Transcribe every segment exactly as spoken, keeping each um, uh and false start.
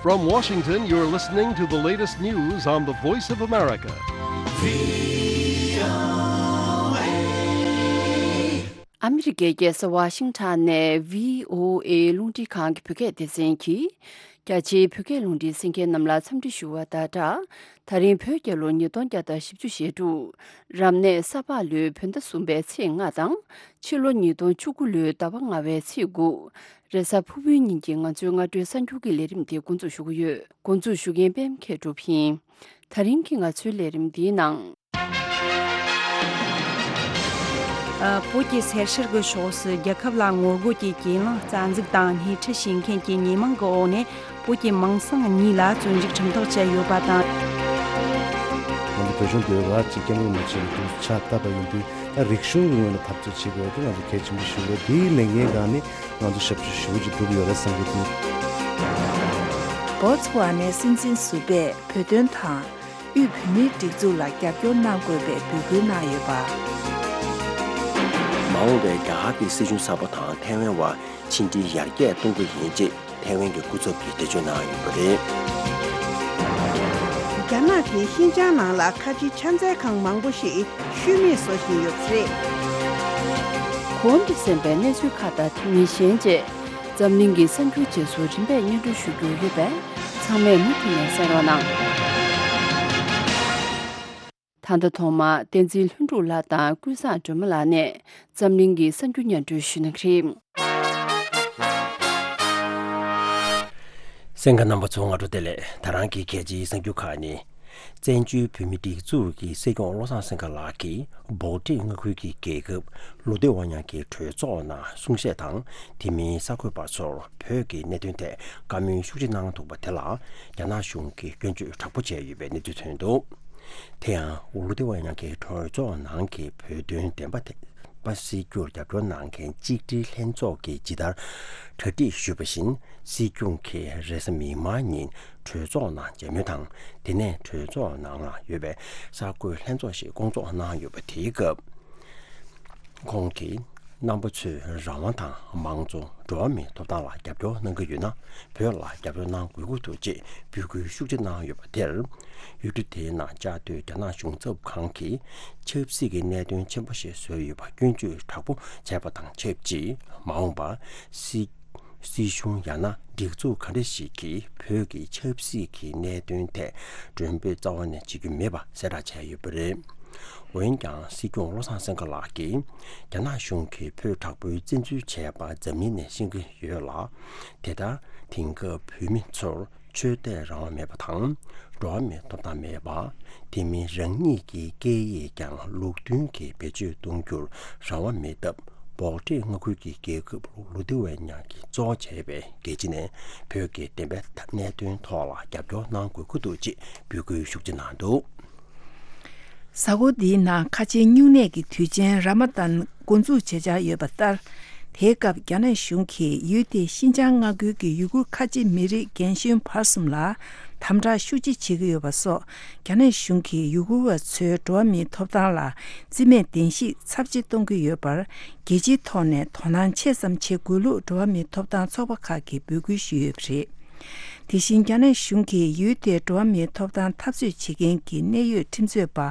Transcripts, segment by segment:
From Washington, you're listening to the latest news on the Voice of America. ཨ་མི་རི་ཀའི་རྒྱལ་ས་ཝ་ཤིང་ཊོན་ནས་བྷི་ཨོ་ཨེ་རླུང་འཕྲིན་ཁང་གི་བོད་སྐད་སྡེ་ཚན་གྱིས། རྒྱ་ཆེའི་བོད་སྐད་རླུང་འཕྲིན་གསན་མཁན་རྣམས་ལ་འཚམས་འདྲི་ཞུ་བ་དང་སྦྲགས། ད་རིང་བོད་རྒྱལ་ལོ་ཉིས་སྟོང་བརྒྱ་དང་བཞི་བཅུ་ཞེ་དྲུག་རབ་གནས་ས་ཕག་ལོའི་བོད་ཟླ་གསུམ་པའི་ཚེས་ལྔ་དང་། ཕྱི་ལོ་ཉིས་སྟོང་བཅུ་དགུ་ལོའི་ཟླ་བ་ལྔ་པའི་ཚེས་དགུ། རེས་གཟའ་ཕུར་བུའི་ཉིན་གྱི་ང་ཚོའི་སྔ་དྲོའི་གསར་འགྱུར་གྱི་ལས་རིམ་འདི་འགོ་འཛུགས་ཞུ་གི་ཡོད། འགོ་འཛུགས་ཞུ་མཁན་པད་མ་མཁས་གྲུབ་ཡིན། ད་རིང་གི་ང་ཚོའི་ལས་རིམ་འདིའི་ནང་། བོད་ཀྱི་སེར་བྱེས་ཀྱི་ཕྱོགས་སུ་རྒྱལ་ཁབ་ལ་ངོ་རྒོལ་གྱི་གྱེན་ལངས་རྩ་འཛུགས་དང་སྣེ་ཁྲིད་བྱེད་མཁན་གྱི་ཉེས་མིང་གི་འོག་ནས་བོད་ཀྱི་མིང་སྲིང་གཉིས་ལ་བཙོན་འཇུག་ཁྲིམས་ཐག་བཅད་ཡོད་པ་དང་། ང་ཚོ་བོད་གཞུང་འདི་ར་གཅིག་སྐད་ངོ་མ་བྱེད་པའི་དུས་ཆ་བཏབ་པ་ཡིན་དུས། ད་རིག་གཞུང་གི་ངོས་ནས་འཐབ་རྩོད་བྱེད་དགོས་པ་དེ་ང་ཚོ་གལ་ཆེན་པོ་ཞིག་རེད། དེའི་ལས་འགན་སྒང་ནས་ང་ཚོ་ཞབས་ཞུ་ཞེ་པོ་ཅིག་སྒྲུབ་ཡོད་རེད་བསམ་གྱི་འདུག་བོ་ཚ་ཝ་ནའི་སྲིད་འཛིན་ཟུར་པས་བོད་དོན་དང་། དབུས་བོད་མིའི་སྒྲིག་འཛུགས་ལ་རྒྱབ་སྐྱོར་གནང་དགོས་པའི་འབོད་སྐུལ་གནང་ཡོད་པ། མ་འོངས་པའི་རྒྱ་གར་གྱི་སྲིད་གཞུང་གསར་པ་དང་ཐའེ་ཝན་བར་ཕྱི་འབྲེལ་ཡར་རྒྱས་གཏོང་གི་ཡིན་ཅེས་ཐའེ་ཝན་གྱི་སྐུ་ཚབ་ཀྱིས་འགྲེལ་བརྗོད་གནང་ཡོད་པ་རེད། རྒྱ་ནག་གིས་ཤིན་ཅང་ནང་ལ་ཁ་ཆེའི་ཕྱག་འཚལ་ཁང་མང་པོ་ཞིག་ཤུལ་མེད་བཟོ་བཞིན་ཡོད་པ་རེད། གོང་དུ་གསན་པའི་གནས་ཚུལ་ཁག་དང་དེ་མིན་གཞན་བཅས། འཛམ་གླིང་གི་གསར་འགྱུར་རྗེས་སུ་རིམ་པས་སྙན་སྒྲོན་ཞུ་རྒྱུ་ཡོད་པས། ཚང་མས་མུ་མཐུད་ནས་གསན་རོགས་གནང་། ད་ལྟ་ཐོག་མར་བསྟན་འཛིན་ལྷུན་གྲུབ་ལགས་དང་ཀུན་བཟང་སྒྲོལ་མ་ལགས་ནས་འཛམ་གླིང་གི་གསར་འགྱུར་སྙན་སྒྲོན་ཞུ་གནང་གི་རེད། གསན་མཁན་རྣམ་པ་ཚོ་སྔ་དྲོ་བདེ་ལེགས། ད་རང་གི་གལ་ཆེའི་གསར་འགྱུར་ཁག་ནི། བཙན་བྱོལ་བོད་མིའི་སྒྲིག་འཛུགས་ཀྱི་སྲིད་སྐྱོང་བློ་བཟང་སེང་གེ་ལགས་ཀྱིས་སྦོག་ཊི་མངའ་ཁུལ་གྱི་རྒྱལ་ཁབ་ལུ་ཏེ་ཝ་ཉ་གི་གྲོས་ཚོགས་ནང་གསུང་བཤད་དང་། དེ་མིན་གསར་འགོད་པ་ཚོར་བོད་ཀྱི་གནད་དོན་ཐད་བཀའ་མོལ་ཤུགས་ཆེ་གནང་འདུག་པ་དེ་ལ་རྒྱ་ནག་གཞུང་གིས་སྐྱོན་བརྗོད་དྲག་པོ་བྱས་ཡོད་པའི་གནས་ཚུལ་ཐོན་འདུག་དེ་ཡང་ལུ་ཏེ་ཝ་ཉ་གི་གྲོས་ཚོགས་ནང་གི་བོད་དོན་བདེན་པ་དེ། པ་སྲིད་སྐྱོང་རྒྱབ་སྐྱོར་གནང་མཁན་གཅིག་སྒྲིལ་ལྷན་ཚོགས་ཀྱིས་ཇི་ལྟར་གྲ་སྒྲིག་ཞུས་པ་བཞིན། སྲིད་སྐྱོང་གིས་རེས་གཟའ་མིག་དམར་ཉིན་གྲོས་ཚོགས་ནང་མཇལ་མོལ་དང་། དེ་ནས་གྲོས་ཚོགས་ནང་ལ་ཡོད་པའི་གསར་འགོད་ལྷན་ཚོགས་ཤིག་བསྐོང་ཚོགས་གནང་ཡོད་པ། དེའི་སྐབས་ཁོང་གིས་རྣམ་པ་ཚོས་རང་དབང་དང་། མང་གཙོ། འགྲོ་བ་མིའི་ཐོབ་ཐང་ལ་རྒྱབ་སྐྱོར་གནང་གི་ཡོད་ན། བོད་ལ་རྒྱབ་སྐྱོར་གནང་དགོས་ཀྱི་འདུག་ཅེས་འབོད་སྐུལ་ཤུགས་ཆེ་གནང་ཡོད་པ་དེར། ཡུལ་གྲུ་དེའི་ནང་བཅའ་སྡོད་རྒྱ་ནག་གཞུང་ཚབ་ཁང་གིས་ཆབ་སྲིད་ཀྱི་གནད་དོན་ཆེན་པོ་ཞིག་བཟོས་ཡོད་པ་སྐྱོན་བརྗོད་དྲག་པོ་བྱས་པ་དང་ཆབས་ཅིག་མ་འོངས་པར་སྲིད་སྲིད་གཞུང་ཡང་ན་སྒྲིག་འཛུགས་ག་འདྲ་ཞིག་གིས་བོད་ཀྱི་ཆབ་སྲིད་ཀྱི་གནད་དོན་ཐད་མགྲོན་འབོད་རྩ་བ་ནས་བྱེད་རྒྱུ་མེད་པ་གསལ་བསྒྲགས་བྱས་ཡོད་པ་རེད། འོན་ཀྱང་སྲིད་སྐྱོང་བློ་བཟང་སེང་གེ་ལགས་ཀྱིས་རྒྱ་ནག་གཞུང་གིས་བོད་དྲག་པོའི་བཙན་འཛུལ་བྱས་པ་འཛམ་གླིང་ནས་ཤེས་ཀྱི་ཡོད་ལ། དེ་ལྟར་དེང་སྐབས་བོད་མི་ཚོར་ཆོས་དད་རང་དབང་མེད་པ་དང་། འགྲོ་བ་མིའི་ཐོབ་ཐང་མེད་པ། དེ་མིན་རང་ཉིད་ཀྱི་སྐད་ཡིག་ཀྱང་ལུགས་མཐུན་གྱིས་བེད་སྤྱོད་གཏོང་རྒྱུར་རང་དབང་མེད་སྟབས། སྦོག་ཊི་མངའ་ཁུལ་གྱི་རྒྱལ་ཁབ་ལུ་ཏེ་ཝེ་ཉ་གིས་གཙོ་བྱས་པའི་རྒྱལ་སྤྱི་ནས་བོད་ཀྱི་བདེན་པའི་གནད་དོན་ཐོག་ལ་རྒྱབ་སྐྱོར་གནང་དགོས་ཀྱི་འདུག་ཅེས་འབོད་སྐུལ་ཤུགས་ཆེ་གནང་འདུག་གཟའ་འཁོར་འདིའི་ནང་ཁ་ཆེའི་སྨྱུང་གནས་ཀྱི་དུས་ཆེན་ར་མ་ཏན་འགོ་འཛུགས་བྱེད་འཆར་ཡོད་པ་ལྟར། དེའི་སྐབས་རྒྱ་ནག་གཞུང་གིས་ཡུལ་དེའི་ཤིན་ཅང་མངའ་ཁུལ་གྱི་ཡུ་གུར་ཁ་ཆེ་མི་རིགས་རྒན་གཞོན་བར་གསུམ་ལ་དམ་དྲག་ཤུགས་ཆེ་བྱེད་ཀྱི་ཡོད་པ་སོགས། རྒྱ་ནག་གཞུང་གིས་ཡུ་གུར་བ་ཚོའི་འགྲོ་བ་མིའི་ཐོབ་ཐང་ལ་རྩིས་མེད་བདེན་བཞིའི་ཚབས་ཆེ་གཏོང་གི་ཡོད་པར། རྒྱལ་སྤྱིའི་ཐོག་ནས་དོ་སྣང་ཆེ་ཙམ་བྱེད་དགོས་ལུགས་འགྲོ་བ་མིའི་ཐོབ་ཐང་ཚོགས་པ་ཁག་གིས་འབོད་སྐུལ་ཞུས་ཡོད་པ་རེད། དེ་བཞིན་རྒྱ་ནག་གཞུང་གིས་ཡུལ་དེའི་འགྲོ་བ་མིའི་ཐོབ་ཐང་འཐབ་རྩོད་བྱེད་མཁན་གྱི་གནད་ཡོད་ཁྲིམས་རྩོད་པ་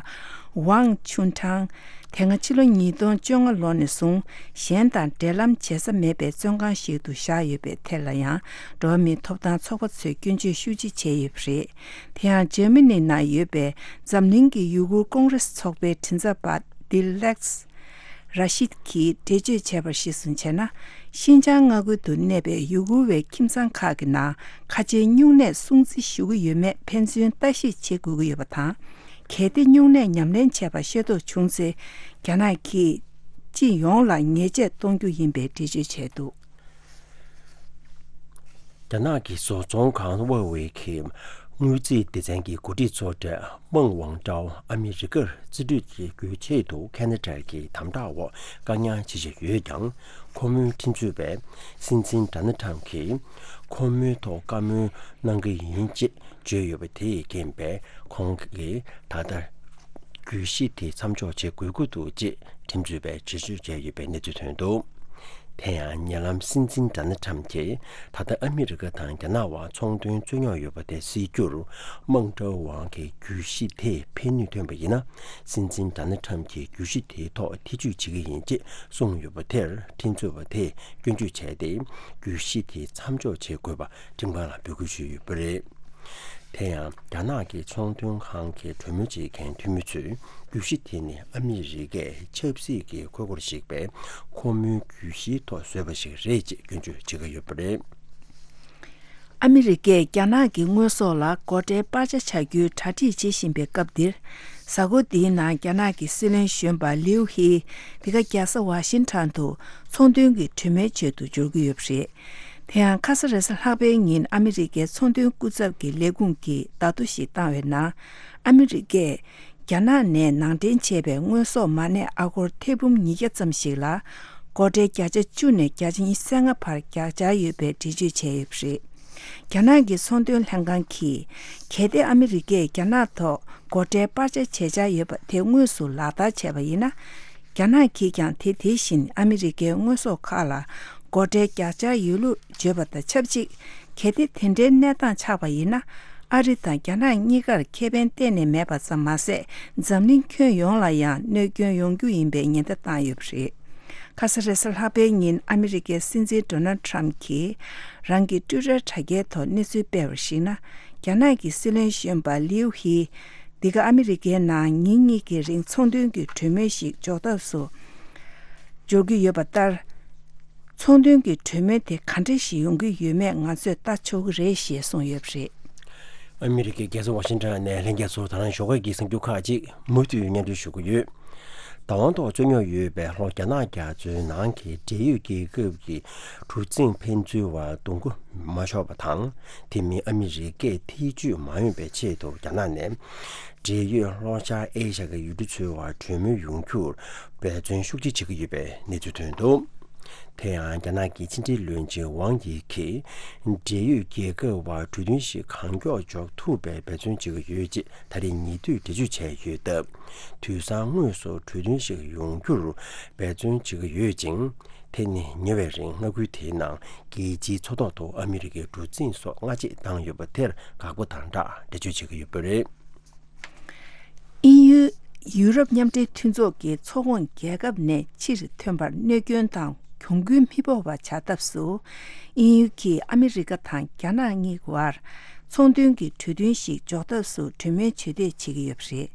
ཝང་ཆུན་ཁྲང་། དེ་སྔ་ཕྱི་ལོ་ཉིས་སྟོང་བཅོ་ལྔ་ལོ་ནས་བཟུང་གཞན་དང་འབྲེལ་ལམ་བྱེད་ས་མེད་པའི་བཙོན་ཁང་ཞིག་ཏུ་བཞག་ཡོད་པའི་ཐད་ལ་ཡང་འགྲོ་བ་མིའི་ཐོབ་ཐང་ཚོགས་པ་ཚོས་སྐྱོན་བརྗོད་ཤུགས་ཆེ་བྱས་ཡོད་པ་རེད། དེ་ཡང་འཇར་མ་ནི་ནང་ཡོད་པའི་འཛམ་གླིང་གི་ཡུ་གུར་ཀོང་རེས་ཚོགས་པའི་མགྲིན་ཚབ་པ་ཏི་ལེགས་ར་ཤིད་ཀྱིས་འགྲེལ་བརྗོད་བྱས་པར་གཞིར་བཟུང་བྱས་ན། ཤིན་ཅང་མངའ་ཁུལ་དུ་གནས་པའི་ཡུ་གུར་བའི་ཁྱིམ་ཚང་ཁག་གི་ནང་ཁ་ཆེའི་སྨྱུང་གནས་སྲུང་བརྩི་ཞུ་གི་ཡོད་མེད་ཕན་ཚུན་ལྟ་ཞིབ་བྱེད་དགོས་ཀྱི་ཡོད་པ་དང་། གལ་ཏེ་སྨྱུང་གནས་ཉམས་ལེན་བྱས་པ་ཤེས་རྟོགས་བྱུང་ཚེ། རྒྱ་ནག་གིས་སྤྱི་ཡོངས་ལ་ཉེས་ཆད་གཏོང་རྒྱུ་ཡིན་པའི་འགྲེལ་བརྗོད་བྱས་འདུག་རྒྱ་ནག་གི་བཟོ་ཚོང་ཁང་ཝེ་ཝེ་གི་དངུལ་རྩིས་སྡེ་ཚན་གྱི་འགོ་ཁྲིད་ཚོ་གྲས་མང་ཝང་ཀྲའོ་ཨ་མི་རི་ཀར་རྩིས་སྤྲོད་བྱེད་རྒྱུའི་ཆེད་དུ་ཁེ་ན་ཌ་གི་དམ་དྲག་འོག་བཀག་ཉར་བྱེད་བཞིན་ཡོད་ཀྱང་། ཁོ་མོའི་ཁྲིམས་རྩོད་པས་སྲིད་འཛིན་ཌོ་ནལ་ཊམ་གྱིས་ཁོ་མོའི་ཐོག་བཀའ་མོལ་གནང་གི་ཡིན་ཅེས་བརྗོད་ཡོད་པ་དེས་རྐྱེན་པས། ཁོང་གིས་ད་ལྟ་གྱོད་གཞི་དེ་མཚམས་འཇོག་བྱེད་དགོས་ཀྱི་འདུག་ཅེས་ཁྲིམས་རྩོད་པས་འགྲེལ་བརྗོད་བྱས་ཡོད་པའི་གནས་ཚུལ་ཐོན་འདུག་དེ་ཡང་ཉེ་ལམ་སྲིད་འཛིན་ཌོ་ནལ་ཊམ་གྱིས་ད་ལྟ་ཨ་མི་རི་ཀ་དང་རྒྱ་ནག་དབར་ཚོང་དོན་རྩོད་རྙོག་ཡོད་པ་དེ་སེལ་རྒྱུར་དམག་འཁྲུག་དབང་གིས་གྱོད་གཞི་དེ་ཕན་ནུས་ཐོན་པ་ཡིན་ན། སྲིད་འཛིན་ཌོ་ནལ་ཊམ་གྱིས་གྱོད་གཞི་དེའི་ཐོག་ཐེ་བྱུས་བྱེད་ཀྱི་ཡིན་ཅེས་གསུངས་ཡོད་པ་དེར་ཁྲིམས་རྩོད་པ་དེས་སྐྱོན་བརྗོད་བྱས་ཏེ། གྱོད་གཞི་དེ་མཚམས་འཇོག་བྱེད་དགོས་པ་ཁྲིམས་ཁང་ལ་འབོད་སྐུལ་ཞུས་ཡོད་པ་རེད། དེ་ཡང་རྒྱ་ནག་གི་ཚོང་དོན་ཁང་གི་གྲོས་མོལ་བྱེད་མཁན་འཐུས་མི་ཚོས་གྱོད་གཞི་དེ་ནི་ཨ་མི་རི་ཀས་ཆབ་སྲིད་ཀྱི་ཁུར་པོར་གཞིགས་པའི་ཁོ་མོའི་གྱོད་གཞིའི་ཐོག་བཟོས་པ་ཞིག་རེད་ཅེས་སྐྱོན་བརྗོད་བྱེད་ཀྱི་ཡོད་པ་རེད། ཨ་མི་རི་ཀས་རྒྱ་ནག་གི་དངོས་ཟོག་ལ་སྒོ་ཁྲལ་སྤར་ཆ་བྱ་རྒྱུའི་གྲ་སྒྲིག་བྱེད་བཞིན་པའི་སྐབས་འདིར། གཟའ་འཁོར་འདིའི་ནང་རྒྱ་ནག་གི་སྲིད་བློན་གཞོན་པ་ལིའུ་ཧི་འདི་ག་རྒྱལ་ས་ཝ་ཤིང་ཊོན་དུ་ཚོང་དོན་གྱི་གྲོས་མོལ་ཆེད་དུ་འབྱོར་གྱི་ཡོད་པ་རེད། དེ་ཡང་ཁ་ས་རེས་གཟའ་ལྷག་པའི་ཉིན་ཨ་མི་རི་ཀའི་ཚོང་དོན་སྐུ་ཚབ་ཀྱི་ལས་ཁུངས་ཀྱིས་བརྡ་ཐོ་ཞིག་བཏང་བའི་ནང་། ཨ་མི་རི་ཀས་རྒྱ་ནག་ནས་ནང་འདྲེན་བྱས་པའི་དངོས་ཟོག་མ་གནས་ཨ་སྒོར་ཐེར་འབུམ་ཉིས་བརྒྱ་ཙམ་ཞིག་ལ་སྒོ་ཁྲལ་བརྒྱ་ཆ་བཅུ་ནས་བརྒྱ་ཆ་ཉི་ཤུ་རྩ་ལྔ་བར་བརྒྱབ་འཆར་ཡོད་པའི་འགྲེལ་བརྗོད་བྱས་ཡོད་པ་རེད། རྒྱ་ནག་གི་ཚོང་དོན་ལྷན་ཁང་གིས། གལ་ཏེ་ཨ་མི་རི་ཀས་རྒྱ་ནག་ཐོག་སྒོ་ཁྲལ་སྤར་ཆ་བྱེད་འཆར་ཡོད་པ་དེ་དངོས་སུ་ལག་བསྟར་བྱས་པ་ཡིན་ན། རྒྱ་ནག་གིས་ཀྱང་དེ་དེ་བཞིན་ཨ་མི་རི་ཀའི་དངོས་ཟོག་ཁག་ལ་སྒོ་ཁྲལ་བརྒྱབ་འཆར་ཡོད་ལུགས་བརྗོད་པ་དང་ཆབས་ཅིག་གལ་ཏེ་དེ་འདྲའི་གནས་སྟངས་ཆགས་པ་ཡིན་ན། ཨ་རི་དང་རྒྱ་ནག་གཉིས་ཀར་ཁེ་ཕན་གཏན་ནས་མེད་པ་ཙམ་མ་ཟད། འཛམ་གླིང་ཁྱོན་ཡོངས་ལ་ཡང་གནོད་སྐྱོན་ཡོང་རྒྱུ་ཡིན་པའི་ཉེན་བརྡ་བཏང་ཡོད་པ་རེད། ཁ་ས་རེས་གཟའ་ལྷག་པའི་ཉིན་ཨ་མི་རི་ཀའི་སྲིད་འཛིན་ཌོ་ནལ་ཊམ་གྱིས་རང་གི་ཊུ་ཊར་དྲ་རྒྱའི་ཐོག་གནས་ཚུལ་སྤེལ་བར་གཞིགས་ན། རྒྱ་ནག་གི་སྲིད་བློན་གཞོན་པ་ལིའུ་ཧི་འདི་ག་ཨ་མི་རི་ཀའི་ནང་ཉིན་གཉིས་ཀྱི་རིང་ཚོང་དོན་གྱི་གྲོས་མོལ་ཞིག་འཇོག་ཐབས་སུ་འཇོག་གི་ཡོད་པ་ལྟར། ཚོང་དོན་གྱི་གྲོས་མོལ་དེ་ག་འདྲ་ཞིག་ཡོང་གི་ཡོད་མེད་ང་ཚོས་ལྟ་ཆོག་གི་རེད་ཞེས་གསུངས་ཡོད་པ་རེད། ཨ་མི་རི་ཀའི་རྒྱལ་ས་ཝ་ཤིང་ཊོན་ནས་ལྷན་རྒྱས་ཚོར་ད་རང་ཞོགས་ཀས་ཀྱི་གསར་འགྱུར་ཁག་ཅིག་མུ་མཐུད་སྙན་སྒྲོན་ཞུ་གི་ཡོད། བདག་དབང་ཐོག་རྩོད་རྙོག་ཡོད་པའི་ལྷོ་རྒྱ་ནག་རྒྱ་མཚོའི་ནང་གི་འབྲེལ་ཡོད་རྒྱལ་ཁབ་ཀྱི་གྲུ་གཟིངས་ཕན་ཚུན་བར་རྡུང་རྒོལ་མ་ཤོར་བ་དང་། དེ་མིན་ཨ་མི་རི་ཀས་ཐེ་བྱུས་མ་ཡོང་བའི་ཆེད་དུ་རྒྱ་ནག་ནས་འབྲེལ་ཡོད་ལྷོ་ཤར་ཨེ་ཤ་གི་ཡུལ་གྲུ་ཚོའི་བར་གྲོས་མོལ་ཡོང་རྒྱུར་འབད་བརྩོན་ཤུགས་ཆེ་བྱེད་ཀྱི་ཡོད་པའི་གནས་ཚུལ་ཐོན་འདུག་དེ་ཡང་རྒྱ་ནག་གི་ཕྱི་འབྲེལ་བློན་ཆེན་ཝང་ཡི་གིས་འབྲེལ་ཡོད་རྒྱལ་ཁབ་བར་གྲོས་མཐུན་ཞིག་གང་མགྱོགས་འཇོག་ཐུབ་པའི་འབད་བརྩོན་བྱེད་ཀྱི་ཡོད་ཅེས་ད་རེས་ཉེ་དུས་འགྲེལ་བརྗོད་བྱས་ཡོད་སྟབས། དུས་སང་དངོས་སུ་གྲོས་མཐུན་ཞིག་ཡོང་རྒྱུར་འབད་བརྩོན་བྱེད་ཀྱི་ཡོད་ཅིང་། དེ་ནི་ཉེ་བའི་རིང་མངའ་ཁུལ་དེའི་ནང་རྒྱལ་སྤྱིའི་མཚོ་ཐོག་ཏུ་ཨ་མི་རི་ཀའི་གྲུ་གཟིངས་སོགས་སྔ་རྗེས་བཏང་ཡོད་པ་དེར་དགག་པ་དང་སྦྲགས་འགྲེལ་བརྗོད་བྱེད་ཀྱི་ཡོད་པ་རེད། དབྱིན་ཡུལ། ཡུ་རོབ་མཉམ་འབྲེལ་མཐུན་ཚོགས་ཀྱི་ཚོགས་ཁོངས་རྒྱལ་ཁབ་ནས་ཕྱིར་ཐོན་པར་གནོད་སྐྱོན་དང་གྱོང་གུན་མི་ཕོག་པ་བྱ་ཐབས་སུ། དབྱིན་ཡུལ་གྱིས་ཨ་མི་རི་ཀ་དང་རྒྱ་ནག་གཉིས་བར་ཚོང་དོན་གྱི་གྲོས་མཐུན་ཞིག་འཇོག་ཐབས་སུ་གྲོས་མོལ་བྱེད་འདོད་བྱེད་ཀྱི་ཡོད་པ་རེད།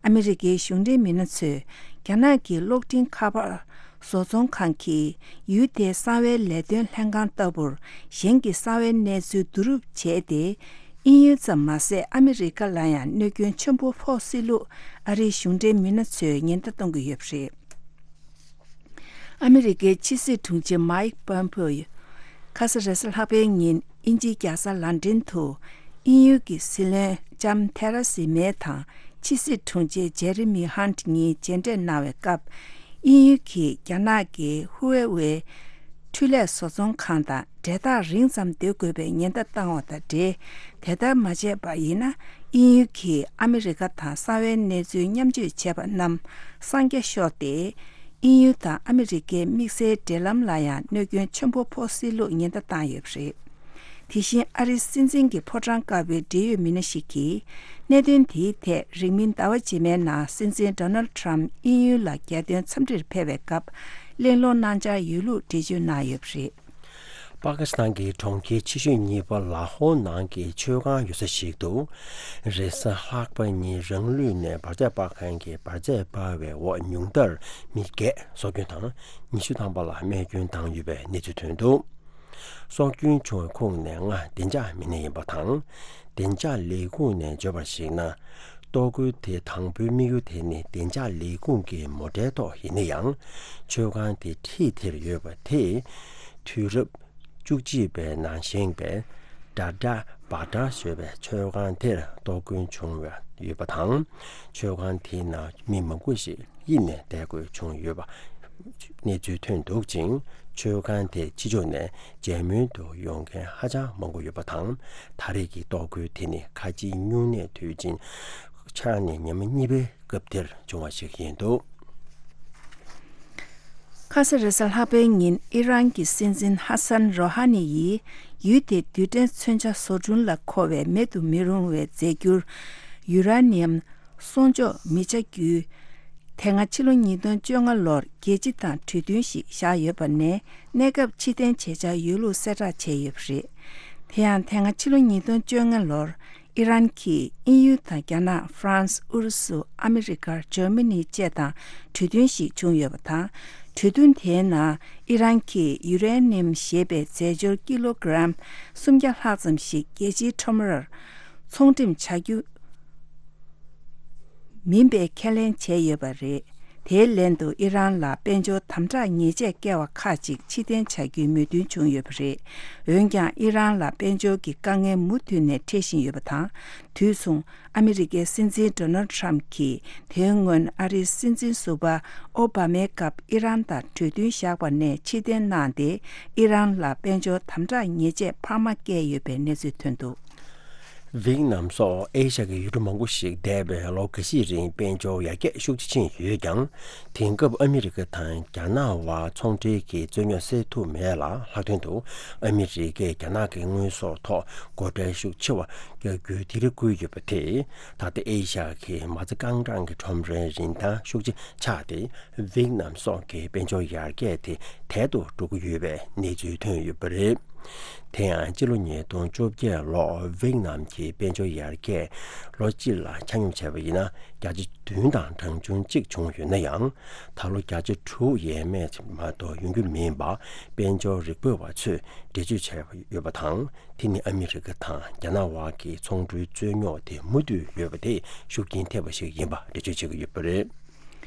ཨ་མི་རི་ཀའི་གཞུང་འབྲེལ་མི་སྣ་ཚོས་རྒྱ་ནག་གི་གློག་འཕྲིན་ཁ་པར་བཟོ་ཚོང་ཁང་གིས་ཡུལ་དེའི་གསང་བའི་ལས་དོན་ལྷན་ཁང་ལྟ་བུར་གཞན་གྱི་གསང་བའི་གནས་ཚུལ་བསྡུ་རུབ་བྱས་ཏེ། དབྱིན་ཡུལ་ཙམ་མ་ཟད་ཨ་མི་རི་ཀ་ལ་ཡང་གནོད་སྐྱོན་ཆེན་པོ་ཕོག་སྲིད་ལུགས་ཨ་རིའི་གཞུང་འབྲེལ་མི་སྣ་ཚོས་ཉེན་བརྡ་གཏོང་གི་ཡོད་པ་རེད། ཨ་མི་རི་ཀའི་ཕྱི་སྲིད་དྲུང་ཆེ་མའིག་པོམ་པེའོ་ཁ་ས་རེས་གཟའ་ལྷག་པའི་ཉིན་དབྱིན་ཇིའི་རྒྱལ་ས་ལན་ཀྲན་དུ་དབྱིན་ཡུལ་གྱི་སྲིད་བློན་ལྕམ་ཐེ་ར་སི་མེ་དང་ཕྱི་སྲིད་དྲུང་ཆེ་ཇེ་རི་མི་ཧན་གཉིས་མཇལ་འཕྲད་གནང་བའི་སྐབས། དབྱིན་ཡུལ་གྱིས་རྒྱ་ནག་གི་ཧུ་ཝེ་ཝེ་འཕྲུལ་ལས་བཟོ་ཚོང་ཁང་དང་འབྲེལ་ཐག་རིང་ཙམ་སྡོད་དགོས་པའི་ཉེན་བརྡ་བཏང་བ་དང་འབྲེལ། དེ་ལྟར་མ་བྱས་པ་ཡིན་ན། དབྱིན་ཡུལ་གྱིས་ཨ་མི་རི་ཀ་དང་གསང་བའི་གནས་ཚུལ་མཉམ་སྤྱོད་བྱས་པ་རྣམས་གསང་རྒྱ་ཤོར་ཏེ། དབྱིན་ཡུལ་དང་ཨ་མི་རི་ཀའི་དམིགས་བསལ་འབྲེལ་ལམ་ལ་ཡང་གནོད་སྐྱོན་ཆེན་པོ་ཕོག་སྲིད་ལུགས་ཉེན་བརྡ་བཏང་ཡོད་པ་རེད། དེ་བཞིན་ཨ་རིའི་སྲིད་འཛིན་གྱི་ཕོ་བྲང་དཀར་པོའི་འབྲེལ་ཡོད་མི་སྣ་ཞིག་གིས། གནད་དོན་དེའི་ཐད་རིང་མིན་ཟླ་བ་རྗེས་མའི་ནང་སྲིད་འཛིན་ཌོ་ནལ་ཊམ་དབྱིན་ཡུལ་ལ་རྒྱལ་དོན་འཚམས་འདྲིར་ཕེབས་པའི་སྐབས་གླེང་སློང་གནང་འཆར་ཡོད་ལུགས་འགྲེལ་བརྗོད་གནང་ཡོད་པ་རེད། པ་ཀི་སི་ཐན་གྱི་གྲོང་ཁྱེར་ཆེ་ཤོས་གཉིས་པ་ལ་ཧོར་ནང་གི་མཆོད་ཁང་ཡོད་ས་ཞིག་ཏུ། རེས་གཟའ་ལྷག་པ་ཉིན་རང་ལུས་ནས་འབར་རྫས་སྤར་མཁན་གྱིས་འབར་རྫས་སྤར་བའི་འོག་ཉུང་མཐར་མི་བརྒྱད་སྲོག་སྐྱོན་དང་། ཉི་ཤུ་ཐམ་པ་ལ་རྨས་སྐྱོན་བཏང་ཡོད་པའི་གནས་ཚུལ་ཐོན་འདུག་སྲོག་སྐྱོན་བྱུང་བའི་ཁོངས་ནས་ལྔ་བདེ་འཇགས་མི་སྣ་ཡིན་པ་དང་། བདེ་འཇགས་ལས་ཁུངས་ནས་བརྗོད་པར་གཞིགས་ན། གཏོར་རྒོལ་དེ་དང་པོའི་དམིགས་ཡུལ་དེ་ནི་བདེ་འཇགས་ལས་ཁུངས་ཀྱི་མོ་ཊའི་ཐོག་ཡིན་ན་ཡང་། མཆོད་ཁང་དེ་འཁྲིས་དེར་ཡོད་པ་དེས། དུས་རབས་བཅུ་གཅིག་པའི་ནང་བཞེངས་པའི་ཌ་ཌ་བྷ་ཌ་ཞེས་པའི་མཆོད་ཁང་དེར་གཏོར་རྒོལ་བྱུང་བ་ཡོད་པ་དང་། མཆོད་ཁང་དེའི་ནང་མི་མང་པོ་ཞིག་གཡུགས་ནས་བསྡད་དགོས་བྱུང་ཡོད་པ་གནས་ཚུལ་ཐོན་འདུག་ཅིང་། མཆོད་ཁང་དེ་ཕྱི་ཕྱོགས་ནས་མཇལ་མོལ་དུ་ཡོང་མཁན་ཧ་ཅང་མང་པོ་ཡོད་པ་དང་། ད་རེས་ཀྱི་གཏོར་རྒོལ་དེ་ནི་ཁ་ཆེའི་སྨྱུང་གནས་དུས་ཆེན་ཆགས་ནས་ཉི་མ་གཉིས་པའི་སྐབས་དེར་བྱུང་བ་ཞིག་ཡིན་འདུག་ཁ་ ཁ་ས་རེས་གཟའ་ལྷག་པའི་ཉིན་ཨི་རན་གྱི་སྲིད་འཛིན་ཧ་སན་རོ་ཧ་ནི་ཡིས་ཡུལ་དེའི་རྡུལ་ཕྲན་མཚོན་ཆ་བཟོ་སྐྲུན་ལ་མཁོ་བའི་མེད་དུ་མི་རུང་བའི་རྫས་འགྱུར་ཡུ་ར་ནི་ཡམ་གསོག་འཇོག་མི་བྱ་རྒྱུའི་དེ་སྔ་ཕྱི་ལོ་ཉིས་སྟོང་བཅོ་ལྔ་ལོར་རྒྱལ་སྤྱི་དང་གྲོས་མཐུན་ཞིག་བཞག་ཡོད་པ་ནས། གནས་སྐབས་ཕྱིར་འཐེན་བྱེད་འཆར་ཡོད་ལུགས་གསལ་བསྒྲགས་བྱས་ཡོད་པ་རེད། དེ་ཡང་དེ་སྔ་ཕྱི་ལོ་ཉིས་སྟོང་བཅོ་ལྔ་ལོར་ཨི་རན་གྱིས་དབྱིན་ཡུལ་དང་རྒྱ་ནག་ཧྥ་རན་སི། ཨུ་རུ་སུ། ཨ་མི་རི་ཀ། འཇར་མ་ནི་བཅས་དང་གྲོས་མཐུན་ཞིག་བྱུང་ཡོད་པ་དང་། གྲོས་མཐུན་དེའི་ནང་ཨི་རན་གྱིས་ཡུ་རེ་ནི་ཡམ་ཞེས་པའི་རྫས་སྦྱོར་ཀི་ལོ་གྲམ་སུམ་བརྒྱ་ལྷག་ཙམ་ཞིག་རྒྱལ་སྤྱིའི་ཁྲོམ་རར་ཚོང་འགྲེམས་བྱ་རྒྱུ་མིན་པའི་ཁས་ལེན་བྱས་ཡོད་པ་རེད། དེའི་ལན་དུ་ཨི་རན་ལ་དཔལ་འབྱོར་དམ་དྲག་ཉེས་ཆད་བཀལ་བ་ཁག་ཅིག་ཕྱིར་འཐེན་བྱ་རྒྱུའི་མོས་མཐུན་བྱུང་ཡོད་པ་རེད། འོན་ཀྱང་ཨི་རན་ལ་དཔལ་འབྱོར་གྱི་དཀའ་ངལ་མུ་མཐུད་ནས་འཕྲད་བཞིན་ཡོད་པ་དང་། དུས་མཚུངས་ཨ་མི་རི་ཀའི་སྲིད་འཛིན་ཌོ་ནལ་ཌི་ཊརམ་གྱིས་དེའི་སྔོན་ཨ་རིའི་སྲིད་འཛིན་ཟུར་པ་ཨོ་བྷ་མའི་སྐབས་ཨི་རན་དང་གྲོས་མཐུན་བཞག་པ་ནས་ཕྱིར་འཐེན་གནང་སྟེ། ཨི་རན་ལ་དཔལ་འབྱོར་དམ་དྲག་ཉེས་ཆད་འཕར་མ་བཀལ་ཡོད་པའི་གནས་ཚུལ་ཐོན་འདུག། ཝེ་ཏི་ནམ་སོགས་ཨེ་ཤ་ཡའི་ཡུལ་གྲུ་མང་པོ་ཞིག་འདས་པའི་ལོ་འགའ་ཤས་རིང་དཔལ་འབྱོར་ཡར་རྒྱས་ཤུགས་ཆེ་ཕྱིན་ཡོད་ཀྱང་། དེང་སྐབས་ཨ་མི་རི་ཀ་དང་རྒྱ་ནག་དབར་ཚོང་འབྲེལ་གྱི་རྩོད་རྙོག་སེལ་ཐུབ་མེད་ལ། ལྷག་དོན་དུ་ཨ་མི་རི་ཀས་རྒྱ་ནག་གི་དངོས་ཟོག་ཐོག་སྒོ་ཁྲལ་ཤུགས་ཆེ་བ་རྒྱག་རྒྱུའི་དེ་རིགས་བསྐུལ་ཡོད་པ་དེས། ད་ལྟ་ཨེ་ཤ་ཡའི་མ་རྩ་རྐང་གྲངས་ཀྱི་ཁྲོམ་རའི་རིན་ཐང་ཤུགས་ཆེ་ཆག་སྟེ། ཝེ་ཏི་ནམ་སོགས་ཀྱི་དཔལ་འབྱོར་ཡར་རྒྱས་དེ་དལ་དུ་འགྲོ་གི་ཡོད་པའི་གནས་ཚུལ་ཐོན་ཡོད་པ་རེད། དེ་ཡང་སྤྱི་ལོ་ཉིས་སྟོང་བཅོ་བརྒྱད་ལོར་ཝེ་ཏི་ནམ་གྱི་དཔལ་འབྱོར་ཡར་རྒྱས་ལོ་གཅིག་ལ་ཆ་སྙོམས་བྱས་པ་ཡིན་ན། བརྒྱ་ཆ་བདུན་དང་གྲངས་ཆུང་གཅིག་བྱུང་ཡོད་ན་ཡང་། ད་ལོ་བརྒྱ་ཆ་དྲུག་ཡས་མས་མ་གཏོགས་ཡོང་རྒྱུ་མིན་པ་དཔལ་འབྱོར་རིག་པ་བ་ཚོས་འགྲེལ་བརྗོད་བྱས་ཡོད་པ་དང་། དེ་ནི་ཨ་མི་རི་ཀ་དང་རྒྱ་ནག་དབར་གྱི་ཚོང་འབྲེལ་རྩོད་རྙོག་དེ་མུ་མཐུད་ཡོད་པ་དེས་ཤུགས་རྐྱེན་ཐེབས་པ་ཞིག་ཡིན་པ་འགྲེལ་བརྗོད་བྱེད་ཀྱི་ཡོད་པ་རེད།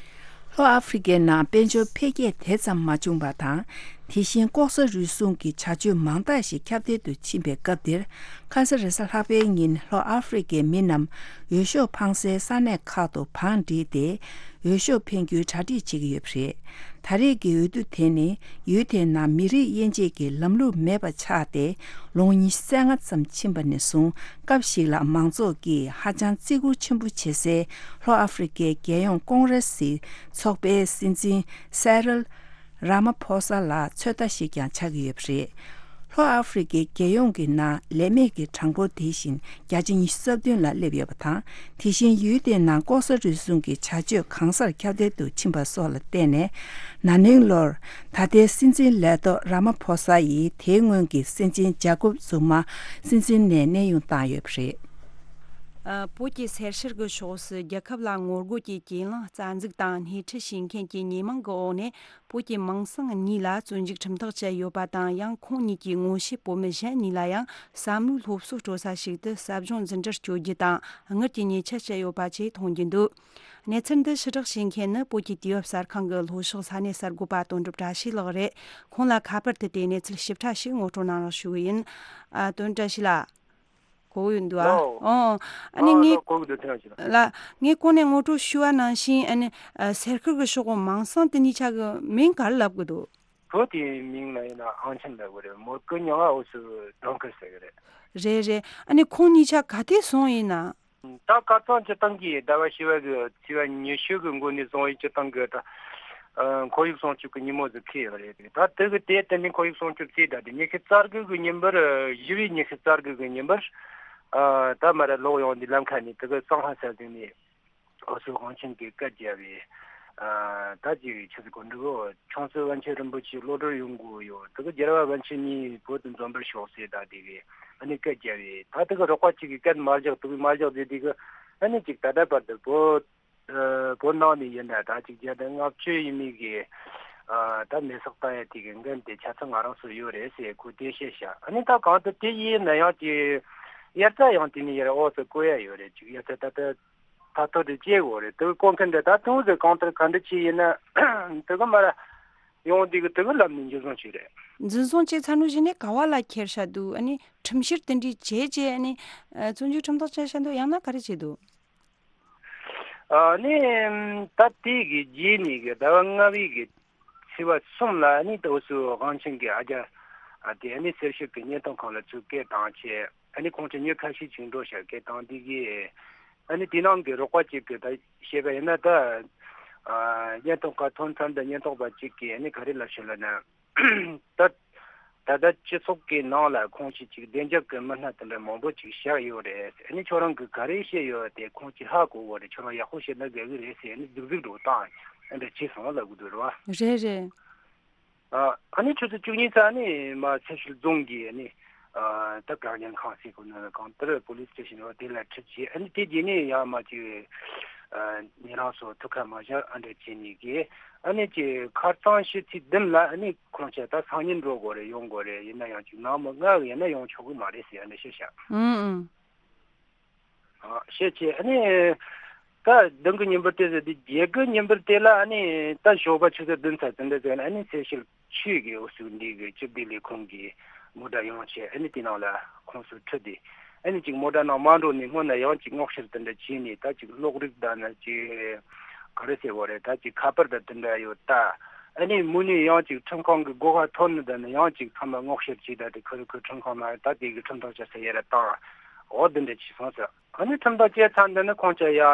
ལྷོ་ཨ་ཧྥེ་རི་ཀའི་ནང་དཔལ་འབྱོར་འཕེལ་རྒྱས་དེ་ཙམ་མ་བྱུང་བ་དང་། དེ་བཞིན་ལྐོག་ཟ་རུལ་སུངས་ཀྱི་བྱ་སྤྱོད་མང་དག་ཞིག་ཁྱབ་གདལ་དུ་ཕྱིན་པའི་སྐབས་འདིར། ཁ་ས་རེས་གཟའ་ལྷག་པའི་ཉིན་ལྷོ་ཨ་ཧྥེ་རི་ཀའི་མི་རྣམས་འོས་ཤོག་འཕང་སའི་ས་གནས་ཁག་ཏུ་བང་བསྒྲིགས་ཏེ། འོས་ཤོག་འཕེན་རྒྱུའི་གྲ་སྒྲིག་བྱེད་ཀྱི་ཡོད་པ་རེད། ད་རེས་ཀྱི་འོས་བསྡུ་དེ་ནི་ཡུལ་དེའི་ནང་མི་རིགས་དབྱེ་འབྱེད་ཀྱི་ལམ་ལུགས་མེད་པ་ཆགས་ཏེ། ལོ་ངོ་ཉི་ཤུ་རྩ་ལྔ་ཙམ་ཕྱིན་པ་ནས་བཟུང་། སྐབས་ཤིག་ལ་མང་ཚོགས་ཀྱིས་ཧ་ཅང་བརྩི་བཀུར་ཆེན་པོ་བྱེད་སའི་ལྷོ་ཨ་ཧྥེ་རི་ཀའི་རྒྱལ་ཡོངས་ཀོང་རེ་སི་ཚོགས་པའི་སྲིད་འཛིན་སེ་རིལ་ར་མ་ཕོ་ས་ལ་ཚོད་ལྟ་ཞིག་ཀྱང་ཆགས་ཀྱི་ཡོད་པ་རེད། ལྷོ་ཨ་ཧྥེ་རི་ཀའི་རྒྱལ་ཡོངས་ཀྱི་ནང་ལས་མེད་ཀྱི་གྲངས་འབོར་དེ་བཞིན་བརྒྱ་ཆ་ཉི་ཤུ་རྩ་བདུན་ལ་སླེབས་ཡོད་པ་དང་། དེ་བཞིན་ཡུལ་དེའི་ནང་ལྐོག་ཟ་རུལ་སུངས་ཀྱི་བྱ་སྤྱོད་གང་སར་ཁྱབ་གདལ་དུ་ཕྱིན་པ་སོགས་ལ་བརྟེན་ནས། ན་ནིང་ལོར་ད་ལྟའི་སྲིད་འཛིན་ལས་ཐོག་ར་མ་ཕོ་ས་ཡིས་དེའི་སྔོན་གྱི་སྲིད་འཛིན་ཇ་ཀོབ་ཛུ་མ་སྲིད་འཛིན་ནས་གནས་དབྱུང་བཏང་ཡོད་པ་རེད། ཨ། བོད་ཀྱི་སེར་ཤར་གྱི་ཕྱོགས་སུ་རྒྱལ་ཁབ་ལ་ངོ་རྒོལ་གྱི་གྱེན་ལངས་རྩ་འཛུགས་དང་སྣེ་ཁྲིད་བྱེད་མཁན་གྱི་ཉེས་མིང་གི་འོག་ནས། བོད་ཀྱི་མིང་སྲིང་གཉིས་ལ་བཙོན་འཇུག་ཁྲིམས་ཐག་བཅད་ཡོད་པ་དང་། ཡང་ཁོང་གཉིས་ཀྱི་ངོ་ཤེས་བོད་མི་གཞན་གཉིས་ལ་ཡང་བསམ་བློའི་སློབ་གསོ་སྤྲོད་ས་ཞིག་ཏུ་ཟབ་སྦྱོང་འཛིན་གྲྭར་བསྐྱོད་རྒྱུ་དང་། དངུལ་གྱི་ཉེས་ཆད་བཅད་ཡོད་པ་བཅས་མཐོང་རྒྱུ་འདུག། གནས་ཚུལ་འདི་ཕྱི་བསྒྲགས་བྱེད་མཁན་ནི་བོད་ཀྱི་དུས་བབ་གསར་ཁང་གི་ལྷོ་ཕྱོགས་ས་གནས་གསར་འགོད་པ་དོན་གྲུབ་བཀྲ་ཤིས་ལགས་རེད། ཁོང་ལ་ཁ་པར་དུ་དེ་གནས་ཚུལ་ཞིབ་ཕྲ་ཞིག་ངོ་སྤྲོད་གནང་རོགས་ཞུ་གི་ཡིན། ཨ། དོན་བཀྲ་ཤིས་ལགས། གོ་ཡོད་འདུག་ཨ། ལོ། ཨོ། ཨ་ནི། ཨ། ངས། ལོ། གོ་གི་འདུག། ཐེངས་ཤིག་ལ། ལ། ངས་གོང་ནས་ངོ་སྤྲོད་ཞུ་བ་ནང་བཞིན། ཨ་ནི། ཨ། སེར་ཤར་གྱི་ཕྱོགས་གོ་མིང་སྲིང་དེ་གཉིས་ཆ་གི་མིང་ག་རེ་ལབ་གི་འདུག། བོད་དེའི་མིང་ལ་ཡིན་ན་ཨང་ཆེན་ལབ་གི་རེད། མོར་ཀི་མྱིང་ང་འོ་སུ་ཌོན་ཁར་ཟེར་གི་རེད། རེད་རེད། ཨ་ནི་ཁོང་གཉིས་ཆ་ག་དུས་སོང་ཡིན་ན། ད་ཁ་སང་སྤྱིར་བཏང་གི་ཟླ་བ་བཞི་བ་གི་ཚེས་པ་ཉི་ཤུ་གི་འགོ་ནས་བཟུང་ཡིན། སྤྱིར་བཏང་གི་ད། ཨ། ཁོར་ཡུག་སྲུང་སྐྱོབ་ཀྱི་ཉིན་མོ་ཟིག་འཁེལ་ཡོད་རེད། ད་དེ་གི་དེ་དེ་ནས་ཁོར་ཡུག་སྲུང་སྐྱོབ་ཚེས་ད་དེ་ཉི་ཤུ་རྩ་དགུ་གི་ཉིན་པར། བཞི་བའི་ཉི་ཤུ་རྩ་དགུ་གི་ཉིན་པར། ཨ། ད་མར་ལོག་ཡོང་དུས་ལམ་ཁ་ནས་དེ་གི་སང་ཧ་ས་ཟིག་ནས། འོ་སུ་དབང་ཆེན་གྱིས་སྐད་རྒྱབ་པས། ཨ། ད་ཅིག་ཆི་ཟིག་གོ་འདུག་གོ། ཆུང་སྲིད་པཎ་ཆེན་རིན་པོ་ཆེ་གློད་གྲོལ་ཡོང་དགོས་ཡོད། དེ་གི་རྒྱལ་བ་པཎ་ཆེན་གཉིས་བོད་དུ་འཛོམས་པར་ཤོག་ཟེར་ད་དེ་གི་ཨ་ནི་སྐད་རྒྱབ་པས། ད་དེ་གི་རོགས་པ་གཅིག་གིས་སྐད་མ་རྒྱག། དེ་གི་མ་རྒྱག་ཟེར། དེ་གི་ཨ་ནི་ཅིག་ད་ལྟ་བར་དུ་བོད། ཨ། བོད་ནང་ནས་ཡིན་ན་ད་ཅིག་བརྒྱ་དང་ལྔ་བཅུ་ཡས་མས་གི། ཨ། ད་མེ་སྲེག་བཏང་ཡ་དེ་གི་འགན་དེ་ཆ་ཚང་ང་རང་ཚོ་ཡོད་རེད་ཟེར་ཁོས་གཏམ་བཤད་བྱས། ཨ་ནི་ད་གང་ལྟར་དེ་ཡིན་ན་ཡང་དེ་དབྱར་རྩྭ་ཡང་དེ་ནས་ཡར་འོ་སུ་བརྐོ་ཡ་ཡོད་རེད། ཅིག་དབྱར་རྩྭ་ད་ལྟ། ད་ཐོ་དེ་བཅད་དགོས་རེད། དེ་གི་བརྐོ་མཁན་དེ་ད་དུང་ཟེར་གང་ལྟར་ག་འདྲ་ཅིག་ཡིན་ན་དེ་གི་མར་ཡོང་དུས་གི་དེ་གི་ལམ་ནས་འཇུ་བཟུང་བྱས་རེད། འཛིན་བཟུང་བྱས་ཚར་ནོ་བཞིན་ནས་ག་བ་ལ་ཁྱེར་བཞག་འདུག། ཨ་ནི་ཁྲིམས་བཤེར་དེ་འདྲའི་བྱས་རྗེས། ཨ་ནི། ཨ། བཙོན་འཇུག་ཁྲིམས་ཐག་བཅད་བཞག་འདུག། ཡང་ན་ག་རེ་བྱས་འདུག། ཨ་ནི། ད་དེ་གི་རྗེས་ནས་གི་ཟླ་བ་ལྔ་པའི་གི་ཚེས་པ་གསུམ་ལ་ཨ་ནི་ད་འོ་སུ་དབང་ཆེན་གྱིས་ཨ་རྒྱ། ཨ། དེ་ཨ་ནི་གསེར་ཞབས་ཀྱི་བརྙན་ཐུང་ཁང་ལ་ཚུར་སྐད་བཏང་བྱས། ཨ་ནི་ཁོང་ཚོ་མྱི་ཁ་ཤས་ཅིག་འགྲོ་ཤག། སྐད་བཏང་དེ་གི་ཨ་ནི་དེ་ནང་གི་རོགས་པ་གཅིག་གིས་ད་བཤད་པ་ཡིན་ན། ད་ ཨ། ཉེན་རྟོག་ཁ་ཐོན་མཚམས་དང་ཉེན་རྟོག་པ་གཅིག་གིས་ཨ་ནི་ག་རེ་ལབ་ཤོད་ལབ་ན། ད་ད་ལྟ་སྤྱི་ཚོགས་ཀྱི་ནང་ལ་ཁོང་ཞིག་ཅིག་བདེ་འཇགས་ཀྱི་མི་སྣ་དེ་འདྲ་མང་པོ་ཅིག་བཞག་ཡོད་རེད། ཨ་ནི་ཁྱོད་རང་གིས་ག་རེ་བཤད་ཡོད་དེ་ཁོང་ཅིག་ཧ་གོ་གོ་རེད། ཁྱོད་རང་ཡག་པོ་བཤད་ན་དགའ་གི་རེད་ཟེར། ཨ་ནི་རྫིག་རྫིག་འགྲོ་བཏང་ཨ་འདྲ་བྱས་སོང་ལབ་གི་འདུག་རེད་བ། རེད་རེད། ཨ་ནི་ཆུ་ཚོད་བཅུ་གཉིས་ཙམ་ནས་མར་ཚེ་ཤུལ་རྫོང་གི་ཨ་ནི་ད་བཀག་ཉར་ཁང་ཟེར་གོ་ནོ་གང་ལྟར་པོ་ལིས་སི་ཊེ་ཤན་རེད་བ། དེ་ལ་ཁྲིད་བྱས། ཨ་ནི་དེ་རྗེས་ནས་ཡང་མར་ཅིག་ཉེ་རང་ཚོ་ཐུག་ཁ་མ་བཞག་ཨ་འདྲ་བྱས་ནས་གི། ཨ་ནི་ཅིག་ཁ་སང་ཕྱི་ཚེས་བདུན་ལ་ཨ་ནི་ཁོང་ཆ་ད་སང་ཉིན་འགྲོ་དགོས་རེད། ཡོང་དགོས་རེད། ཡིན་ན་ཡང་ཅིག་ནང་མི་ལྔ་གི་ཡིན་ན་ཡོང་ཆོག་གི་མ་རེད་ཟེར་ཨ་འདྲ་བཤད་ཤག་ཨུང་ཨུང་། ཨ། བཤད་བྱས་ཨ་ནི་ད་བདུན་གི་ཉིན་པར་དེ་ཟེར་དུས་བརྒྱད་གི་ཉིན་པར་དེ་ལ་ཨ་ནི་ད་ཞོགས་པ་ཆུ་ཚོད་བདུན་ཙམ་དེ་འདྲ་ཟེར་ན་ཨ་ནི་ཚེ་ཤུལ་ཆོས་ཀྱི་འུ་ཚོ་འདི་གི་སྤྱི་བདེ་ལས་ཁུངས་ཀྱི་མོ་ཊ་ཡོང་བྱས། ཨ་ནི་དེ་ནང་ལ་ཁོང་ཚོ་ཁྲིད་དེ། ཨ་ནི་ཅིག་མོ་ཊ་ནང་མ་འགྲོ་ནས་སྔོན་ན་ཡང་ཅིག་སྔོག་བཤེར་དེ་འདྲ་བྱས་ནས། ད་ཅིག་གློག་རིགས་དང་ནི་ཅིག་ག་རེ་ཟེར་བ་རེད། ད་ཅིག་ཁ་པར་དང་དེ་འདྲ་ཡོད་ད། ཨ་ནི་མུ་ནས་ཡང་ཅིག་ཁྲིམས་ཁང་གི་སྒོ་ཁ་ཐོན་ནས་དེ་ནས་ཡང་ཅིག་ཚང་མ་སྔོག་བཤེར་བྱས། ད་དེ་ཁུ་རུ་ཁུ་ཁྲིམས་ཁང་ནང་ད་དེ་གི་ཁྲིམས་ཐག་བཅད་ས་ཡ་ར་བཏང་འོ་དེ་འདྲ་བྱས་སོང་ཟེར། ཨ་ནི་ཁྲིམས་ཐག་བཅད་ཚར་འདི་ནི་ཁོང་ཅག་ཡ་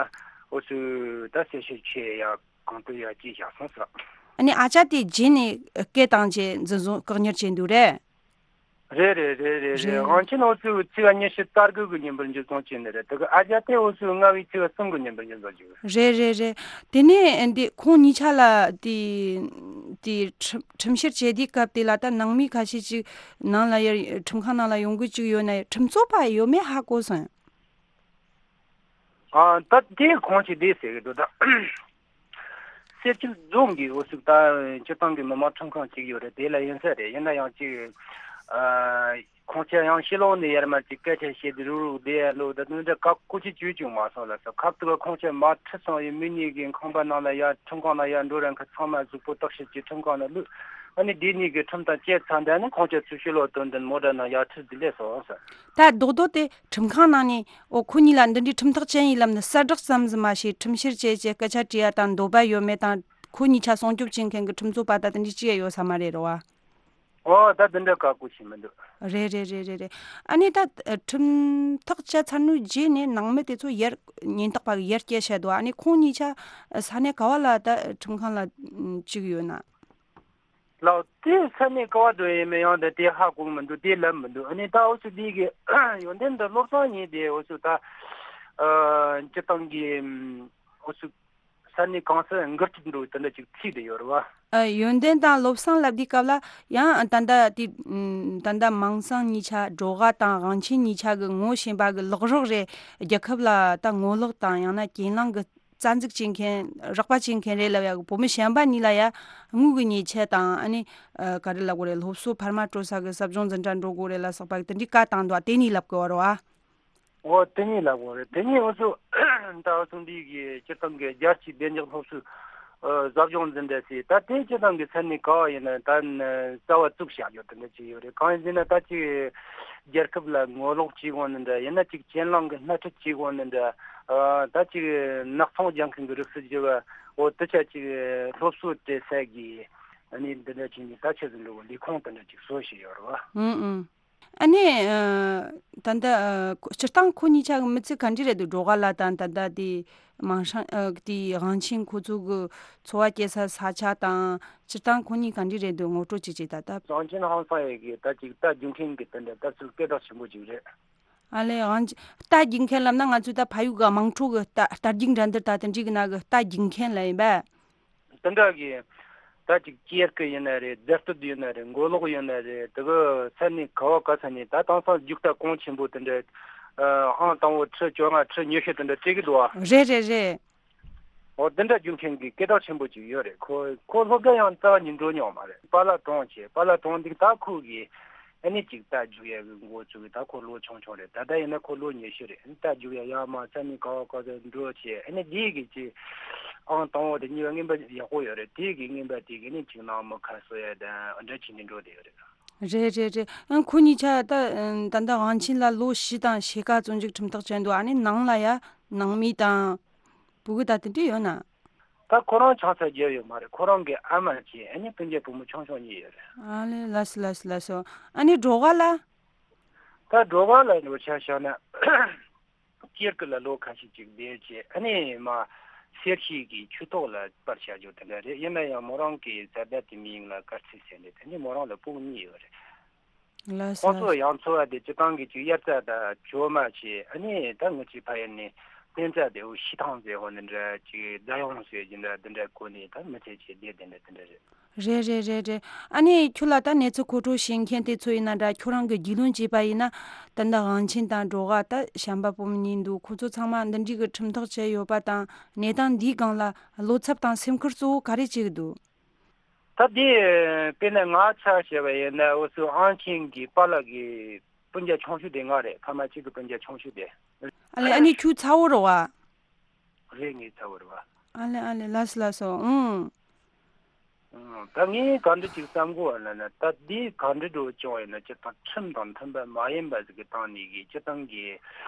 འུ་ཚོས་ད་གསལ་བཤད་བྱས་ཡ་གང་ལྟར་ཡ་བྱས་བཞག་སོང་ཟེར། ཨ་ནི་ཨ་ཅག་དེ་རྗེས་ནས་སྐད་བཏང་བྱས་འཛིན་བཟུང་བཀག་ཉར་བྱས་འདུག་རེད། རེད་རེད་རེད་རེད་རེད། རེད། དབང་ཆེན་འུ་ཚོས་ཚེས་པ་ཉི་ཤུ་རྩ་དགུ་གི་ཉིན་པར་འཇུ་བཟུང་བྱས་ནི་རེད། དེ་གི་ཨ་ཅག་དེ་འུ་ཚོས་ལྔ་བའི་ཚེས་པ་གསུམ་གི་ཉིན་པར་འཇུ་བཟུང་བྱས། རེད་རེད་རེད། དེ་ནས་འདི་ཁོང་གཉིས་ཆ་ལ་དེ་དེ་ཁྲིམས་ཁྲིམས་བཤེར་བྱེད་དུས་སྐབས་དེ་ལ་ད་ནང་མི་ཁ་ཤས་ཅིག་ནང་ལ་ཡར་ཁྲིམས་ཁང་ནང་ལ་ཡོང་གི་ཅིག་ཡོད་ན་ཁྲིམས་རྩོད་པ་ཡོད་མེད་ཧ་གོ་སོང་། ཨ། ད་དེ་ཁོང་ཅིག་བསྡད་ཟེར་གི་འདུག་ད། སེར་སྐྱ་རྫོང་གི་འུ་ཚོ་ད་སྤྱིར་བཏང་གི་མི་མང་ཁྲིམས་ཁང་ཅིག་ཡོད་རེད། དེ་ལ་ཡིན་ས་རེད། ཡིན་ན་ཡང་ཅིག་ཨ། ཁོང་ཅག་ཡང་ཕྱི་ལོགས་ནས་ཡར་མར་ཅིག་སྐད་ཆ་བཤད་དེ་རུག་རུག་བསྡད་ཡ་ལོ་ད་དུང་འདྲ་བཀག་ཀོ་ཅི་བྱོས་བྱུང་མ་སོང་ལ་ས། ཁབ་ཏུ་ཁོང་ཅག་མ་ཁྲིད་སོང་ཡི་མི་གཉིས་ཀྱི་ཁང་པ་ནང་ལ་ཡར་ཁྲིམས་ཁང་ནང་ཡར་འགྲོ་རན་ཁ་ཚང་མ་གཟུགས་པོ་བརྟག་ཞིབ་ཀྱི་ཁྲིམས་ཁང་ནང་བླུགས། ཨ་ནི་དེ་གཉིས་ཀྱི་ཁྲིམས་ཐག་བཅད་ཚར་འདི་ནི་ཁོང་ཅག་ཚུར་ཕྱི་ལོགས་དོན་ལྡན་མོ་ཊ་ནང་ཡར་ཁྲིད་དེ་སླེབས་སོང་ས། ད་རྡོག་རྡོག་དེ་ཁྲིམས་ཁང་ནང་ནས་འོ་ཁོ་གཉིས་ལ་འདི་འདྲའི་ཁྲིམས་ཐག་བཅད་ཡིན་ལབ་ནས་གསལ་བསྒྲགས་ཙམ་ཟིག་མ་བྱས་ཁྲིམས་བཤེར་བྱས་བྱས་སྐད་ཆ་དྲིས་ཡ་དང་འདོད་པ་ཡོད་མེད་དང་ཁོ་གཉིས་ཆ་སྲུང་སྐྱོབ་བྱེད་མཁན་གྱི་ཁྲིམས་རྩོད་པ་ད་དེ་འདྲའི་ཅི་ཡ་ཡོད་ས་མ་རེད་རོ་བ། འོ་ད་དེ་འདྲ་བཀག་ཀོ་བྱས་མི་འདུག་རེད་རེད་རེད་རེད་རེད། ཨ་ནི་ད་ཁྲིམས་ཐག་བཅད་ཚར་ནོའི་རྗེས་ནས་ནང་མི་དེ་ཚོ་ཡར་ཉེན་རྟོག་པ་གི་ཡར་སྐྱེལ་བྱས་འདུག་ཨ་ནི་ཁོང་གཉིས་ཆ་ས་གནས་ག་བ་ལ་ད་ཁྲིམས་ཁང་ལ་བཅུག་ཡོད་ན། ལགས། དེ་ས་གནས་ག་བ་འགྲོ་ཡིན་མིན་ཡང་དེ་དེ་ཧ་གོ་གི་མི་འདུག་དེ་ལབ་མི་འདུག་ཨ་ནི་ད་འུ་ཚོ་འདི་གི་ཡོན་ཏན་འདི་བློ་བཟང་ཉིད་དེ་འུ་ཚོ་ད་ཨ་སྤྱི་བཏང་གི་འུ་ཚོ་ས་གནས་གང་སར་འགུལ་སྐྱོད་འགྲོ་དེ་འདྲ་ཅིག་ཚིག་དེ་ཡོད་རེད་བ། ཨ། ཡོན་ཏན་དང་བློ་བཟང་ལབ་དུས་སྐབས་ལ་ཡང་ད་ལྟ་དེ་ད་ལྟ་མིང་སྲིང་གཉིས་ཆ་སྒྲོལ་དཀར་དང་དབང་ཆེན་གཉིས་ཆ་གི་ངོ་ཤེས་པ་གི་ལག་རོགས་རེད། རྒྱལ་ཁབ་ལ་ད་ངོ་ལོག་དང་ཡང་ན་གྱེན་ལངས་གི་རྩ་འཛུགས་བྱེད་མཁན་རོགས་པ་བྱེད་མཁན་རེད་ལབ་ཡག་གི་བུ་མོ་གཞན་པ་གཉིས་ལ་ཡ་དངུལ་གི་ཉེས་ཆད་དང་ཨ་ནི་ཨ་ག་རེ་ལབ་དགོས་རེད། སློབ་གསོ་འཕར་མ་སྤྲོད་ས་གི་ཟབ་སྦྱོང་འཛིན་གྲྭ་འགྲོ་དགོས་རེད་ལ་སོགས་པ་གི་དེ་འདྲའི་བཀའ་བཏང་འདུག་དེ་གཉིས་ལབ་དགོས་རེད་བ། འོ་དེ་གཉིས་ལབ་དགོས་རེད། དེ་གཉིས་འུ་ཚོ་ད་འུ་ཚོ་འདི་གི་སྤྱིར་བཏང་གི་རྒྱལ་སྤྱིའི་བདེ་འཇགས་སློབ་གསོའི་ཨ་ཟབ་སྦྱོང་འཛིན་གྲྭ་ཟེར་ད་དེ་སྤྱིར་བཏང་གི་ས་གནས་ག་བ་ཡིན་ན་ད་ནི་རྩ་བ་བཙུགས་བཞག་ཡོད་དེ་འདྲ་ཅིག་ཡོད་རེད། གང་ཡིན་ཟེར་ན་ད་ཅིག་རྒྱལ་ཁབ་ལ་ངོ་ལོག་བྱེད་དགོས་ནི་འདྲ་ཡིན་ན་ཅིག་གྱེན་ལངས་གི་སྣེ་ཁྲིད་བྱེད་དགོས་ནི་འདྲ། ཨ་ད་ཅིག་ནག་ཚོང་རྒྱག་མཁན་གི་རིགས་སུ་གྱུར་བ་འོ་དེ་ཆ་ཅིག་སློབ་གསོ་སྤྲད་ས་གི་ཨ་ནི་འདི་འདྲ་བྱས་ནས་ད་ཆ་ཟིན་འགྲོ་བ་ལས་ཁུངས་དེ་འདྲ་ཅིག་བཟོ་བཞིན་ཡོད་རེད་བ། ཨུང་ཨུང་། ཨ་ནི་ཨ་ད་ལྟ་ཨ་སྤྱིར་བཏང་ཁོ་གཉིས་ཆ་གི་མི་ཚེ་ག་འདྲ་རེད་འདུག་སྒྲོལ་དཀར་ལགས་དང་ད་ལྟ་དེ་མིང་སྲིང་ཨ་དེ་དབང་ཆེན་ཁོ་ཚོ་གི་འཚོ་བ་སྐྱེལ་ས་ས་ཆ་དང་སྤྱིར་བཏང་ཁོ་གཉིས་ག་འདྲ་རེད་འདུག་ངོ་སྤྲོད་ཅིག་བྱེད་ད་ལྟ། དབང་ཆེན་ཧང་སང་ཡི་གི་ད་ཅིག་རྟ་རྒྱུག་མཁན་གི་དེ་འདྲ་ལྟ་ཚུལ་སྐད་གྲགས་ཆེན་པོ་ཅིག་རེད། ཨ་ལས་དབང་ཆེན་རྟ་རྒྱུག་མཁན་ལབ་ན་ང་ཚོས་ད་ཕ་ཡུལ་གི་དམངས་ཁྲོད་གི་རྟ་རྟ་རྒྱུག་འགྲན་བསྡུར་ད་དེ་འདྲའི་གི་ནང་གི་རྟ་རྒྱུག་མཁན་ལ་ཡིན་པས། དེ་འདྲ་གི་ད་ཅིག་ཅེར་ཀི་ཡིན་ན་རེད། རྫ་སྟོད་ཡིན་ན་རེད། མགོ་ལོག་ཡིན་ན་རེད། དེ་གི་ས་གནས་ག་བ་ག་ས་ནས་ད་དེང་སང་རྒྱུག་རྟ་གོང་ཆེན་པོ་དེ་འདྲ་ཨང་དང་པོ་ཁྲི་བཅོ་ལྔ་ཁྲི་ཉི་ཤུ་དེ་འདྲ་སྤྲད་གི་འདུག་ཨ། རེད་རེད་རེད། འོ་དེ་འདྲ་རྒྱུག་མཁན་གི་སྐད་གྲགས་ཆེན་པོ་ཅིག་ཡོད་རེད། ཁོ་ཁོ་སློབ་གྲྭ་ཡང་རྩ་བ་ཉིད་འགྲོ་མྱོང་མ་རེད། པཱ་ལགས་གྲོངས་བྱས། པཱ་ལགས་གྲོངས་འདུག་ད་ཁོ་གི་ཨ་ནི་ཅིག་རྟ་རྒྱུག་ཡ་གི་འགོ་བཙུགས་གི་ད་ཁོ་ལོ་ཆུང་ཆུང་རེད། ད་ལྟ་ཡིན་ན་ཁོ་ལོ་ཉི་ཤུ་རེད། རྟ་རྒྱུག་ཡ་ཡར་མར་ས་གནས་ག་བ་ག་ས་འགྲོ་བྱས་ཨ་ནི་འདི་གི་ཅིག་ཨང་དང་པོ་དེ་གཉིས་པ་རྔན་པ་ཡག་པོ་ཡོད་རེད། དེ་གི་རྔན་པ་དེ་གི་ནི་ཅིག་ནང་མི་ཁ་གསོ་ཡ་དང་འདྲ་བྱས་ནས་འགྲོ་བསྡད་ཡོད་རེད། རེད་རེད་རེད། ཨང་ཁོ་གཉིས་ཆ་ད་ད་ལྟ་དབང་ཆེན་ལ་ལོ་བཞི་དང་ཕྱེད་ཀ་བཙོན་འཇུག་ཁྲིམས་ཐག་བཅད་འདུག་ཨ་ནི་ནང་ལ་ཡ་ནང་མི་དང་། བུ་གུ་ད་དེ་འདྲ་ཡོད་ན། ད་ཁོ་རང་ཆང་ས་རྒྱབ་ཡོད་མ་རེད། ཁོ་རང་གི་ཨ་མ་བྱས་ཨ་ནི་སྤུན་ཀྱག་བུ་མོ་ཆུང་ཆུང་གཉིས་ཡོད་རེད། ཨ་ལེ་ལགས་སོ་ལགས་སོ་ལགས་སོ། ཨ་ནི་སྒྲོལ་དཀར་ལ། ད་སྒྲོལ་དཀར་ལ་འགྲོ་ཆ་བཞག་ན་སྐྱེར་ཀི་ལ་ལོ་ཁ་ཤས་ཅིག་བསྡད་བྱས་ཨ་ནི་མ་ གསེར་ཞིག་གི་ཆུ་ཐོག་ལ་སྤར་བྱ་རྒྱུ་དེ་འདྲ་རེད། ཡིན་ན་ཡང་མོ་རང་གི་བཟའ་ཟླ་དེ་མིང་ལ་དཀར་ཚེ་ཟེར་ནས། དེ་ནི་མོ་རང་ལ་སྤུན་གཉིས་ཡོད་རེད། ལགས་སོ། ཁོང་ཚོ་ཡང་འཚོ་བ་དེ་སྤྱི་བཏང་གི་ཅིག་དབྱར་རྩྭ་དང་གྲོ་མ་བྱས། ཨ་ནི་ད་ངུ་ཅིག་ཕ་ཡུལ་ནས་བསྟན་རྩྭ་དེ་འུ་ཤི་ཐང་ཟེར་འོ་འདི་འདྲ་ཅིག་རྫ་ཡོང་ཟེར་འདི་འདྲ་འདི་འདྲ་གོ་ནས་ད་མི་ཚེ་ཅིག་བསྡད་དེ་འདྲ་དེ་འདྲ་རེད། རེད་རེད་རེད་རེད། ཨ་ནི་ཁྱོད་ལ་ད་གནས་ཚུལ་མཁོ་སྤྲོད་བྱེད་མཁན་དེ་ཚོ་ཡིན་ན་འདྲ། ཁྱོད་རང་གི་རྒྱུས་ལོན་བྱས་པ་ཡིན་ན། ད་འདི་དབང་ཆེན་དང་འགྲོ་ག་ད་བྱམས་པ་སྤོམ་གཉིས་འདུག་ཁོ་ཚོ་ཚང་མ་འདི་འདྲའི་གི་ཁྲིམས་ཐག་བཅད་ཡོད་པ་དང་། གནས་སྟངས་འདིའི་སྒང་ལ་བློ་འཚབ་དང་སེམས་ཁུར་གཙོ་བོ་ག་རེ་བྱེད་ཀྱི་འདུག་ད་དེ་དཔེར་ན་ང་ཆ་བཞག་པ་ཡིན་ན། འུ་ཚོ་དབང་ཆེན་གྱི་པཱ་ལགས་ཀྱི་སྤུན་ཀྱག་ཆུང་ཤོས་དེ་ང་རེད། ཕ་མ་གཅིག་གི་སྤུན་ཀྱག་ཆུང་ཤོས་དེ། ཨ་ལེ། ཨ་ནི་ཁྱོད་ཚ་བོ་རེད་བ། རེད། ངའི་ཚ་བོ་རེད་བ། ཨ་ལེ་ཨ་ལེ། ལགས་སོ་ལགས་སོ། ཨང་། ཨང་། ད་ངས་ག་འདྲ་ཅིག་བསམ་གོ་བ་ལབ་ན། ད་འདི་ག་འདྲ་འགྲོ་བྱུང་ཡིན་ན། སྤྱིར་བཏང་ཁྲིམས་དང་མཐུན་པ་མ་ཡིན་པ་ཟིག་གི་སྟེང་ནས་གི་སྤྱིར་བཏང་གི་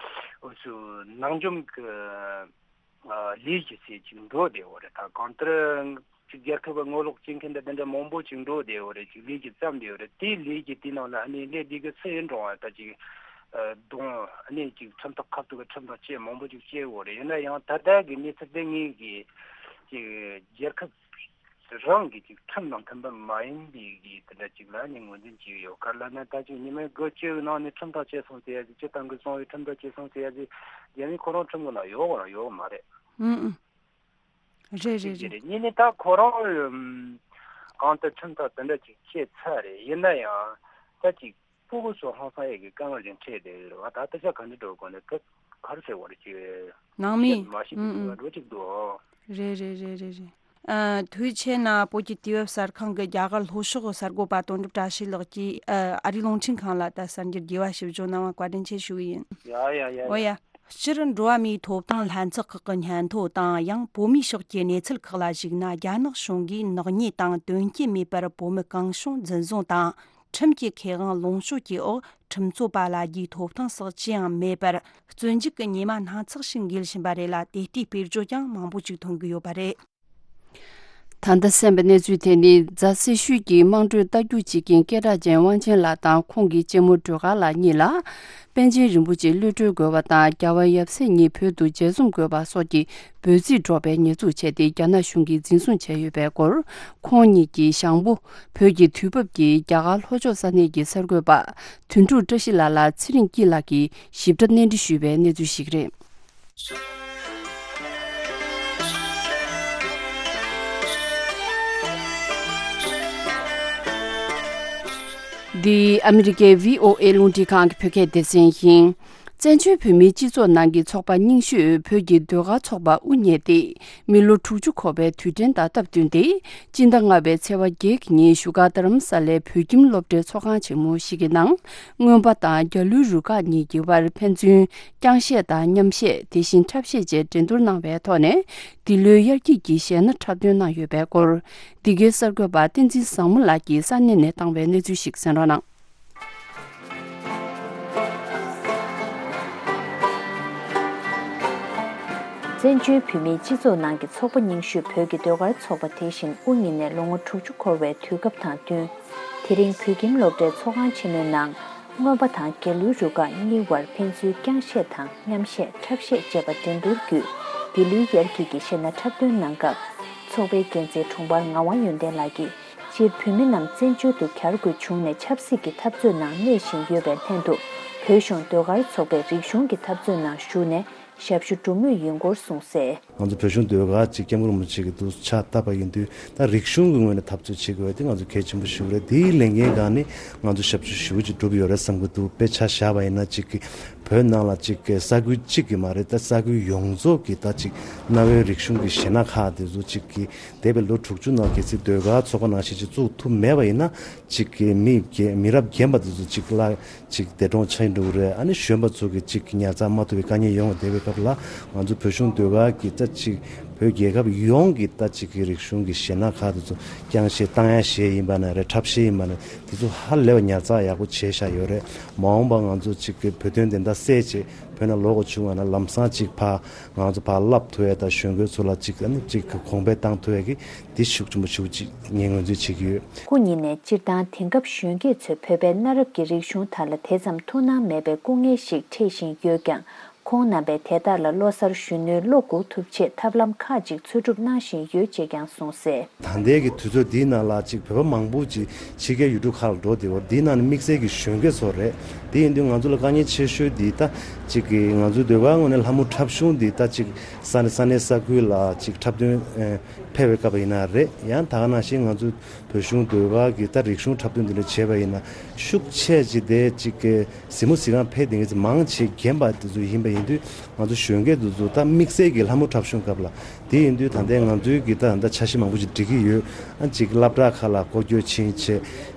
འུ་ཚོ་ནང་འཇོམས་ཀྱི་ཨ་ལས་ཀྱི་ཚད་ཅིག་འགྲོ་བསྡད་ཡོད་རེད། ད་གང་ལྟར་ཅིག་རྒྱལ་ཁབ་ཀྱི་ངོ་ལོག་བྱེད་མཁན་དང་དེ་འདྲ་མང་པོ་ཅིག་འགྲོ་བསྡད་ཡོད་རེད། ཅིག་ལས་ཀྱི་བརྩམས་བསྡད་ཡོད་རེད། དེའི་ལས་ཀྱི་དེའི་ནང་ལ་ཨ་ནི་ལས་འདི་གི་སུ་ཡིན་རུང་བ་ད་ཅིག་ཨ་གདོང་ཨ་ནི་ཅིག་ཁྲིམས་ཐག་ཁ་ཐུག་གི་ཁྲིམས་ཐག་བཅད་མང་པོ་ཅིག་བཅད་ཡོད་རེད། ཡིན་ན་ཡང་ད་ལྟ་གི་གནས་ཚུལ་དེ་ངེད་ཀྱི་ཅིག་རྒྱལ་ཁབ་རང་གི་ཅིག་ཁྲིམས་དང་མཐུན་པ་མ་ཡིན་པའི་གི་དེ་འདྲ་ཅིག་ལ་ནི་ངོས་འཛིན་བྱས་ཡོད། ག་རེ་ལབ་ན། ད་ཅིག་ཉི་མའི་དགུ་བཅུའི་ནང་ནས་ཁྲིམས་ཐག་བཅད་སོང་ཟེར་ཡ་ཅིག་སྤྱིར་བཏང་གི་གསང་བའི་ཁྲིམས་ཐག་བཅད་སོང་ཟེར་ཡ་ཅིག་རྒྱ་མི་ཁོ་རང་ཁྲིམས་ཀྱི་ནང་ཡོད་གོ་རང་ཡོད་མ་རེད། ཨང་ཨང་། རེད་རེད་ཅིག་རེད། རེད། གཉིས་ནི་ད་ཁོ་རང་ཨམ་གང་ལྟར་ཁྲིམས་ཐག་དེ་འདྲ་ཅིག་བཅད་ཚར་རེད། ཡིན་ན་ཡང་ད་ཅིག་སྤུ་གུ་ཚོ་ཧང་སང་ཡས་ཀྱི་དཀའ་ངལ་ཅིག་འཕྲད་བསྡད་ཡོད་རེད་བ། ད་ད་ཆ་ག་འདྲ་འགྲོ་དགོས་ནས་ད་ག་རེ་ཟེར་བ་རེད། ཅིག་ནང་མི་བཤད་མ་ཤེས་པའི་ཨང་ཨང་འགྲོ་ཅིག་འདུག་རེད་རེད་རེད་རེད་རེད། ཨ། དུས་ཆེན་ན་བོད་ཀྱི་དུས་བབ་གསར་ཁང་གི་རྒྱ་གར་ལྷོ་ཕྱོགས་གསར་འགོད་པ་དོན་གྲུབ་བཀྲ་ཤིས་ལགས་ཀྱིས། ཨ། ཨ་རིའི་རླུང་འཕྲིན་ཁང་ལ་ད་གསར་འགྱུར་རྒྱས་པ་ཞིབ་འཇུག་གནང་བ་བཀའ་དྲིན་ཆེ་ཞུ་གི་ཡིན། ཡ་ཡ་ཡ་ཡ། འོ་ཡ། སྤྱིར་འགྲོ་བ་མིའི་ཐོབ་ཐང་ལྷན་ཚོགས་ཁག་གི་སྙན་ཐོ་དང་། ཡང་བོད་མིའི་ཕྱོགས་ཀྱི་གནས་ཚུལ་ཁག་ལ་གཞིགས་ན། རྒྱ་ནག་གཞུང་གིས་ནག་ཉེས་དང་དོན་རྐྱེན་མེད་པར་བོད་མི་གང་བྱུང་འཛིན་བཟུང་དང་། ཁྲིམས་ཀྱི་ཁེ་དབང་ལོངས་སྤྱོད་ཀྱི་འོག་ཁྲིམས་རྩོད་པ་ལ་རྒྱའི་ཐོབ་ཐང་སོགས་ཅི་ཡང་མེད་པར། བཙོན་འཇུག་གི་ཉེས་མ་སྣ་ཚོགས་ཤིག་འགེལ་བཞིན་པ་རེད་ལ། དེ་ལྟའི་དཔེར་བརྗོད་ཀྱང་མང་པོ་ཅིག་ཐོན་གྱི་ཡོད་པ་རེད། ད་ལྟ་གསན་པའི་གནས་ཚུལ་དེ་ནི་རྫ་སེར་ཤུལ་གྱི་དམངས་ཁྲོད་རྟ་རྒྱུག་བྱེད་མཁན་སྐད་གྲགས་ཅན་དབང་ཆེན་ལགས་དང་ཁོང་གི་གཅེན་མོ་སྒྲོལ་དཀར་ལགས་གཉིས་ལ། པཎ་ཆེན་རིན་པོ་ཆེ་གློད་གྲོལ་དགོས་པ་དང་། རྒྱལ་བ་ཡབ་སྲས་གཉིས་བོད་དུ་མཇལ་འཛོམས་དགོས་པ་སོགས་ཀྱི་འབོད་ཚིག་སྒྲོག་པའི་ཉེས་འཛུགས་བྱས་ཏེ། རྒྱ་ནག་གཞུང་གིས་འཛིན་བཟུང་བྱས་ཡོད་པའི་སྐོར། ཁོང་གཉིས་ཀྱི་ཞང་པོ། བོད་ཀྱི་དུས་བབ་ཀྱི་རྒྱ་གར་ལྷོ་ཕྱོགས་ས་གནས་ཀྱི་གསར་འགོད་པ་དོན་གྲུབ་བཀྲ་ཤིས་ལགས་ལ་ཚེ་རིང་སྐྱིད་ལགས་ཀྱིས་ཞིབ་ཕྲ་གནས་འདྲི་ཞུས་པའི་གནས་ཚུལ་ཞིག་རེད། འདི་ཨ་མི་རི་ཀའི་བྷི་ཨོ་ཨེ་རླུང་འཕྲིན་ཁང་གི་བོད་སྐད་སྡེ་ཚན་ཡིན། བཙན་བྱོལ་བོད་མིའི་སྤྱི་ཚོགས་ནང་གི་ཚོགས་པ་རྙིང་ཤོས་བོད་ཀྱི་ཟློས་གར་ཚོགས་པ་དབུ་བརྙེས་ཏེ། མི་ལོ་དྲུག་ཅུ་འཁོར་བའི་དུས་དྲན་དང་སྟབས་བསྟུན་ཏེ། སྤྱི་ཟླ་ལྔ་པའི་ཚེས་པ་བརྒྱད་ཀྱི་ཉིན་བཞུགས་སྒར་རྡ་རམ་ས་ལའི་བོད་ཁྱིམ་སློབ་གྲྭའི་ཚོགས་ཁང་ཆེན་མོ་ཞིག་གི་ནང་། རྔོན་པ་དང་རྒྱ་ལོའི་རུ་ཁག་གཉིས་ཀྱི་དབར་ཕན་ཚུན་རྐྱང་བཤད་དང་མཉམ་བཤད། དེ་བཞིན་འཁྲབ་བཤད་བཅས་འགྲན་བསྡུར་གནང་བའི་ཐོག་ནས། འདི་ལོའི་དབྱར་སྐྱིད་ཀྱི་གཞས་སྣ་འཁྲབ་སྟོན་གནང་ཡོད་པའི་སྐོར། འདི་གའི་གསར་འགོད་པ་བསྟན་འཛིན་བཟང་མོ་ལགས་ཀྱིས་ས་གནས་ནས་བཏང་བའི་གནས་ཚུལ་ཞིག་གསན་རོགས་གནང་། བཙན་བྱོལ་བོད་མིའི་སྤྱི་ཚོགས་ནང་གི་ཚོགས་པ་རྙིང་ཤོས་བོད་ཀྱི་ཟློས་གར་ཚོགས་པ་དེ་བཞིན་དབུ་བརྙེས་ནས་ལོ་ངོ་དྲུག་ཅུ་འཁོར་བའི་དུས་སྐབས་དང་བསྟུན། དེ་རིང་བོད་ཁྱིམ་སློབ་གྲྭའི་ཚོགས་ཁང་ཆེན་མོའི་ནང་། རྔོན་པ་དང་རྒྱ་ལོའི་རུ་ཁག་གཉིས་དབར་ཕན་ཚུན་རྐྱང་བཤད་དང་མཉམ་བཤད། འཁྲབ་བཤད་བཅས་པ་འགྲན་བསྡུར་བརྒྱུད། འདི་ལོའི་དབྱར་སྐྱིད་ཀྱི་གཞས་སྣ་འཁྲབ་སྟོན་གནང་སྐབས། ཚོགས་པའི་འགན་འཛིན་དྲུང་འཕར་ངག་དབང་ཡོན་ཏན་ལགས་ཀྱིས། སྤྱིར་བོད་མི་རྣམས་བཙན་བྱོལ་དུ་གྱར་དགོས་བྱུང་ནས་ཆབ་སྲིད་ཀྱི་འཐབ་རྩོད་ནང་གནས་བཞིན་ཡོད་པའི་ལྷན་དུ། བོད་གཞུང་ཟློས་གར་ཚོགས་པས་རིག་གཞུང་གི་འཐབ་རྩོད་ནང་ཞུགས་ནས་ཞབས་ཞུ་སྒྲུབ་མུས་ཡིན་སྐོར་གསུངས་གསལ། ང་ཚོ་བོད་གཞུང་ཟློས་གར་ཅིག་སྐྱབས་མགོན་རིན་པོ་ཆེ་གི་འདུག་ཕྱག་བཏབ་པ་ཡིན་དུས། ད་རིག་གཞུང་གི་ངོས་ནས་འཐབ་རྩོད་བྱེད་དགོས་པ་དེ་ང་ཚོ་གལ་ཆེན་པོ་ཞིག་རེད། དེའི་ལས་འགན་སྒང་ནས་ང་ཚོ་ཞབས་ཞུ་ཞེ་པོ་ཅིག་སྒྲུབ་ཡོད་རེད་བསམ་གྱི་འདུག་དཔེར་ཆ་བཞག་པ་ཡིན་ན། ཅིག་གི་བོད་ནང་ལ་ཅིག་གི་ས་ཁུལ་གཅིག་གི་མ་རེད། ད་ས་ཁུལ་ཡོངས་རྫོགས་ཀྱི་ད་ཅིག་གནའ་བོའི་རིག་གཞུང་གི་གཞས་སྣ་ཁག་དེ་ཚོ་ཅིག་གི་འདས་པའི་ལོ་དྲུག་ཅུ་ནང་གལ་སྲིད་ཟློས་གར་ཚོགས་པ་ནང་བཞིན་ཅིག་བཙུགས་ཐུབ་མེད་པ་ཡིན་ན། ཅིག་གི་མི་རྒན་མི་རབས་རྒན་པ་དེ་ཚོ་ཅིག་ལ་ཅིག་འདས་གྲོངས་ཕྱིན་འགྲོ་གི་རེད། ཨ་ནི་གཞོན་པ་ཚོ་གི་ཅིག་ཉར་ཚགས་མ་ཐུབ་པའི་དཀའ་ངལ་ཡོང་བ། འདས་པའི་སྐབས་ལ་ང་ཚོ་བོད་གཞུང་ཟློས་གར་གྱི་ད་ཅིག་བོད་རྒྱལ་ཁབ་ཡོངས་ཀྱི་ད་ཅིག་གི་རིག་གཞུང་གི་གཞས་སྣ་ཁག་དེ་ཚོ་རྐྱང་གཞས། གཏོང་ཡ་གཞས་ཡིན་པ་ན་རེད། འཁྲབ་གཞས་ཡིན་པ་ན། དེ་ཚོ་ཧ་ལས་པ་ཉར་ཚགས་ཡག་པོ་བྱས་བཞག་ཡོད་རེད། མ་འོངས་པ་ང་ཚོ་ཅིག་གི་བོད་དོན་བདེན་མཐའ་གསལ་བྱས་བོད་ནང་ལོག་དགོས་བྱུང་བ་ན། ལམ་སང་ཅིག་ཕར་ང་ཚོ་ཕར་བསླབ་ཐུབ་ཡ་དང་། གཞོན་སྐྱེས་ཚོ་ལ་ཅིག་ཨ་ནི་ཅིག་གོང་འཕེལ་བཏང་ཐུབ་ཡ་གི་འདི་ཤུགས་ཆེན་པོ་ཞེ་པོ་ཅིག་ངས་ངོས་འཛིན་བྱེད་ཀྱི་ཡོད། སྐུ་ཉིད་ནས་སྤྱིར་བཏང་དེང་སྐབས་གཞོན་སྐྱེས་ཚོས་བོད་པའི་གནའ་རབས་ཀྱི་རིག་གཞུང་དག་ལ་དེ་ཙམ་ཐུགས་སྣང་མེད་པའི་སྐུ་ངལ་ཞིག་འཕྲད་བཞིན་ཡོད་ཀྱང་། ཁོང་རྣམ་པས་དེ་དག་ལ་ལོ་གསར་གཞོན་ནུའི་བློ་འགུག་ཐུབ་ཆེད་ཐབས་ལམ་ཁག་ཅིག་འཚོལ་སྒྲུབ་གནང་བཞིན་ཡོད་ཅེས་ཀྱང་གསུངས་གསལ། ད་ལྟའི་གི་དུས་ཚོད་འདིའི་ནང་ལ་ཅིག་བོད་པ་མང་པོ་ཅིག་ཕྱི་རྒྱལ་ཡུལ་གྲུ་ཁག་ལ་འགྲོ་བསྡད་ཡོད་རེད། འདིའི་ནང་ནས་དམིགས་བསལ་གྱི་གཞོན་སྐྱེས་ཚོ་རེད། དེ་ཡིན་དུས་ང་ཚོ་ལ་དཀའ་ངལ་ཆེ་ཤོས་འདི་ད་ཅིག་གི་ང་ཚོའི་ཟློས་གར་ངོས་ནས་ལྷ་མོ་འཁྲབ་གཞུང་འདི་ད་ཅིག་ས་གནས་ས་གནས་ས་ཁུལ་ལ་ཅིག་འཁྲབ་སྟོན་ཨེ་ཕེབས་པའི་སྐབས་ཡིན་ན་རེད། ཡང་ད་ག་ནང་བཞིན་ང་ཚོ་བོད་གཞུང་ཟློས་གར་གྱི་ད་རིག་གཞུང་འཁྲབ་སྟོན་འདི་འདྲ་བྱས་པ་ཡིན་ན་ཤུགས་ཆེ་ཅིག་དེ་ཅིག་གི་གཟིགས་མོ་གཟིགས་ཁང་ཕེབས་བསྡད་མཁན་ཚོ་མང་ཆེ་རྒན་པ་དེ་ཚོ་ཡིན་པ་ཡིན་དུས་ང་ཚོ་གཞོན་སྐྱེས་དེ་ཚོ་ད་དམིགས་བསལ་གྱི་ལྷ་མོ་འཁྲབ་གཞུང་སྐབས་ལ་དེ་ཡིན་དུས་ད་ལྟའི་ང་ཚོའི་གི་ད་ད་འཆར་གཞི་མང་པོ་ཞིག་སྒྲིག་གི་ཡོད། ཨ་ཅིག་སློབ་གྲྭ་ཁག་ལ་སྐོར་སྐྱོད་ཕྱིན་བྱས་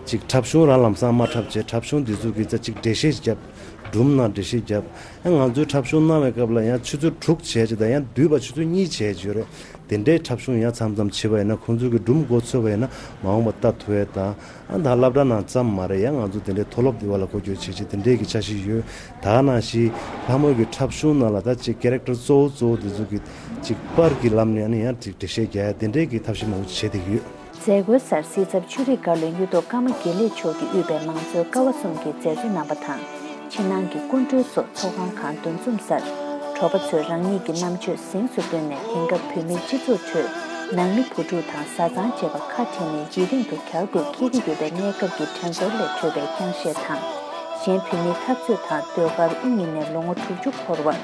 ཅིག་འཁྲབ་གཞུང་རང་ལམ་སང་མ་འཁྲབ་བྱས་འཁྲབ་གཞུང་དེ་ཚོ་གི་ད་ཅིག་འགྲེལ་བཤད་བརྒྱབ། སྒྲུང་ནང་འགྲེལ་བཤད་བརྒྱབ། ཨ་ང་ཚོའི་འཁྲབ་གཞུང་གནང་བའི་སྐབས་ལ་ཡང་ཆུ་ཚོད་དྲུག་བྱས་ཅིག་དང་ཡང་དུས་བབ་ཆུ་ཚོད་གཉིས་བྱས་ཅིག་ཡོད་རེད། དེ་འདྲའི་འཁྲབ་གཞུང་ཡང་མཚམས་མཚམས་བྱེད་པ་ཡིན་ན་ཁོང་ཚོ་གི་སྒྲུང་མགོ་ཚོས་པ་ཡིན་ན་མ་འོངས་པ་ལྟ་ཐུབ་ཡས་དང་། ཨ་ད་སློབ་གྲྭ་ནང་ཙམ་མ་རེད། ཡང་ང་ཚོ་དེ་འདྲའི་མཐོ་སློབ་དེ་བ་ལ་སྐོར་སྐྱོད་བྱེད་ཆེད་དེ་འདྲའི་གི་འཆར་གཞི་ཡོད། ད་ག་ནང་བཞིན་ལྷ་མོ་གི་འཁྲབ་གཞུང་ནང་ལ་ད་ཅིག་ཀེ་རེག་ཊར་གཙོ་བོ་གཙོ་བོ་དེ་ཚོ་གི་ཅིག་པར་གྱི་ལམ་ནས་ཨ་ནི་ཡང་ཅིག་འགྲེལ་བཤད་རྒྱག་ཡ་དེ་འདྲའི་གི་ཐབས་ཤེས་མང་པོ་ཅིག་བྱེད་བསྡད་ཀྱི་ཡོད། མཛད་སྒོའི་སར་སྲིད་ཚབ་ཆོས་རིག་བཀའ་བློན་གཡུ་ཐོག་ཀརྨ་དགེ་ལེགས་མཆོག་གིས་དབུས་པའི་མང་གཙོའི་ཀ་བ་གསུམ་གྱི་མཛད་གཙོ་རྣམ་པ་དང་། ཕྱི་ནང་གི་སྐུ་མགྲོན་སོགས་ཚོགས་ཁང་ཁག་འདུ་འཛོམས་སར། དྲོ་པ་ཚོས་རང་ཉིད་ཀྱི་རྣམ་དཔྱོད་གཟེངས་སུ་བཏོན་ནས་དེང་སྐབས་བོད་མིའི་སྤྱི་ཚོགས་ཁྲོད་ནང་མི་བུ་ཕྲུག་དང་བཟའ་ཚང་བཅས་པ་ཁ་བྲལ་ནས་འཇིག་རྟེན་དུ་གྱར་དགོས་འཁེལ་གྱི་ཡོད་པའི་གནས་སྐབས་ཀྱི་དྲན་འཚོར་ལས་འཕྲོས་པའི་རྐྱང་བཤད་དང་། གཞན་བོད་མིའི་འཐབ་རྩོད་དང་ཟློས་གར་དབུ་བརྙེས་ནས་ལོ་ངོ་དྲུག་ཅུ་འཁོར་བར།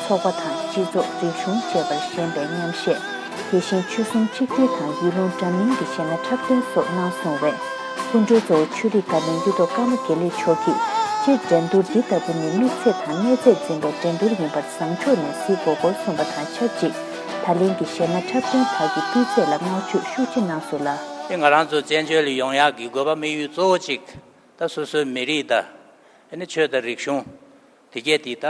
ཚོགས་པ་དང་སྤྱི་ཚོགས་རིག་གཞུང་བཅས་པར་ཞེན་པའི་མཉམ་གཞས། དེ་བཞིན་ཆོལ་གསུམ་གཅིག་སྒྲིལ་དང་ཡུལ་ལུང་འདྲ་མིན་གྱི་གཞས་སྣ་འཁྲབ་སྟོན་སོགས་གནང་སོང་བས། སྐུ་མགྲོན་གཙོ་བོ་ཆོས་རིག་བཀའ་བློན་གཡུ་ཐོག་ཀརྨ་དགེ་ལེགས་མཆོག་གིས། སྤྱིར་འགྲན་བསྡུར་འདི་ལྟ་བུ་ནི་དམིགས་ཚད་དང་གནས་ཚད་འཛིན་པའི་འགྲན་བསྡུར་ཡིན་པར་བཟང་ཕྱོགས་ནས་གཟིགས་དགོས་སྐོར་གསུངས་པ་དང་ཆབས་ཅིག་ད་ལན་གྱི་གཞས་སྣ་འཁྲབ་སྟོན་དག་གི་སྤུས་ཚད་ལ་བསྔགས་བརྗོད་ཤུགས་ཆེ་གནང་སོང་ལ། ང་རང་ཚོ་བཙན་བྱོལ་ལ་ཡོང་ཡག་གི་དགོས་པ་དམིགས་ཡུལ་གཙོ་བོ་གཅིག་ད་སོ་སོའི་མི་རིགས་དང་། ཨ་ནི་ཆོས་དང་རིག་གཞུང་། དེ་གས་དེ་ད།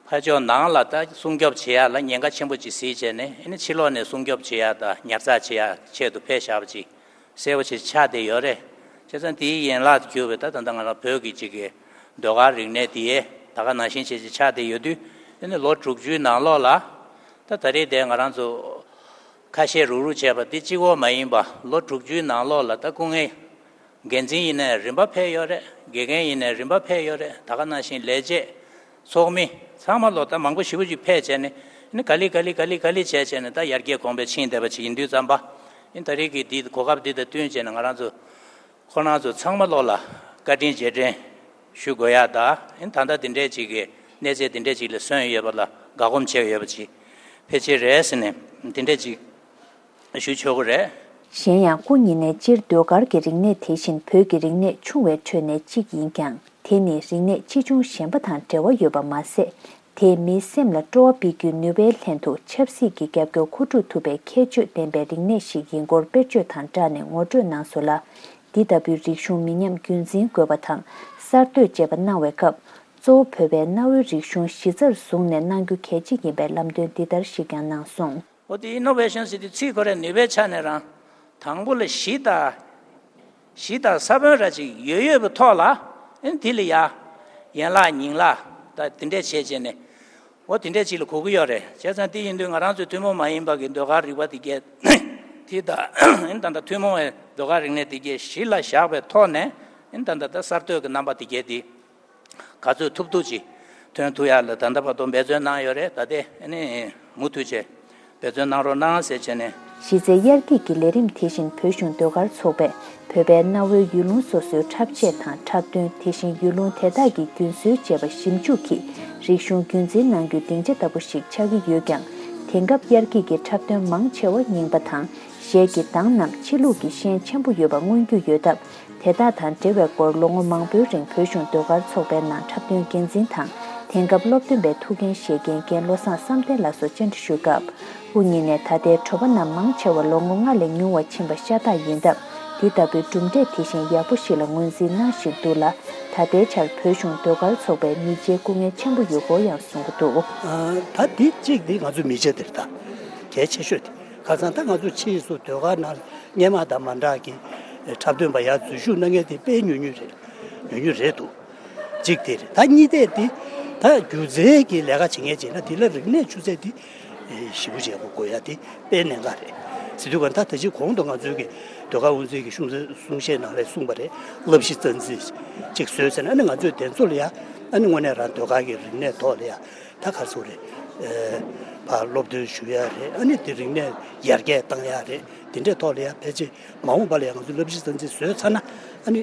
ཕར་ཕྱོགས་ནང་ལ་ད་སྲུང་སྐྱོབ་བྱེད་ཡ་ལ་ཉེན་ཁ་ཆེན་པོ་ཅིག་གཟིགས་བྱས་ནས། ཨ་ནི་ཕྱི་ལོགས་ནས་སྲུང་སྐྱོབ་བྱེད་ཡ་དང་ཉར་ཚགས་བྱེད་ཡ་ཆེད་དུ་ཕེབས་བཞག་པ་ཅིག་གསལ་པོ་ཞིག་ཆགས་བསྡད་ཡོད་རེད། བྱས་ཙང་དེའི་ཡན་ལག་ཏུ་གྱུར་པའི་ད་ད་ལྟ་ང་རང་བོད་ཀྱི་ཅིག་གི་ཟློས་གར་རིག་གནས་དེ་ད་ག་ནང་བཞིན་བྱས་ཅིག་ཆགས་བསྡད་ཡོད་དུས། ཨ་ནི་ལོ་དྲུག་ཅུའི་ནང་ལོགས་ལ་ད་ད་རེས་དེ་ང་རང་ཚོ་ཁ་ཤས་རུག་རུག་བྱས་པ་དེ་གཅིག་པོ་མ་ཡིན་པ་ལོ་དྲུག་ཅུའི་ནང་ལོགས་ལ་ད་སྐུ་ངལ། འགན་འཛིན་ཡིན་ནའི་རིམ་པ་ཕེབས་ཡོད་རེད། དགེ་རྒན་ཡིན་ནའི་རིམ་པ་ཕེབས་ཡོད་རེད། ད་ག་ནང་བཞིན་ལས་བྱེད། ཚོགས་མི། ཚང་མ་ལོ་ད་མང་པོ་ཞེ་པོ་ཅིག་ཕེབས་བྱས་ནས། ཨ་ནི་ག་ལེ་ག་ལེ་ག་ལེ་ག་ལེ་བྱས་བྱས་ནས་ད་ཡར་རྒྱས་གོང་འཕེལ་ཕྱིན་བསྡད་པ་ཅིག་ཡིན་དུས་ཙམ་པ། ཨ་ནི་ད་རེས་ཀྱི་འདི་གོ་སྐབས་འདི་དང་བསྟུན་བྱས་ནས་ང་རང་ཚོ། ཁོ་རང་ཚོ་ཚང་མ་ལོ་ལ་བཀའ་དྲིན་རྗེས་དྲན་ཞུ་དགོས་ཡ་ད། ཨ་ནི་ད་ལྟ་འདི་འདྲས་ཅིག་གི་གནས་ཚད་འདི་འདྲས་ཅིག་ལ་སོན་ཡོད་པ་ལ་དགའ་སྒོམ་བྱས་ཡོད་པ་ཅིག་ཕལ་ཆེར་རེད་ཟེར་ནས་འདི་འདྲས་ཅིག་ཞུ་ཆོག་གི་རེད། གཞན་ཡང་སྐུ་ཉིད་ནས་སྤྱིར་ཟློས་གར་གྱི་རིག་གནས་དེ་བཞིན་བོད་ཀྱི་རིག་གནས་ཆུང་བའི་ཁྲོད་ནས་གཅིག་ཡིན་ཀྱང་། དེ་ནི་རིག་གནས་ཆེ་ཆུང་གཞན་པ་དང་འབྲེལ་བ་ཡོད་པ་མ་ཟད། དེས་མིའི་སེམས་ལ་སྤྲོ་བ་སྤེལ་རྒྱུའི་ནུས་པའི་ལྷན་དུ་ཆབ་སྲིད་ཀྱི་རྒྱབ་སྐྱོར་མཁོ་སྒྲུབ་ཐུབ་པའི་ཁྱད་ཆོས་ལྡན་པའི་རིག་གནས་ཤིག་ཡིན་སྐོར་དཔེར་བརྗོད་དང་སྦྲགས་ནས་ངོ་སྤྲོད་གནང་སོང་ལ། འདི་ལྟ་བུའི་རིག་གཞུང་མི་ཉམས་རྒྱུན་འཛིན་དགོས་པ་དང་གསར་གཏོད་བཅས་པ་གནང་བའི་སྐབས། གཙོ་བོ་བོད་པའི་གནའ་བོའི་རིག་གཞུང་གཞི་རྩར་བཟུང་ནས་གནང་རྒྱུ་གལ་ཆེ་ཡིན་པའི་ལམ་སྟོན་འདི་ལྟར་ཞིག་ཀྱང་གནང་སོང་། འོ་དེ་ཨི་ནོ་ཝེ་ཤན་ཟེར་དུས་ཚིག་ཁོ་རའི་ནུས་པའི་ཆ་ནས་རང་དང་པོ་ལ་གཞི་དང་། གཞི་དང་ས་བོན་ར་ཅིག་ཡོད་ཡོད་པའི་ཐོག་ལ། ཨེ་དེ་ལ་ཡ་ཡན་ལག་ཉིང་ལག་ད་དེ་འདྲས་བྱས་བྱས་ནས། འོ་དེ་འདྲས་ཅིག་ལ་གོ་གི་ཡོད་རེད། བྱས་ཙང་དེ་ཡིན་དུས་ང་རང་ཚོའི་ཐུན་མོང་མ་ཡིན་པ་གི་ཟློས་གར་རིག་པ་དེ་གས་དེ་ད་ཨེ་ད་ད་ཐུན་མོང་བའི་ཟློས་གར་རིག་གནས་དེ་གས་གཞི་ལ་བཞག་པའི་ཐོག་ནས། ཨེ་ད་ད་ད་གསར་གཏོད་ཀྱི་རྣམ་པ་དེ་གས་དེ། ག་ཚོད་ཐུབ་ཐུབ་ཅིག་ཐོན་ཐུབ་ཡག་ལ་ད་ལྟ་བར་དུ་འབད་བརྩོན་གནང་ཡོད་རེད། ད་ལྟའི་ཨ་ནི་མུ་མཐུད་བྱས་འབད་བརྩོན་གནང་རོགས་གནང་ཟེར་བྱས་ནས། གཞི་རྩའི་དབྱར་སྐྱིད་ཀྱི་ལས་རིམ་དེ་བཞིན་བོད་གཞུང་ཟློས་གར་ཚོགས་པས་བོད་པའི་གནའ་བོའི་ཡུལ་ལུང་སོ་སོའི་འཁྲབ་ཆས་དང་འཁྲབ་སྟོན། དེ་བཞིན་ཡུལ་ལུང་དེ་དག་གི་རྒྱུན་སྲོལ་བཅས་པ་ཞིབ་འཇུག་གིས་རིག་གཞུང་རྒྱུན་འཛིན་གནང་རྒྱུའི་སྡིངས་ཆ་ལྟ་བུ་ཞིག་ཆགས་ཀྱི་ཡོད་ཀྱང་། དེང་སྐབས་དབྱར་སྐྱིད་ཀྱི་འཁྲབ་སྟོན་མང་ཆེ་བ་རྙིང་པ་དང་། གཞས་ཀྱི་གདངས་རྣམས་ཕྱི་ལུགས་ཀྱི་ཤན་ཆེན་པོ་ཡོད་པ་མངོན་རྒྱུ་ཡོད་སྟབས། དེ་དག་དང་འབྲེལ་བའི་སྐོར་ལོ་ངོ་མང་པོའི་རིང་བོད་གཞུང་ཟློས་གར་ཚོགས་པའི་ནང་འཁྲབ་སྟོན་འགན་འཛིན་དང་། དེང་སྐབས་སློབ་སྟོན་པའི་ཐུགས་འགན་བཞེས་མཁན་རྒན་བློ་བཟང་བསམ་གཏན་ལགས་སུ་བཅར་འདྲི་ཞུས་སྐབས། དབུ་བརྙེས་ནས་ད་ལྟའི་དྲོ་པ་རྣམས་མང་ཆེ་བ་ལོ་ངོ་ལྔ་ལས་ཉུང་བ་ཕྱིན་པ་ཤ་སྟག་ཡིན་སྟབས། འདི་ལྟ་བུའི་གྲུབ་འབྲས་དེ་བཞིན་ཡག་པོ་ཞིག་ལ་ངོས་འཛིན་གནང་བཞིན་འདུག་ལ། ད་ལྟའི་ཆར་བོད་གཞུང་ཟློས་གར་ཚོགས་པའི་མི་སྤྱིའི་སྐུ་ངལ་ཆེན་པོ་ཡོད་སྐོར་ཡང་གསུང་གི་འདུག། ད་འདི་གཅིག་འདི་ང་ཚོ་མི་སྤྱི་འདིར་ད་གལ་ཆེ་ཤོས་དེ། ཁ་སང་ད་ང་ཚོ་ཕྱིས་སུ་ཟློས་གར་ནང་སྔོན་མ་དང་མ་འདྲ་གི་འཁྲབ་སྟོན་པ་ཡར་འཛུལ་ཞུགས་གནང་མཁན་དེ་དཔེ་ཉུང་ཉུང་རེད། ཉུང་ཉུང་རེད་འདུག། གཅིག་དེ་རེད། ད་གཉིས་དེ་དེ་ད་སྒྱུ་རྩལ་གྱི་ལས་ཀ་བྱེད་མཁན་བྱས་ན་དེ་ལ་རིག་གནས་ཆུ་ཚད་དེ་ཞེ་པོ་ཅིག་ཡག་པོ་དགོས་ཡ་དེ་དཔེ་གནད་འགག་རེད། ཟེར་དུས་ག་ད་ད་ཅི་གོང་དུ་ང་ཚོའི་གི་ཟློས་གར་དབུ་འཛིན་གྱི་གསུང་གསུང་བཤད་ནང་ལ་གསུངས་པ་རེད། བསླབ་གཞི་རྩ་འཛིན་ཅིག་བཟོས་ཟེར་ན་ཨ་ནི་ང་ཚོས་དེ་ཚོ་ལ་ཡ་ ཨ་ནི་དངོས་གནས་རང་ཟློས་གར་གྱི་རིག་གནས་ཐོག་ལ་ཡ་ད་ག་རེ་ཟེར་དགོས་རེད། ཨེ། ཕར་སློབ་སྟོན་ཞུ་ཡ་རེད། ཨ་ནི་དེ་རིག་གནས་ཡར་རྒྱས་བཏང་ཡ་རེད། དེ་འདྲའི་ཐོག་ལ་ཡ་ཕལ་ཆེར་མ་འོངས་པ་ལ་ཡ་ང་ཚོས་སློབ་གཞི་གསར་འཛུགས་བཟོས་ཚར་ན་ཨ་ནི་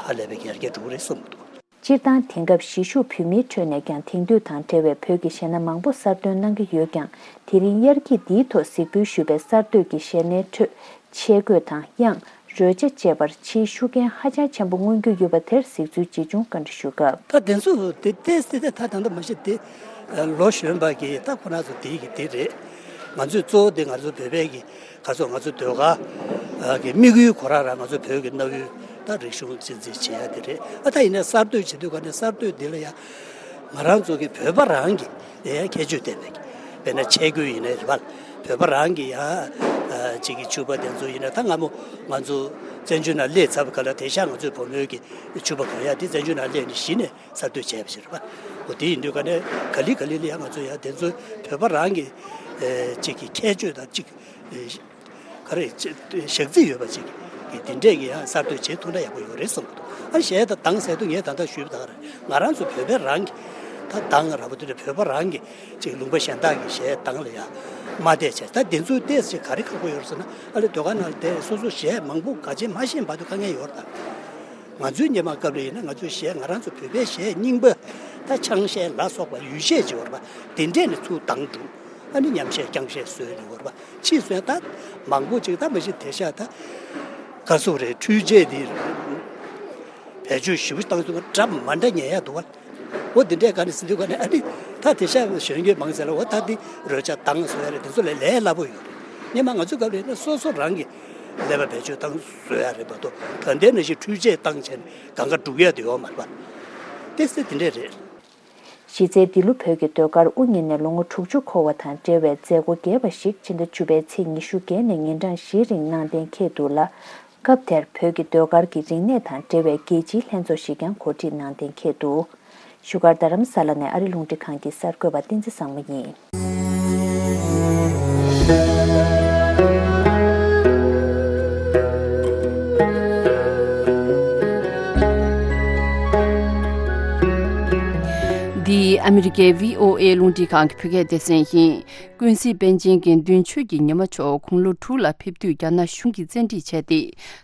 ཧ་ལས་པའི་ཡར་རྒྱས་འགྲོ་གི་རེད་བསམ་གྱི་འདུག། སྤྱིར་བཏང་དེང་སྐབས་གཞིས་བཞུགས་བོད་མིའི་ཁྲོད་ནས་ཀྱང་དེང་དུས་དང་འབྲེལ་བའི་བོད་ཀྱི་གཞས་སྣ་མང་པོ་གསར་འདོན་གནང་གི་ཡོད་ཀྱང་། དེ་རིང་དབྱར་སྐྱིད་འདིའི་ཐོག་གཟིགས་འབུལ་ཞུས་པའི་གསར་གཏོད་ཀྱི་གཞས་སྣའི་ཁྲོད་ཆས་གོས་དང་དབྱངས། རོལ་ཆ་བཅས་པར་ཕྱིའི་ཤུགས་རྐྱེན་ཧ་ཅང་ཆེན་པོ་མངོན་རྒྱུ་ཡོད་པ་དེར་གཟིགས་ཚུལ་ཇི་བྱུང་བཀའ་འདྲི་ཞུ་སྐབས། ད་དེ་ཚོ་དེ་ཏོག་ཙམ་དེ་ད་ད་ལྟ་མ་གཞི་དེ་ལོ་གཞོན་པ་གི་ད་ཁོ་རང་ཚོ་དེ་གི་དེ་རེད། ང་ཚོས་གཙོ་བོ་དེ་ང་ཚོ་བོད་པའི་གི་ག་ཚོད་ང་ཚོ་ཟློས་གར་གི་དམིགས་ཡུལ་ཁོ་རང་རང་ང་ཚོ་བོད་ཀྱི་གནའ་བོའི་ད་རིག་གཞུང་གཅེས་འཛིན་བྱེད་ཡ་དེ་རེད། ཨ་ད་ཡིན་ན་གསར་གཏོད་བྱེད་དུས་ག་ནས་གསར་གཏོད་འདི་ལ་ཡ་ང་རང་ཚོ་གི་བོད་པ་རང་གི་ཡ་ཁྱད་ཆོས་ལྡན་པའི་གི་དཔེར་ན་ཆས་གོས་ཡིན་ནའི་རེད་པ། བོད་པ་རང་གི་ཡ་གཅིག་གི་ཕྱུ་པ་དེ་ཚོ་ཡིན་ན་ད་སྔ་མོ་ང་ཚོ་བཙན་བྱོལ་ནང་སླེབས་ཚར་བ་ག་ལ་དེང་སང་ང་ཚོའི་བུ་མོའི་གི་ཕྱུ་པ་གོན་ཡ་དེ་བཙན་བྱོལ་ནང་སླེབས་ནས་གཞི་ནས་གསར་གཏོད་བྱས་པ་ཞིག་རེད་པ། འོ་དེ་ཡིན་དུས་ག་ནས་ག་ལེ་ག་ལེ་ལ་ཡང་ང་ཚོ་ཡང་དེ་ཚོའི་བོད་པ་རང་གི་ཨེ་གཅིག་གི་ཁྱད་ཆོས་དང་གཅིག་ཨེ་ག་རེ་ཅི་ཞག་རྩི་ཡོད་པ་ཅིག་གི་དེ་འདྲས་ཀྱི་ཡང་གསར་གཏོད་བྱེད་ཐུབ་ན་ཡག་པོ་ཡོད་རེད་བསམ་གྱི་འདུག། ཨ་གཞས་དང་གདངས་ཟེར་དུས་ངས་ད་ལྟ་ཞུས་པ་དང་རེད། ང་རང་ཚོ་བོད་པའི་རང་གི་ད་གདངས་ར་བ་དེ་འདྲ་བོད་པ་རང་གི་ཅིག་ལུང་པ་གཞན་དག་གི་གཞས་གདངས་ལ་ཡང་མ་བལྟས་བྱས། ད་དེ་ཚོའི་ཏོག་ཙམ་ག་རེ་ཁག་པོ་ཡོད་རེད་ཟེར་ན། ཨ་ལེ་ཟློས་གར་ནང་ལ་བསྡད་སོ་སོ་གཞས་མང་པོ་ག་ཅན་མ་ཤེས་བར་དུ་དཀའ་ངལ་ཡོད་རེད་ད། ང་ཚོའི་སྔོན་མ་སྐབས་ལ་ཡིན་ན་ང་ཚོའི་གཞས་ང་རང་ཚོ་བོད་པའི་གཞས་རྙིང་པ་ད་ཆང་གཞས་ལ་སོགས་པ་ཡུལ་གཞས་ཅིག་ཡོད་རེད་པ། དེ་འདྲས་ནས་ཚུར་བཏང་འགྲོ། ཨ་ནི་ཉམས་གཞས་རྐྱང་གཞས་བཟོས་ནས་ཡོད་རེད་པ། ཕྱིས་སུ་ཡང་ད་མང་པོ་ཅིག་ད་མ་གཞི་དེང་སང་ད་ག་ཟེར་དགོས་རེད། འཕྲུལ་ཆས་འདི་བེད་སྤྱོད་ཞེ་པོ་བཏང་སོང་། འདྲ་མ་འདྲ་ཉན་ཡ་འདུག་པ། འོ་འདི་འདྲས་ག་ནས་ཟིན་དུས་ག་ནས་ཨ་ནི་ད་དེང་སང་གཞོན་སྐྱེས་མང་ཆེ་ལ་འོ་ད་འདི་རོལ་ཆ་གདངས་བཟོ་ཡ་རེད། དེ་ཚོ་ལས་ལས་སླ་པོ་ཡོད་རེད། སྔོན་མ་ང་ཚོའི་སྐབས་ལ་ཡིན་ན་སོ་སོ་རང་གི་ཀླད་པ་བེད་སྤྱོད་བཏང་བཟོ་ཡ་རེད་མ་གཏོགས་ད་ལྟའི་ནང་བཞིན་འཕྲུལ་ཆས་བཏང་བྱས་ནས་གང་ག་སྒྲུག་ཡ་དེ་ཡོད་མ་རེད་པ། ཏོག་ཙམ་དེ་འདྲས་རེད། གཞི་རྩའི་འདི་ལོ་བོད་ཀྱི་ཟློས་གར་དབུ་བརྙེས་ནས་ལོ་ངོ་དྲུག་ཅུ་འཁོར་བ་དང་འབྲེལ་བའི་མཛད་སྒོ་རྒྱས་པ་ཞིག་ཕྱི་ཟླ་བཅུ་པའི་ཚེས་ཉི་ཤུ་བརྒྱད་ནས་ཉིན་གྲངས་བཞིའི་རིང་གནང་གཏན་འཁེལ་འདུག་ལ། སྐབས་དེར་བོད་ཀྱི་ཟློས་གར་གྱི་རིག་གནས་དང་འབྲེལ་བའི་རྒྱལ་སྤྱིའི་ལྷན་ཚོགས་ཤིག་ཀྱང་གོ་སྒྲིག་གནང་གཏན་འཁེལ་འདུག། བཞུགས་སྒར་རྡ་རམ་ས་ལ་ནས་ཨ་རི་རླུང་འཕྲིན་ཁང་གི་གསར་འགོད་པ་བསྟན་འཛིན་བཟང་མོ་ཡིན། འདི་ཨ་མི་རི་ཀའི་བྷི་ཨོ་ཨེ་རླུང་འཕྲིན་ཁང་གི་བོད་སྐད་སྡེ་ཚན་ཡིན། ཀུན་གཟིགས་པཎ་ཆེན་དགེ་འདུན་ཆོས་ཀྱི་ཉི་མ་མཆོག་དགུང་ལོ་དྲུག་ལ་ཕེབས་དུས་རྒྱ་ནག་གཞུང་གིས་བཙན་ཁྲིད་བྱས་ཏེ།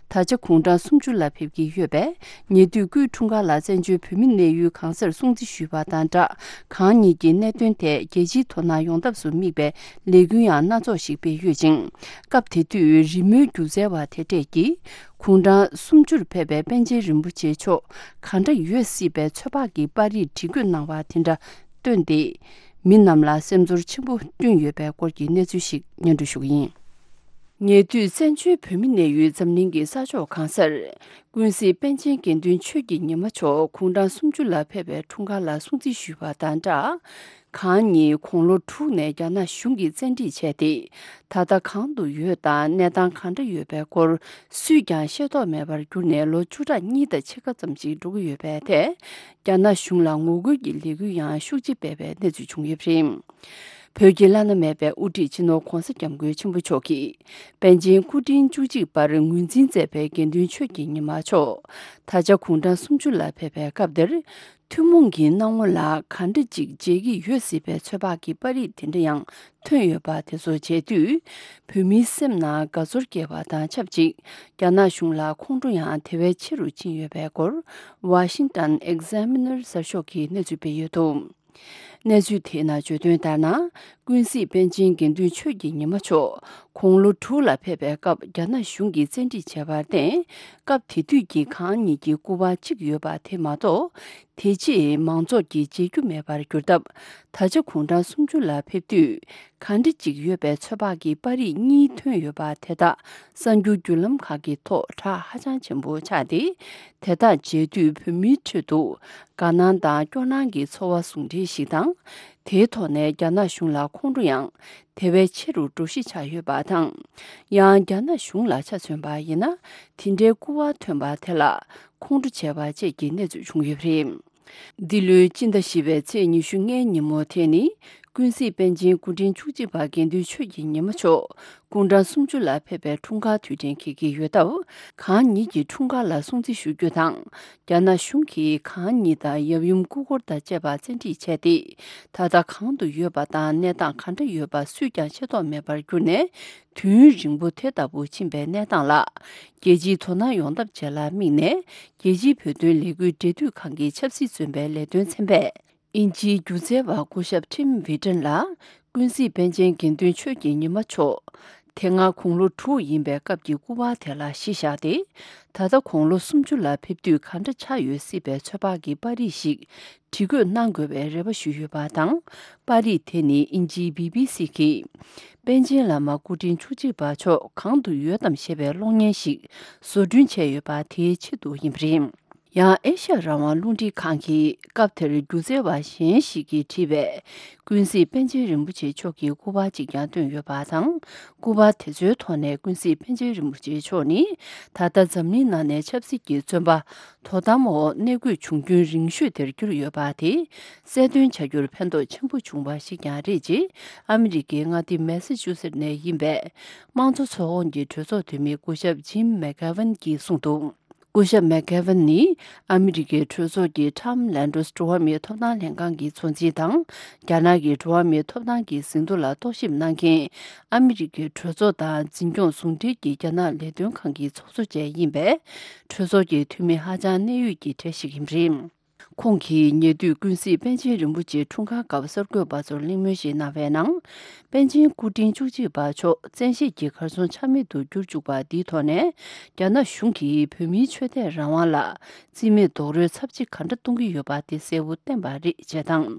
ད་ཆ་དགུང་གྲངས་སུམ་ཅུ་ལ་ཕེབས་ཀྱི་ཡོད་པས། ཉེ་དུས་སྐུའི་འཁྲུངས་སྐར་ལ་བཙན་བྱོལ་བོད་མི་གནས་ཡུལ་གང་སར་སྲུང་བརྩི་ཞུས་པ་དང་སྦྲགས། གང་ཉིད་ཀྱི་གནད་དོན་ཐད་རྒྱལ་སྤྱིའི་དོ་སྣང་ཡོང་ཐབས་སུ་དམིགས་པའི་ལས་འགུལ་ཡང་སྣ་ཚོགས་ཤིག་སྤེལ་ཡོད་ཅིང་། སྐབས་དེ་དུས་རི་མོའི་སྒྱུ་རྩལ་བ་དེ་གྲས་ཀྱིས། དགུང་གྲངས་སུམ་ཅུར་ཕེབས་པའི་པཎ་ཆེན་རིན་པོ་ཆེ་མཆོག་གང་འདྲ་ཡོད་སྲིད་པའི་ཚོད་དཔག་གི་པར་རིས་བྲིས་འགོད་གནང་བ་དེ་འདྲ་བཏོན་ཏེ། མི་རྣམས་ལ་སེམས་ཚོར་ཆེན་པོ་བསྐྲུན་ཡོད་པའི་སྐོར་གྱི་གནས་ཚུལ་ཞིག་སྙན་སྒྲོན་ཞུ་གི་ཡིན། ཉེ་དུས་བཙན་བྱོལ་བོད་མི་གནས་ཡུལ་འཛམ་གླིང་གི་ས་ཕྱོགས་གང་སར། ཀུན་གཟིགས་པཎ་ཆེན་དགེ་འདུན་ཆོས་ཀྱི་ཉི་མ་མཆོག་དགུང་གྲངས་སུམ་ཅུ་ལ་ཕེབས་པའི་འཁྲུངས་སྐར་ལ་སྲུང་བརྩི་ཞུས་པ་དང་སྦྲགས། གང་ཉིད་དགུང་ལོ་དྲུག་ནས་རྒྱ་ནག་གཞུང་གིས་བཙན་ཁྲིད་བྱས་ཏེ། ད་ལྟ་གང་དུ་ཡོད་དང་གནས་སྟངས་གང་འདྲ་ཡོད་པའི་སྐོར་སུས་ཀྱང་ཤེས་རྟོགས་མེད་པར་གྱུར་ནས་ལོ་བཅུ་ཕྲག་གཉིས་དང་ཕྱེད་ཀ་ཙམ་ཞིག་འགྲོ་གི་ཡོད་པའི་ཐད། རྒྱ་ནག་གཞུང་ལ་ངོ་རྒོལ་གྱི་ལས་འགུལ་ཡང་ཤུགས་ཆེ་སྤེལ་བའི་གནས་ཚུལ་བྱུང་ཡོད་པ་རེད། བོད་ཀྱི་བླ་ན་མེད་པའི་དབུ་ཁྲིད་སྤྱི་ནོར་༧གོང་ས་༧སྐྱབས་མགོན་ཆེན་པོ་མཆོག་གིས་པཎ་ཆེན་སྐུ་ཕྲེང་བཅུ་གཅིག་པར་ངོས་འཛིན་མཛད་པའི་དགེ་འདུན་ཆོས་ཀྱི་ཉི་མ་མཆོག་ད་ཆ་དགུང་གྲངས་སུམ་ཅུ་ལ་ཕེབས་པའི་སྐབས་འདིར། ཐུན་མོང་གི་སྣང་ངོ་ལ་ག་འདྲ་ཅིག་མཇལ་གྱི་ཡོད་སྲིད་པའི་ཚོད་དཔག་གི་པར་རིས་དེ་འདྲ་ཡང་ཐོན་ཡོད་པ་དེ་ཚོ་མཇལ་དུས། བོད་མིའི་སེམས་ནང་དགའ་ཚོར་སྐྱེ་བ་དང་ཆབས་ཅིག་རྒྱ་ནག་གཞུང་ལ་ཁོང་ཁྲོ་ཡང་དེ་བས་ཆེ་རུ་ཕྱིན་ཡོད་པའི་སྐོར། Washington Examiner་གསར་ཤོག་གིས་གནས་ཚུལ་སྤེལ་ཡོད་འདུག། གནས་ཚུལ་དེའི་ནང་བརྗོད་དོན་ལྟར་ན། ཀུན་གཟིགས་པཎ་ཆེན་དགེ་འདུན་ཆོས་ཀྱི་ཉི་མ་མཆོག་དགུང་ལོ་དྲུག་ལ་ཕེབས་པའི་སྐབས་རྒྱ་ནག་གཞུང་གིས་བཙན་ཁྲིད་བྱས་པར་བརྟེན། སྐབས་དེ་དུས་ཀྱི་གང་ཉིད་ཀྱི་སྐུ་པར་གཅིག་ཡོད་པ་དེ་མ་གཏོགས། དེ་རྗེས་མང་ཚོགས་ཀྱིས་མཇལ་རྒྱུ་མེད་པར་གྱུར་སྟབས། ད་ཆ་དགུང་གྲངས་སུམ་ཅུ་ལ་ཕེབས་དུས། ག་འདྲ་ཅིག་ཡོད་པའི་ཚོད་དཔག་གི་པར་རིས་གཉིས་ཐོན་ཡོད་པ་དེ་དག་གསར་འགྱུར་བརྒྱུད་ལམ་ཁག་གི་ཐོག་གྲགས་ཧ་ཅང་ཆེན་པོ་ཆགས་ཏེ། དེ་དག་མཇལ་དུས་བོད་མིའི་ཁྲོད་དུ་དགའ་སྣང་དང་སྐྱོ་སྣང་གི་ཚོར་བ་ཟུང་འབྲེལ་ཞིག་དང་། དེའི་ཐོག་ནས་རྒྱ་ནག་གཞུང་ལ་ཁོང་ཁྲོ་ཡང་དེ་བས་ཆེ་རུ་འགྲོ་གཞི་ཆགས་ཡོད་པ་དང་། ཡང་རྒྱ་ནག་གཞུང་ལ་ཆ་མཚོན་པ་ཡིན་ན། དེ་འདྲའི་སྐུ་པར་ཐོན་པ་དེ་ལ་ཁོང་ཁྲོ་བྱས་པ་བཅས་ཀྱི་གནས་ཚུལ་བྱུང་ཡོད་པ་རེད། འདི་ལོའི་སྤྱི་ཟླ་བཞི་པའི་ཚེས་ཉི་ཤུ་ལྔའི་ཉིན་མོ་དེ་ནི། ཀུན་གཟིགས་པཎ་ཆེན་སྐུ་ཕྲེང་བཅུ་གཅིག་པ་དགེ་འདུན་ཆོས་ཀྱི་ཉི་མ་མཆོག་སྐུ་ཕྲེང་སུམ་ཅུ་ལ་ཕེབས་པའི་འཁྲུངས་སྐར་དུས་དྲན་འཁེལ་གྱི་ཡོད་སྟབས། གང་ཉིད་ཀྱི་འཁྲུངས་སྐར་ལ་སྲུང་བརྩི་ཞུ་རྒྱུ་དང་། རྒྱ་ནག་གཞུང་གིས་གང་ཉིད་དང་ཡབ་ཡུམ་སྐུ་འཁོར་དང་བཅས་པ་བཙན་ཁྲིད་བྱས་ཏེ། ད་ལྟ་གང་དུ་ཡོད་པ་དང་གནས་སྟངས་ག་འདྲ་ཡོད་པ་སུས་ཀྱང་ཤེས་རྟོགས་མེད་པར་གྱུར་ནས། དུས་ཡུན་རིང་པོ་དེ་ལྟ་བུ་ཕྱིན་པའི་གནས་སྟངས་ལ། རྒྱལ་སྤྱིའི་དོ་སྣང་ཡོང་ཐབས་བཅས་ལ་དམིགས་ནས། རྒྱལ་སྤྱིའི་བོད་དོན་ལས་འགུལ་འབྲེལ་མཐུད་ཁང་གི་ཆབ་སྲིད་བཙོན་པའི་ལས་དོན་ཚན་པས། དབྱིན་ཇིའི་སྒྱུ་རྩལ་བ་སྐུ་ཞབས་ཊིམ་ཝི་ཊན་ལ། ཀུན་གཟིགས་པཎ་ཆེན་དགེ་འདུན་ཆོས་ཀྱི་ཉི་མ་མཆོག་དེ་སྔ་དགུང་ལོ་དྲུག་ཡིན་པའི་སྐབས་ཀྱི་སྐུ་པར་དེ་ལ་གཞི་བཞག་སྟེ། ད་ལྟ་དགུང་ལོ་སུམ་ཅུ་ལ་ཕེབས་དུས་ག་འདྲ་ཆགས་ཡོད་སྲིད་པའི་ཚོད་དཔག་གི་པར་རིས་ཤིག་བྲིས་བཀོད་གནང་དགོས་པའི་རེ་བ་ཞུས་ཡོད་པ་དང་། པར་རིས་དེ་ནི་དབྱིན་ཇིའི་བི་བི་སི་གིས། པཎ་ཆེན་བླ་མ་སྐུ་ཕྲེང་བཅུ་གཅིག་པ་མཆོག་གང་དུ་ཡོད་དམ་ཞེས་པའི་གློག་བརྙན་ཞིག་བཟོ་སྐྲུན་བྱས་ཡོད་པ་དེའི་ཆེད་དུ་ཡིན་པ་རེད། ཡང་ཨེ་ཤ་ཡ་རང་དབང་རླུང་འཕྲིན་ཁང་གིས་སྐབས་དེར་སྒྱུ་རྩལ་བ་གཞན་ཞིག་གིས་བྲིས་པའི་ཀུན་གཟིགས་པཎ་ཆེན་རིན་པོ་ཆེ་མཆོག་གི་སྐུ་པར་ཅིག་ཀྱང་བཏོན་ཡོད་པ་དང་། སྐུ་པར་དེ་ཚོའི་ཐོག་ནས་ཀུན་གཟིགས་པཎ་ཆེན་རིན་པོ་ཆེ་མཆོག་ནི་ད་ལྟ་འཛམ་གླིང་ནང་ནས་ཆབ་སྲིད་ཀྱི་བཙོན་པ། དོ་དམ་འོག་གནས་དགོས་བྱུང་རྒྱུན་རིང་ཤོས་དེར་གྱུར་ཡོད་པ་དེ་གསལ་སྟོན་བྱ་རྒྱུར་ཕན་ཐོགས་ཆེན་པོ་བྱུང་བ་ཞིག་ཀྱང་རེད་ཅེས། ཨ་མི་རི་ཀའི་མངའ་སྡེ་མེ་སི་ཅུ་སེད་ནས་ཡིན་པའི་དམངས་གཙོ་ཚོགས་ཁོངས་ཀྱི་གྲོས་ཚོགས་འཐུས་མི་སྐུ་ཞབས་ཇིམ་མེག་གྷེ་ཝན་གྱིས་གསུངས་འདུག་སྐུ་ཞབས་མེག་གྷེ་ཝན་ནི་ཨ་མི་རི་ཀའི་གྲོས་ཚོགས་ཀྱི་ཊམ་ལན་ཌོས་འགྲོ་བ་མིའི་ཐོབ་ཐང་ལྷན་ཁང་གི་གཙོ་འཛིན་དང་། རྒྱ་ནག་གི་འགྲོ་བ་མིའི་ཐོབ་ཐང་གི་ཟིན་ཐོ་ལ་རྟོག་ཞིབ་གནང་མཁན། ཨ་མི་རི་ཀའི་གྲོས་ཚོགས་དང་འཛིན་སྐྱོང་ཟུང་འབྲེལ་གྱི་རྒྱ་ནག་ལས་དོན་ཁང་གི་ཚོགས་གཙོ་བཅས་ཡིན་པས། གྲོས་ཚོགས་ཀྱི་འཐུས་མི་ཧ་ཅང་གནད་ཡོད་ཀྱི་གྲས་ཤིག་ཡིན་པ་རེད། ཁོང་གིས་ཉེ་དུས་ཀུན་གཟིགས་པཎ་ཆེན་རིན་པོ་ཆེའི་འཁྲུངས་སྐར་སྐབས་གསར་འགོད་པ་ཚོར་གླེང་མོལ་ཞིག་གནང་བའི་ནང་། པཎ་ཆེན་སྐུ་ཕྲེང་བཅུ་གཅིག་པ་མཆོག་བཙན་ཤེད་ཀྱིས་གར་སོང་ཆ་མེད་དུ་གྱུར་བཅུག་པ་འདིའི་ཐོག་ནས། རྒྱ་ནག་གཞུང་གིས་བོད་མིའི་ཆོས་དད་རང་དབང་ལ་རྩིས་མེད་རྡོག་རོལ་ཚབས་ཆེ་ག་འདྲ་གཏོང་གི་ཡོད་པ་དེ་གསལ་པོ་བསྟན་པ་རེད་ཅེས་དང་།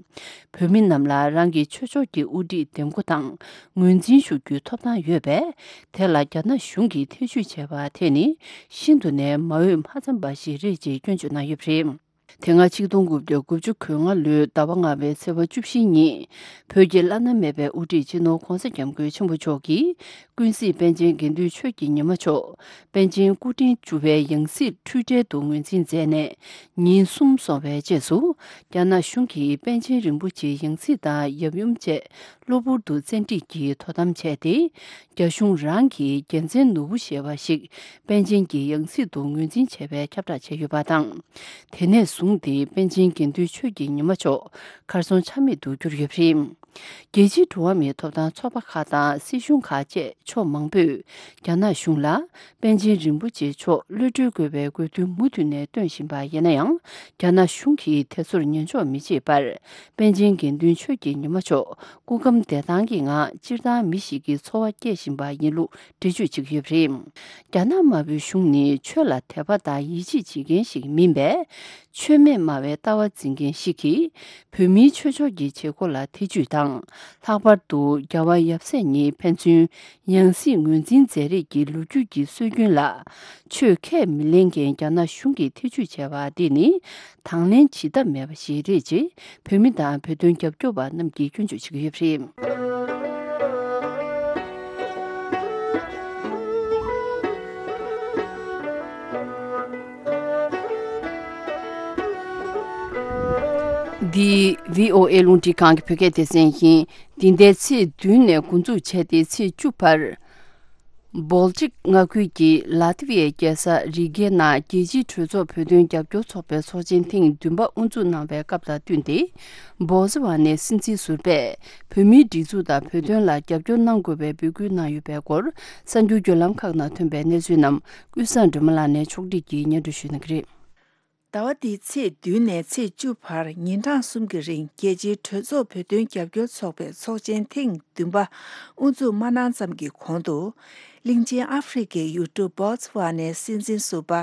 བོད་མི་རྣམས་ལ་རང་གི་ཆོས་ཕྱོགས་ཀྱི་དབུ་ཁྲིད་འདེམས་བསྐོ་དང་ངོས་འཛིན་ཞུ་རྒྱུའི་ཐོབ་ཐང་ཡོད་པས། དེ་ལ་རྒྱ་ནག་གཞུང་གིས་ཐེ་བྱུས་བྱས་པ་དེ་ནི་ཤིན་ཏུ་ནས་མ་འོས་མ་འཚམས་པ་ཞིག་རེད་ཅེས་སྐྱོན་བརྗོད་གནང་ཡོད་པ་རེད། དེ་སྔ་ཆིག་སྟོང་དགུ་བརྒྱ་དགུ་བཅུ་གོ་ལྔ་ལོའི་ཟླ་བ་ལྔ་པའི་ཚེས་པ་བཅུ་བཞི་ཉིན། བོད་ཀྱི་བླ་ན་མེད་པའི་དབུ་ཁྲིད་སྤྱི་ནོར་༧གོང་ས་༧སྐྱབས་མགོན་ཆེན་པོ་མཆོག་གིས། ཀུན་གཟིགས་པཎ་ཆེན་དགེ་འདུན་ཆོས་ཀྱི་ཉི་མ་མཆོག་པཎ་ཆེན་སྐུ་ཕྲེང་བཅུ་པའི་ཡང་སྲིད་འཁྲུལ་བྲལ་དུ་ངོས་འཛིན་མཛད་ནས། ཉིན་གསུམ་སོང་བའི་རྗེས་སུ། རྒྱ་ནག་གཞུང་གིས་པཎ་ཆེན་རིན་པོ་ཆེའི་ཡང་སྲིད་དང་ཡབ་ཡུམ་བཅས་གློ་བུར་དུ་བཙན་ཁྲིད་ཀྱིས་དོ་དམ་བྱས་ཏེ། རྒྱ་གཞུང་རང་གི་རྒྱལ་མཚན་ནོར་བུ་ཞེས་པ་ཞིག་པཎ་ཆེན་གྱི་ཡང་སྲིད་དུ་ངོས་འཛིན་བྱས་པའི་ཁྱབ་བསྒྲགས་བྱས་ཡོད་པ་དང་། དེ་ནས་བཟུང་སྟེ་པཎ་ཆེན་དགེ་འདུན་ཆོས་ཀྱི་ཉི་མ་མཆོག་གར་སོང་ཆ་མེད་དུ་གྱུར་ཡོད་པ་རེད། རྒྱལ་སྤྱིའི་འགྲོ་བ་མིའི་ཐོབ་ཐང་ཚོགས་པ་ཁག་དང་སྲིད་གཞུང་ཁག་བཅས་ཕྱོགས་མང་པོས་རྒྱ་ནག་གཞུང་ལ་པཎ་ཆེན་རིན་པོ་ཆེ་མཆོག་གློད་གྲོལ་དགོས་པའི་དགོས་འདུན་མུ་མཐུད་ནས་བཏོན་བཞིན་པ་ཡིན་ན་ཡང་། རྒྱ་ནག་གཞུང་གིས་དེ་ཚོར་ཉན་འཇོག་མི་བྱེད་པར། པཎ་ཆེན་དགེ་འདུན་ཆོས་ཀྱི་ཉི་མ་མཆོག་སྐུ་ཁམས་བདེ་ཐང་གི་ངང་སྤྱིར་བཏང་མི་ཞིག་གི་འཚོ་བ་སྐྱེལ་བཞིན་པ་ཡིན་ལུགས་འགྲེལ་བརྗོད་བྱེད་ཀྱི་ཡོད་པ་རེད། རྒྱ་ནག་དམར་པོའི་གཞུང་ནི་ཆོས་ལ་དད་པ་དང་ཡིད་ཆེས་བྱེད་མཁན་ཞིག་མིན་པས། ཆོས་མེད་སྨྲ་བའི་ལྟ་བ་འཛིན་མཁན་ཞིག་གིས། བོད་མིའི་ཆོས་ཕྱོགས་ཀྱི་བྱེད་སྒོ་ལ་ཐེ་ཇུས་དང་། ལྷག་པར་དུ་རྒྱལ་བ་ཡབ་སྲས་ཉིད་ཕན་ཚུན་ཡང་སྲིད་ངོས་འཛིན་མཛད་རེས་ཀྱི་ལོ་རྒྱུས་ཀྱི་སྲོལ་རྒྱུན་ལ། ཆོས་ཁས་མི་ལེན་མཁན་རྒྱ་ནག་གཞུང་གིས་ཐེ་ཇུས་བྱས་པ་འདི་ནི། དང་ལེན་བྱེད་ཐབས་མེད་པ་ཞིག་རེད་ཅེས། བོད་མི་དང་བོད་དོན་རྒྱབ་སྐྱོར་བ་རྣམས་ཀྱིས་སྐྱོན་བརྗོད་བྱེད་ཀྱི་ཡོད་པ་རེད། འདི་བྷི་ཨོ་ཨེ་རླུང་འཕྲིན་ཁང་གི་བོད་སྐད་སྡེ་ཚན་ཡིན། འདི་ཟླའི་ཚེས་བདུན་ནས་འགོ་འཛུགས་བྱས་ཏེ་ཚེས་བཅུ་བར། བོལ་ཊིག་མངའ་ཁུལ་གྱི་ལ་ཏི་ཝི་ཡའི་རྒྱལ་ས་རི་གའི་ནང་རྒྱལ་སྤྱིའི་གྲོས་ཚོགས་བོད་དོན་རྒྱབ་སྐྱོར་ཚོགས་པའི་ཚོགས་ཆེན་ཐེངས་བདུན་པ་དབུ་འཛུགས་གནང་བའི་སྐབས་དང་བསྟུན་ཏེ། བོ་ཙི་ཝ་ནའི་སྲིད་འཛིན་ཟུར་པས་བོད་མིའི་སྒྲིག་འཛུགས་དང་བོད་དོན་ལ་རྒྱབ་སྐྱོར་གནང་དགོས་པའི་འབོད་སྐུལ་གནང་ཡོད་པའི་སྐོར། གསར་འགྱུར་བརྒྱུད་ལམ་ཁག་ནང་ཐོན་པའི་གནས་ཚུལ་རྣམས་ཀུན་བཟང་སྒྲོལ་མ་ལགས་ནས་ཕྱོགས་སྒྲིག་གིས་སྙན་སྒྲོན་ཞུ་གནང་གི་རེད། ཟླ་བ་འདིའི་ཚེས་བདུན་ནས་ཚེས་བཅུ་བར་ཉིན་གྲངས་གསུམ་གྱི་རིང་རྒྱལ་སྤྱིའི་གྲོས་ཚོགས་བོད་དོན་རྒྱབ་སྐྱོར་ཚོགས་པའི་ཚོགས་ཆེན་ཐེངས་བདུན་པ་དབུ་འཛུགས་མ་གནང་ཙམ་གྱི་གོང་དུ། གླིང་ཆེན་ཨ་ཧྥེ་རི་ཁའི་ཡུལ་གྲུ་བོ་ཙི་ཝ་ནའི་སྲིད་འཛིན་ཟུར་པ་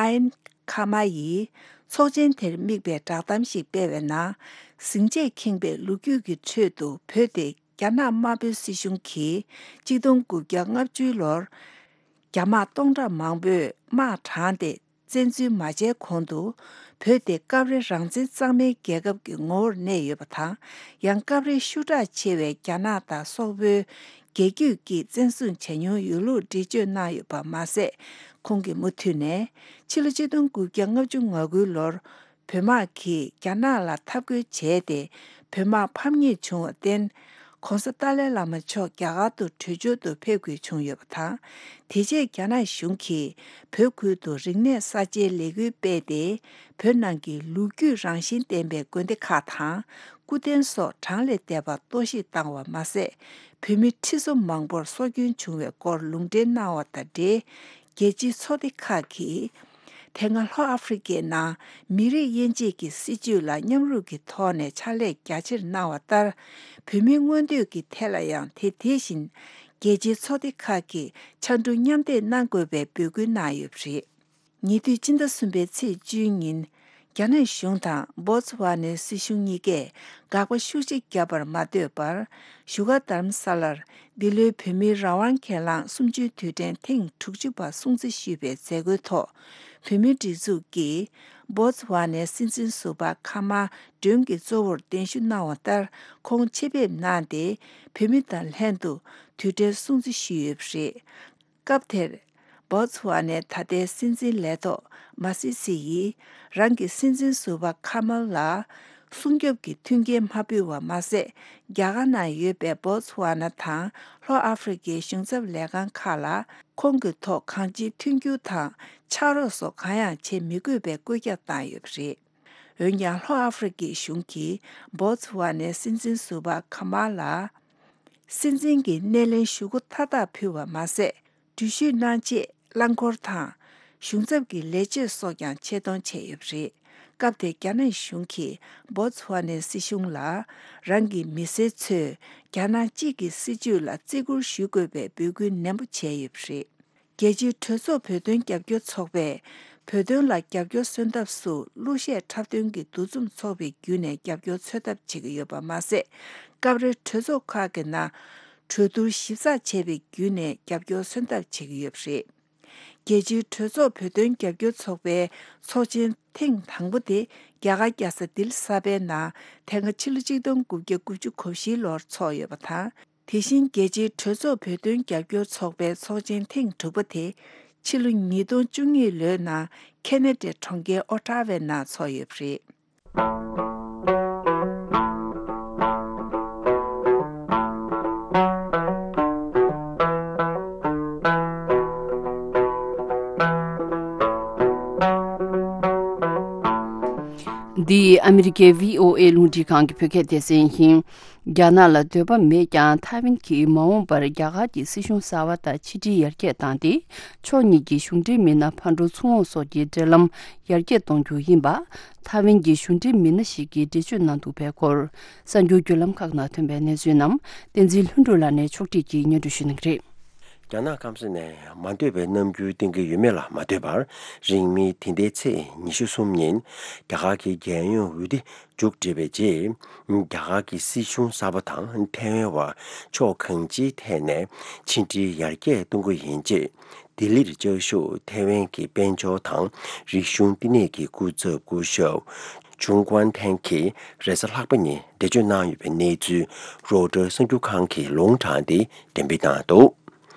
ཨན་ཁ་མ་ཡིས་ཚོགས་ཆེན་དེར་དམིགས་པའི་བསྒྲགས་གཏམ་ཞིག་སྤེལ་བའི་ནང་། ཟིང་ཆས་ཁེངས་པའི་ལོ་རྒྱུས་ཀྱི་ཁྲོད་དུ་བོད་དེ་རྒྱ་ནག་དམར་པོའི་སྲིད་གཞུང་གིས་ཆིག་སྟོང་དགུ་བརྒྱ་ལྔ་བཅུའི་ལོར་རྒྱ་དམག་སྟོང་ཕྲག་མང་པོས་དམག་དྲངས་ཏེ། བཙན་འཛུལ་མ་བྱས་གོང་དུ་བོད་དེ་སྐབས་རེ་རང་བཙན་གཙང་མའི་རྒྱལ་ཁབ་ཀྱི་ངོ་བོར་གནས་ཡོད་པ་དང་། ཡང་སྐབས་རེ་ཤུགས་དྲག་ཆེ་བའི་རྒྱ་ནག་དང་སོག་པོའི་རྒྱལ་རྒྱུད་ཀྱིས་བཙན་བཟུང་བྱས་མྱོང་ཡོད་ལུགས་འགྲེལ་བརྗོད་གནང་ཡོད་པ་མ་ཟད། ཁོང་གིས་མུ་མཐུད་ནས་ཕྱི་ལོ་ཆིག་སྟོང་དགུ་བརྒྱ་ལྔ་བཅུ་ང་དགུའི་ལོར་བོད་དམག་གིས་རྒྱ་ནག་ལ་འཐབ་རྒོལ་བྱས་ཏེ། བོད་དམག་ཕམ་ཉེས་བྱུང་བར་བརྟེན། ྋགོང་ས་ཏཱ་ལའི་བླ་མ་མཆོག་རྒྱ་གར་དུ་བྲོས་བྱོལ་དུ་ཕེབས་དགོས་བྱུང་ཡོད་པ་དང་། དེ་རྗེས་རྒྱ་ནག་གཞུང་གིས་བོད་ཁུལ་དུ་རིག་གནས་གསར་བརྗེའི་ལས་འགུལ་སྤེལ་ཏེ། བོད་ནང་གི་ལོ་རྒྱུས་རང་བཞིན་ལྡན་པའི་དགོན་སྡེ་ཁག་དང་། སྐུ་རྟེན་སོགས་གྲངས་ལས་འདས་པ་གཏོར་བཤིག་བཏང་བ་མ་ཟད། བོད་མི་ཁྲི་ཚོ་མང་པོར་སྲོག་སྐྱོན་བྱུང་བའི་སྐོར་ལུང་འདྲེན་གནང་བ་དང་འབྲེལ། རྒྱལ་སྤྱིའི་ཚོགས་སྡེ་ཁག་གིས། དེ་སྔ་ལྷོ་ཨ་ཧྥེ་རི་ཁའི་ནང་མི་རིགས་དབྱེ་འབྱེད་ཀྱི་སྲིད་བྱུས་ལ་མཉམ་རུབ་ཀྱི་ཐོག་ནས་ཕྱག་ལས་རྒྱ་ཆེར་གནང་བ་ལྟར། བོད་མིའི་མངོན་འདོད་ཀྱི་ཐད་ལ་ཡང་དེ་དེ་བཞིན་རྒྱལ་སྤྱིའི་ཚོགས་སྡེ་ཁག་གིས་ཕྱར་གྲུ་མཉམ་འདེགས་གནང་དགོས་པའི་འབོད་སྐུལ་གནང་ཡོད་པ་རེད། ཉེ་དུས་སྤྱི་ཟླ་གསུམ་པའི་ཚེས་བཅུའི་ཉིན། རྒྱ་ནག་གཞུང་དང་བོ་ཙི་ཝ་ནའི་སྲིད་གཞུང་གཉིས་ཀས་དགག་པ་ཤུགས་ཆེ་བརྒྱབ་པར་མ་ལྟོས་པར། བཞུགས་སྒར་རྡ་རམ་ས་ལར་འདི་ལོའི་བོད་མིའི་རང་དབང་སྒེར་ལངས་གསུམ་བཅུའི་དུས་དྲན་ཐེངས་དྲུག་ཅུ་པ་སྲུང་བརྩི་ཞུས་པའི་མཛད་སྒོའི་ཐོག་བོད་མིའི་སྒྲིག་འཛུགས་ཀྱིས་བོ་ཙི་ཝ་ནའི་སྲིད་འཛིན་ཟུར་པ་ཁ་མ་སྒྲོན་གྱི་གཙོ་བོར་གདན་ཞུ་གནང་བ་ལྟར། ཁོང་ཆེད་ཕེབས་གནང་སྟེ། བོད་མི་དང་ལྷན་དུ་དུས་དྲན་སྲུང་བརྩི་ཞུས་ཡོད་པ་རེད། སྐབས་དེར། བོ་ཙི་ཝ་ནའི་ད་ལྟའི་སྲིད་འཛིན་ལས་ཐོག་མ་སི་སི་ཡིས། རང་གི་སྲིད་འཛིན་ཟུར་པ་ཁ་མལ་ལ། སྲུང་སྐྱོབ་ཀྱི་མཐུན་རྐྱེན་མ་ཕུལ་བ་མ་ཟད། རྒྱ་གར་ནང་ཡོད་པའི་བོ་ཙི་ཝ་ན་དང་ལྷོ་ཨ་ཧྥེ་རི་ཁའི་གཞུང་ཚབ་ལས་ཁང་ཁག་ལ། ཁོང་གི་ཐོག་གང་ཅིའི་མཐུན་འགྱུར་དང་ཕྱག་རོགས་སོགས་གང་ཡང་བྱེད་མི་དགོས་པའི་བཀོད་ཁྱབ་བཏང་ཡོད་པ་རེད། འོན་ཀྱང་། ལྷོ་ཨ་ཧྥེ་རི་ཁའི་གཞུང་གིས་བོ་ཙི་ཝ་ནའི་སྲིད་འཛིན་ཟུར་པ་ཁ་མལ་ལ། སྲིད་འཛིན་གྱི་སྣེ་ལེན་ཞུ་སྒོ་མཐའ་དག་ཕུལ་བ་མ་ཟད། འགྲུལ་བཞུད་གནང་ཆེད་རླངས་འཁོར་དང་། གཞུང་ཚབ་ཀྱི་ལས་བྱེད་སོགས་ཀྱང་ཆེད་གཏོང་བྱས་ཡོད་པ་རེད། སྐབས་དེར་རྒྱ་ནག་གཞུང་གིས་བོ་ཙི་ཝ་ནའི་སྲིད་གཞུང་ལ། རང་གི་མི་སེར་ཚོས་རྒྱ་ནག་གཅིག་གི་སྲིད་བྱུས་ལ་བརྩི་བཀུར་ཞུ་དགོས་པའི་འབོད་སྐུལ་ནན་པོ་བྱས་ཡོད་པ་རེད། རྒྱལ་སྤྱིའི་གྲོས་ཚོགས་བོད་དོན་རྒྱབ་སྐྱོར་ཚོགས་པས། བོད་དོན་ལ་རྒྱབ་སྐྱོར་སོན་ཐབས་སུ། གླུ་གཞས་འཁྲབ་སྟོན་གྱི་འདུ་འཛོམས་ཚོགས་པའི་བརྒྱུད་ནས་རྒྱབ་སྐྱོར་འཚོལ་ཐབས་བྱེད་ཀྱི་ཡོད་པ་མ་ཟད། སྐབས་རེ་གྲོས་ཚོགས་ཁག་གི་ནང་གྲོས་བསྡུར་ཞིབ་ཚགས་བྱས་པའི་བརྒྱུད་ནས་རྒྱབ་སྐྱོར་སོན་ཐབས་བྱེད་ཀྱི་ཡོད་པ་རེད། རྒྱལ་སྤྱིའི་གྲོས་ཚོགས་བོད་དོན་རྒྱབ་སྐྱོར་ཚོགས་པའི་ཚོགས་ཆེན་ཐེངས་དང་པོ་དེ་རྒྱ་གར་རྒྱལ་ས་ལྡི་ལི་གསར་པའི་ནང་དེ་སྔ་ཕྱི་ལོ་ཆིག་སྟོང་དགུ་བརྒྱ་དགུ་བཅུ་གོ་བཞིའི་ལོར་འཚོགས་ཡོད་པ་དང་། དེ་བཞིན་རྒྱལ་སྤྱིའི་གྲོས་ཚོགས་བོད་དོན་རྒྱབ་སྐྱོར་ཚོགས་པའི་ཚོགས་ཆེན་ཐེངས་དྲུག་པ་དེ་ཕྱི་ལོ་ཉིས་སྟོང་བཅུ་གཉིས་ལོའི་ནང་ཁེ་ན་ཌའི་གྲོང་ཁྱེར་ཨོ་ཊ་ཝའི་ནང་འཚོགས་ཡོད་པ་རེད། འདི་ཨ་མི་རི་ཀའི་བྷི་ཨོ་ཨེ་རླུང་འཕྲིན་ཁང་གི་བོད་སྐད་སྡེ་ཚན་ཡིན། རྒྱ་ནག་ལ་འདོད་པ་མེད་ཀྱང་། ཐའེ་ཝན་གྱིས་མ་འོངས་པར་རྒྱ་གར་གྱི་སྲིད་གཞུང་གསར་པ་དང་ཕྱི་འབྲེལ་ཡར་རྒྱས་བཏང་སྟེ། ཕྱོགས་གཉིས་ཀྱི་གཞུང་འབྲེལ་མི་སྣ་ཕར་འགྲོ་ཚུར་འོང་སོགས་ཀྱི་འབྲེལ་ལམ་ཡར་རྒྱས་གཏོང་རྒྱུ་ཡིན་པ། ཐའེ་ཝན་གྱི་གཞུང་འབྲེལ་མི་སྣ་ཞིག་གིས་འགྲེལ་བརྗོད་གནང་འདུག་པའི་སྐོར། གསར་འགྱུར་བརྒྱུད་ལམ་ཁག་ནང་ཐོན་པའི་གནས་ཚུལ་རྣམས། བསྟན་འཛིན་ལྷུན་གྲུབ་ལགས་ནས་ཕྱོགས་སྒྲིག་གིས་སྙན་སྒྲོན་ཞུ་གནང་གི་རེད། རྒྱ་ནག་སྐམ་ས་ནས་མ་འདོད་པའི་རྣམ་འགྱུར་བསྟན་གྱི་ཡོད་མེད་ལ་མ་ལྟོས་པར། རིང་མིན་འདི་ཟླའི་ཚེས་ཉི་ཤུ་གསུམ་ཉིན། རྒྱ་གར་གྱི་རྒྱལ་ཡོངས་འོས་བསྡུ་མཇུག་སྒྲིལ་བའི་རྗེས། རྒྱ་གར་གྱི་སྲིད་གཞུང་གསར་པ་དང་ཐའེ་ཝན་བར་ཕྱོགས་གང་ཅིའི་ཐད་ནས་ཕྱི་འབྲེལ་ཡར་རྒྱས་གཏོང་རྒྱུ་ཡིན་ཅེས། ལྡི་ལིར་བཅའ་བཞུགས་ཐའེ་ཝན་གྱི་དཔལ་འབྱོར་དང་རིག་གཞུང་བསྟི་གནས་ཀྱི་སྐུ་ཚབ་སྐུ་ཞབས་ཇུང་ཀུན་ཐན་གྱིས་རེས་གཟའ་ལྷག་པ་ཉིན་འགྲེལ་བརྗོད་གནང་ཡོད་པའི་གནས་ཚུལ། རོའི་ཊར་གསར་འགྱུར་ཁང་གིས་ལུང་དྲངས་ཏེ་འགྲེམས་སྤེལ་གནང་འདུག་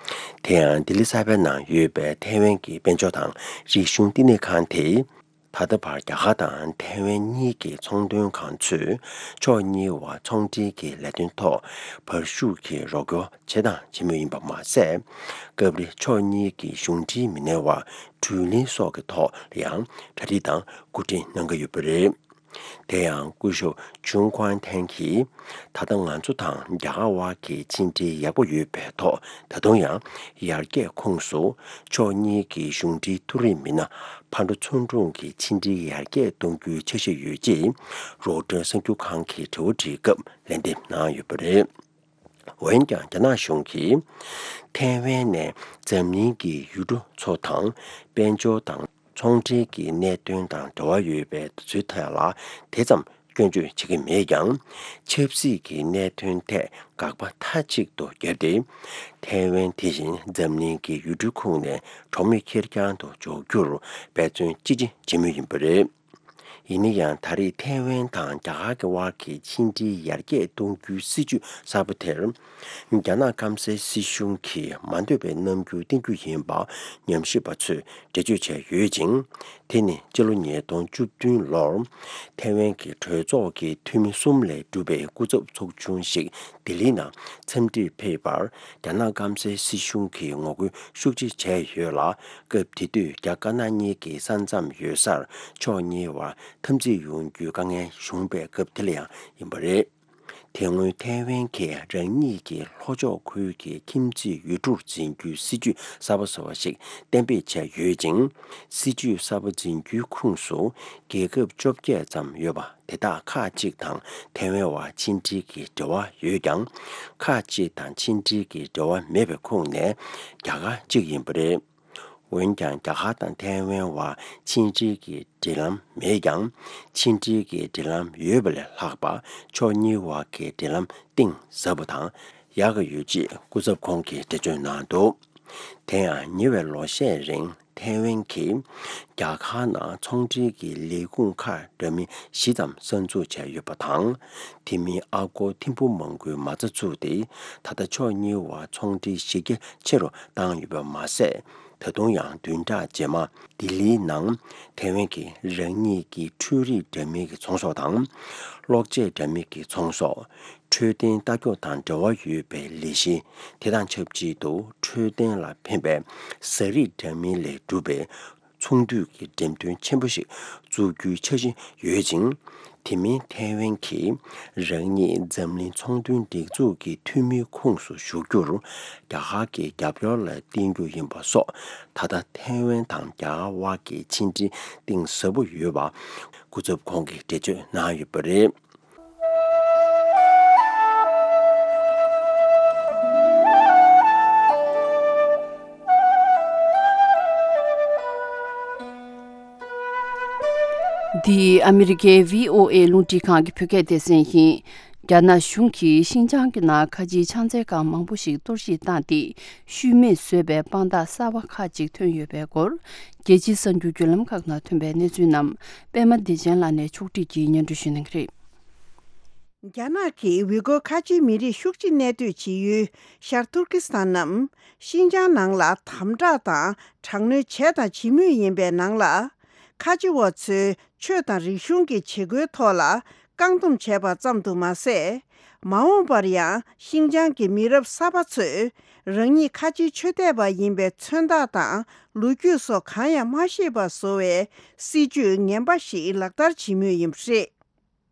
དེ་ཡང་ལྡི་ལི་གསར་པའི་ནང་ཡོད་པའི་ཐའེ་ཝན་གྱི་དཔལ་འབྱོར་དང་རིག་གཞུང་བསྟི་གནས་ཁང་དེས། ད་ལྟ་བར་རྒྱ་གར་དང་ཐའེ་ཝན་གཉིས་ཀྱི་ཚོང་དོན་ཁང་ཚོས་ཕྱོགས་གཉིས་བར་ཚོང་འབྲེལ་གྱི་ལས་དོན་ཐོག་བར་ཞུགས་ཀྱིས་རོགས་སྐྱོར་བྱས་དང་བྱེད་མུས་ཡིན་པ་མ་ཟད། སྐབས་རེ་ཕྱོགས་གཉིས་ཀྱི་གཞུང་འབྲེལ་མི་སྣའི་བར་དྲུང་ལེན་སོགས་ཀྱི་ཐོག་ལ་ཡང་གྲ་སྒྲིག་དང་སྐུ་དྲིན་གནང་གི་ཡོད་པ་རེད། དེ་ཡང་སྐུ་ཞབས་ཇུང་ཀུན་ཐན་གྱིས། ད་ལྟ་ང་ཚོ་དང་རྒྱ་གར་དབར་གྱི་ཕྱི་འབྲེལ་ཡག་པོ་ཡོད་པའི་ཐོག་ད་དུང་ཡང་ཡར་རྒྱས་ཁོངས་སུ་ཕྱོགས་གཉིས་ཀྱི་གཞུང་འབྲེལ་མཐོ་རིམ་མི་སྣ་ཕར་འགྲོ་ཚུར་འོང་གི་ཕྱི་འབྲེལ་ཡར་རྒྱས་གཏོང་རྒྱུའི་འཆར་གཞི་ཡོད་ཅེས་རོའི་ཊར་གསར་འགྱུར་ཁང་གིས་དྲི་བ་དྲིས་སྐབས་ལན་འདེབས་གནང་ཡོད་པ་རེད། འོན་ཀྱང་རྒྱ་ནག་གཞུང་གིས་ཐའེ་ཝན་ནས་འཛམ་གླིང་གི་ཡུལ་གྲུ་ཚོ་དང་དཔལ་འབྱོར་དང་ཚོང་འབྲེལ་གྱི་གནད་དོན་དང་འབྲེལ་བ་ཡོད་པའི་དུས་ཚོད་ཐད་ལ་དེ་ཙམ་སྐྱོན་བརྗོད་བྱེད་ཀྱི་མེད་ཀྱང་། ཆབ་སྲིད་ཀྱི་གནད་དོན་ཐད་དགག་པ་མཐའ་གཅིག་ཏུ་བརྒྱབ་སྟེ། ཐའེ་ཝན་དེ་བཞིན་འཛམ་གླིང་གི་ཡུལ་གྲུའི་ཁོངས་ནས་གྲོགས་མེད་ཁེར་རྐྱང་དུ་འཇོག་རྒྱུར་འབད་བརྩོན་ཅི་ཆེ་བྱེད་མུས་ཡིན་པ་རེད། ཡིན་ན་ཡང་ད་རེས་ཐའེ་ཝན་དང་རྒྱ་གར་གྱི་དབར་གྱི་ཕྱི་འབྲེལ་ཡར་རྒྱས་གཏོང་རྒྱུའི་སྲིད་ཇུས་གསར་པ་དེར། རྒྱ་ནག་སྐམ་སའི་སྲིད་གཞུང་གིས་མ་འདོད་པའི་རྣམ་འགྱུར་བསྟན་རྒྱུ་ཡིན་པ་ཉམས་ཞིབ་པ་ཚོས་འགྲེལ་བརྗོད་བྱས་ཡོད་ཅིང་། དེ་ནི་སྤྱི་ལོ་ཉིས་སྟོང་བཅུ་བདུན་ལོར་ཐའེ་ཝན་གྱི་གྲོས་ཚོགས་ཀྱི་འཐུས་མི་གསུམ་ལས་གྲུབ་པའི་སྐུ་ཚབ་ཚོགས་ཆུང་ཞིག་ལྡི་ལིའི་ནང་འཚམས་འདྲིར་ཕེབས་པར། རྒྱ་ནག་སྐམ་སའི་སྲིད་གཞུང་གིས་ངོ་རྒོལ་ཤུགས་ཆེ་བྱས་ཡོད་ལ། སྐབས་དེ་དུས་རྒྱ་དཀར་ནག་གཉིས་ཀྱི་ས་མཚམས་ཡོད་སར་ཕྱོགས་གཉིས་བར་འཐབ་འཛིང་ཡོང་རྒྱུའི་དཀའ་ངལ་བྱུང་བའི་སྐབས་དེ་ལ་ཡང་ཡིན་པ་རེད། དེ་སྔོན་ཐའེ་ཝན་གྱིས་རང་ཉིད་ཀྱི་ལྷོ་ཕྱོགས་ཁུལ་གྱི་ཁྱིམ་མཚེས་ཡུལ་གྲུར་འཛིན་རྒྱུའི་སྲིད་ཇུས་གསར་པ་བཟོ་བ་ཞིག་གཏན་འབེབས་བྱས་ཡོད་ཅིང་། སྲིད་ཇུས་གསར་པ་འཛིན་རྒྱུའི་ཁོངས་སུ་རྒྱལ་ཁབ་བཅོ་བརྒྱད་ཙམ་ཡོད་པ་དེ་དག་ཁག་ཅིག་དང་ཐའེ་ཝན་བར་ཕྱི་འབྲེལ་གྱི་འབྲེལ་བ་ཡོད་ཀྱང་། ཁག་ཅིག་དང་ཕྱི་འབྲེལ་གྱི་འབྲེལ་བ་མེད་པའི་ཁོངས་ནས་རྒྱ་གར་གཅིག་ཡིན་པ་རེད། འོན་ཀྱང་། རྒྱ་གར་དང་ཐའེ་ཝན་བར་ཕྱི་འབྲེལ་གྱི་འབྲེལ་ལམ་མེད་ཀྱང་། ཕྱི་འབྲེལ་གྱི་འབྲེལ་ལམ་ཡོད་པ་ལས་ལྷག་པ། ཕྱོགས་གཉིས་བར་གྱི་འབྲེལ་ལམ་གཏིང་ཟབ་པ་དང་ཡག་གི་ཡོད་ཅེས་སྐུ་ཚབ་ཁོང་གིས་འགྲེལ་བརྗོད་གནང་འདུག་དེ་ཡང་ཉེ་བའི་ལོ་ཤས་རིང་ཐའེ་ཝན་གྱིས་རྒྱ་གར་ནང་ཚོང་འབྲེལ་གྱི་ལས་ཁུངས་ཁག་འདྲ་མིན་བཞི་ཙམ་གསར་འཛུགས་བྱས་ཡོད་པ་དང་། དེ་མིན་ཨ་སྒོར་ཐེར་འབུམ་མང་པོའི་མ་རྩ་བཙུགས་ཏེ། ད་ལྟ་ཕྱོགས་གཉིས་བར་ཚོང་འབྲེལ་གཞི་རྒྱ་ཆེ་རུ་བཏང་ཡོད་པ་མ་ཟད། ད་དུང་ཡང་བདུན་ཕྲག་རྗེས་མ་ལྡི་ལིའི་ནང་ཐའེ་ཝན་གྱིས་རང་ཉིད་ཀྱི་འཕྲུལ་རིག་འདྲ་མིན་གྱི་ཚོང་ཟོག་དང་། གློག་ཆས་འདྲ་མིན་གྱི་ཚོང་ཟོག་འཕྲོད་བསྟེན་ལྟ་སྐྱོང་དང་འབྲེལ་བ་ཡོད་པའི་ལས་གཞི། དེ་དང་ཆབས་ཅིག་ཏུ་འཕྲོད་བསྟེན་ལ་ཕན་པའི་ཟ་རིགས་འདྲ་མིན་ལས་གྲུབ་པའི་ཚོང་འདུས་ཀྱི་འགྲེམས་སྟོན་ཆེན་པོ་ཞིག་བཙུགས་རྒྱུའི་འཆར་གཞི་ཡོད་ཅིང་། དེ་མིན་ཐའེ་ཝན་གྱིས་རང་ཉིད་འཛམ་གླིང་ཚོང་དོན་སྒྲིག་འཛུགས་ཀྱི་འཐུས་མིའི་ཁོངས་སུ་ཞུགས་རྒྱུར་རྒྱ་གར་གྱི་རྒྱབ་སྐྱོར་ལ་བརྟེན་རྒྱུ་ཡིན་པ་སོགས། ད་ལྟ་ཐའེ་ཝན་དང་རྒྱ་གར་དབར་གྱི་ཕྱི་འབྲེལ་གཏིང་ཟབ་པོ་ཡོད་པ་སྐུ་ཚབ་ཁོང་གིས་འགྲེལ་བརྗོད་གནང་ཡོད་པ་རེད། འདི་ཨ་མི་རི་ཀའི་བྷི་ཨོ་ཨེ་རླུང་འཕྲིན་ཁང་གི་བོད་སྐད་སྡེ་ཚན་ཡིན། རྒྱ་ནག་གཞུང་གིས་ཤིན་ཅང་གི་ནང་ཁ་ཆེའི་ཕྱག་འཚལ་ཁང་མང་པོ་ཞིག་གཏོར་བཤིག་བཏང་སྟེ། ཤུལ་མེད་བཟོས་པའི་དཔང་རྟགས་གསར་པ་ཁག་ཅིག་ཐོན་ཡོད་པའི་སྐོར། རྒྱལ་སྤྱིའི་གསར་འགྱུར་བརྒྱུད་ལམ་ཁག་ནང་ཐོན་པའི་གནས་ཚུལ་རྣམས་པད་མ་བདེ་ཆེན་ལགས་ནས་ཕྱོགས་བསྒྲིགས་ཀྱིས་སྙན་སྒྲོན་ཞུ་གནང་གི་རེད། རྒྱ་ནག་གིས་ཝི་གོ་ཁ་ཆེའི་མི་རིགས་ཤུགས་ཆེ་གནས་སྡོད་བྱེད་ཡུལ་ཤར་ཐུར་ཀི་སི་ཐན་ནམ་ཤིན་ཅང་ནང་ལ་དམ་དྲག་དང་དྲག་གནོན་བྱས་དང་བྱེད་མུས་ཡིན་པའི་ནང་ལ། ཁ་ཆེ་བ་ཚོའི་ཆོས་དང་རིག་གཞུང་གི་བྱེད་སྒོའི་ཐོག་ལ་བཀག་སྡོམ་བྱས་པ་ཙམ་དུ་མ་ཟད། མ་འོངས་པར་ཡང་ཤིན་ཅང་གི་མི་རབས་གསར་པ་ཚོས་རང་ཉིད་ཁ་ཆེའི་ཆོས་དད་པ་ཡིན་པའི་མཚོན་རྟགས་དང་ལོ་རྒྱུས་སོགས་གང་ཡང་མ་ཤེས་པ་བཟོ་བའི་སྲིད་ཇུས་ངན་པ་ཞིག་ལག་བསྟར་བྱེད་མུས་ཡིན་པ་རེད།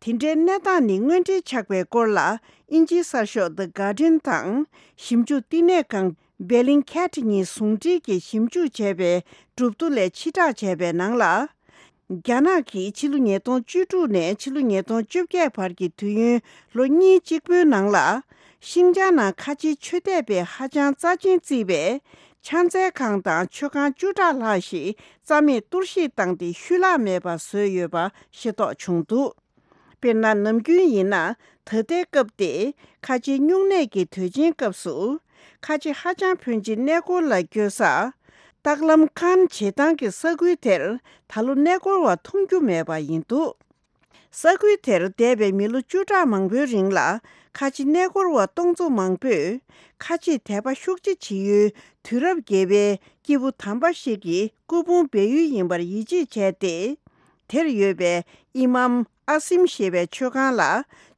དེ་འདྲའི་གནས་སྟངས་ནི་དངོས་འབྲེལ་ཆགས་པའི་སྐོར་ལ། དབྱིན་ཇིའི་གསར་ཤོག་The Guardian་དང་ཞིབ་འཇུག་བསྟི་གནས་ཁང་Bellingcat གཉིས་ཟུང་འབྲེལ་གྱིས་ཞིབ་འཇུག་བྱས་པའི་གྲུབ་ཐོ་ལས་ཕྱིར་བསྒྲགས་བྱས་པའི་ནང་ལ། རྒྱ་ནག་གིས་ཕྱི་ལོ་ཉིས་སྟོང་བཅུ་དྲུག་ནས་ཕྱི་ལོ་ཉིས་སྟོང་བཅོ་བརྒྱད་བར་གྱི་དུས་ཡུན་ལོ་གཉིས་གཅིག་པུའི་ནང་ལ། ཤིན་ཅང་ནང་ཁ་ཆེའི་ཆོས་དད་པས་ཧ་ཅང་རྩ་ཆེན་བརྩིས་པའི་ཕྱག་འཚལ་ཁང་དང་མཆོད་ཁང་བཅུ་ཕྲག་ལྷག་ཞིག་རྩ་མེད་གཏོར་བཤིག་བཏང་སྟེ་ཤུལ་ལྷག་མེད་པར་བཟོས་ཡོད་པ་ཤེས་རྟོགས་བྱུང་འདུག་དཔེར་ན། ནམ་རྒྱུན་ཡིན་ན་ད་ལྟའི་སྐབས་ཏེ་ཁ་ཆེའི་སྨྱུང་གནས་ཀྱི་དུས་ཆེན་སྐབས་སུ། ཁ་ཆེ་ཧ་ཅང་ཕོན་ཆེ་གནས་སྐོར་ལ་སྐྱོད་ས། ཏག་ལམ་ཁཱན་བྱེ་ཐང་གི་ས་ཁུལ་དེར་ད་ལོ་གནས་སྐོར་བ་མཐོང་རྒྱུ་མེད་པ་ཡིན་འདུག་ས་ཁུལ་དེར་འདས་པའི་མི་ལོ་བཅུ་ཕྲག་མང་པོའི་རིང་ལ་ཁ་ཆེ་གནས་སྐོར་བ་སྟོང་ཚོ་མང་པོས་ཁ་ཆེ་དད་པ་ཤུགས་ཆེ་བྱེད་ཡུལ་དུས་རབས་བརྒྱད་པའི་སྐྱེས་བུ་དམ་པ་ཞིག་གི་སྐུ་ཕུང་སྦས་ཡུལ་ཡིན་པར་ཡིད་ཆེས་བྱས་ཏེ། དེར་ཡོད་པའི་ཨི་མམ་ཨ་སིམ་ཞེས་པའི་མཆོད་ཁང་ལ་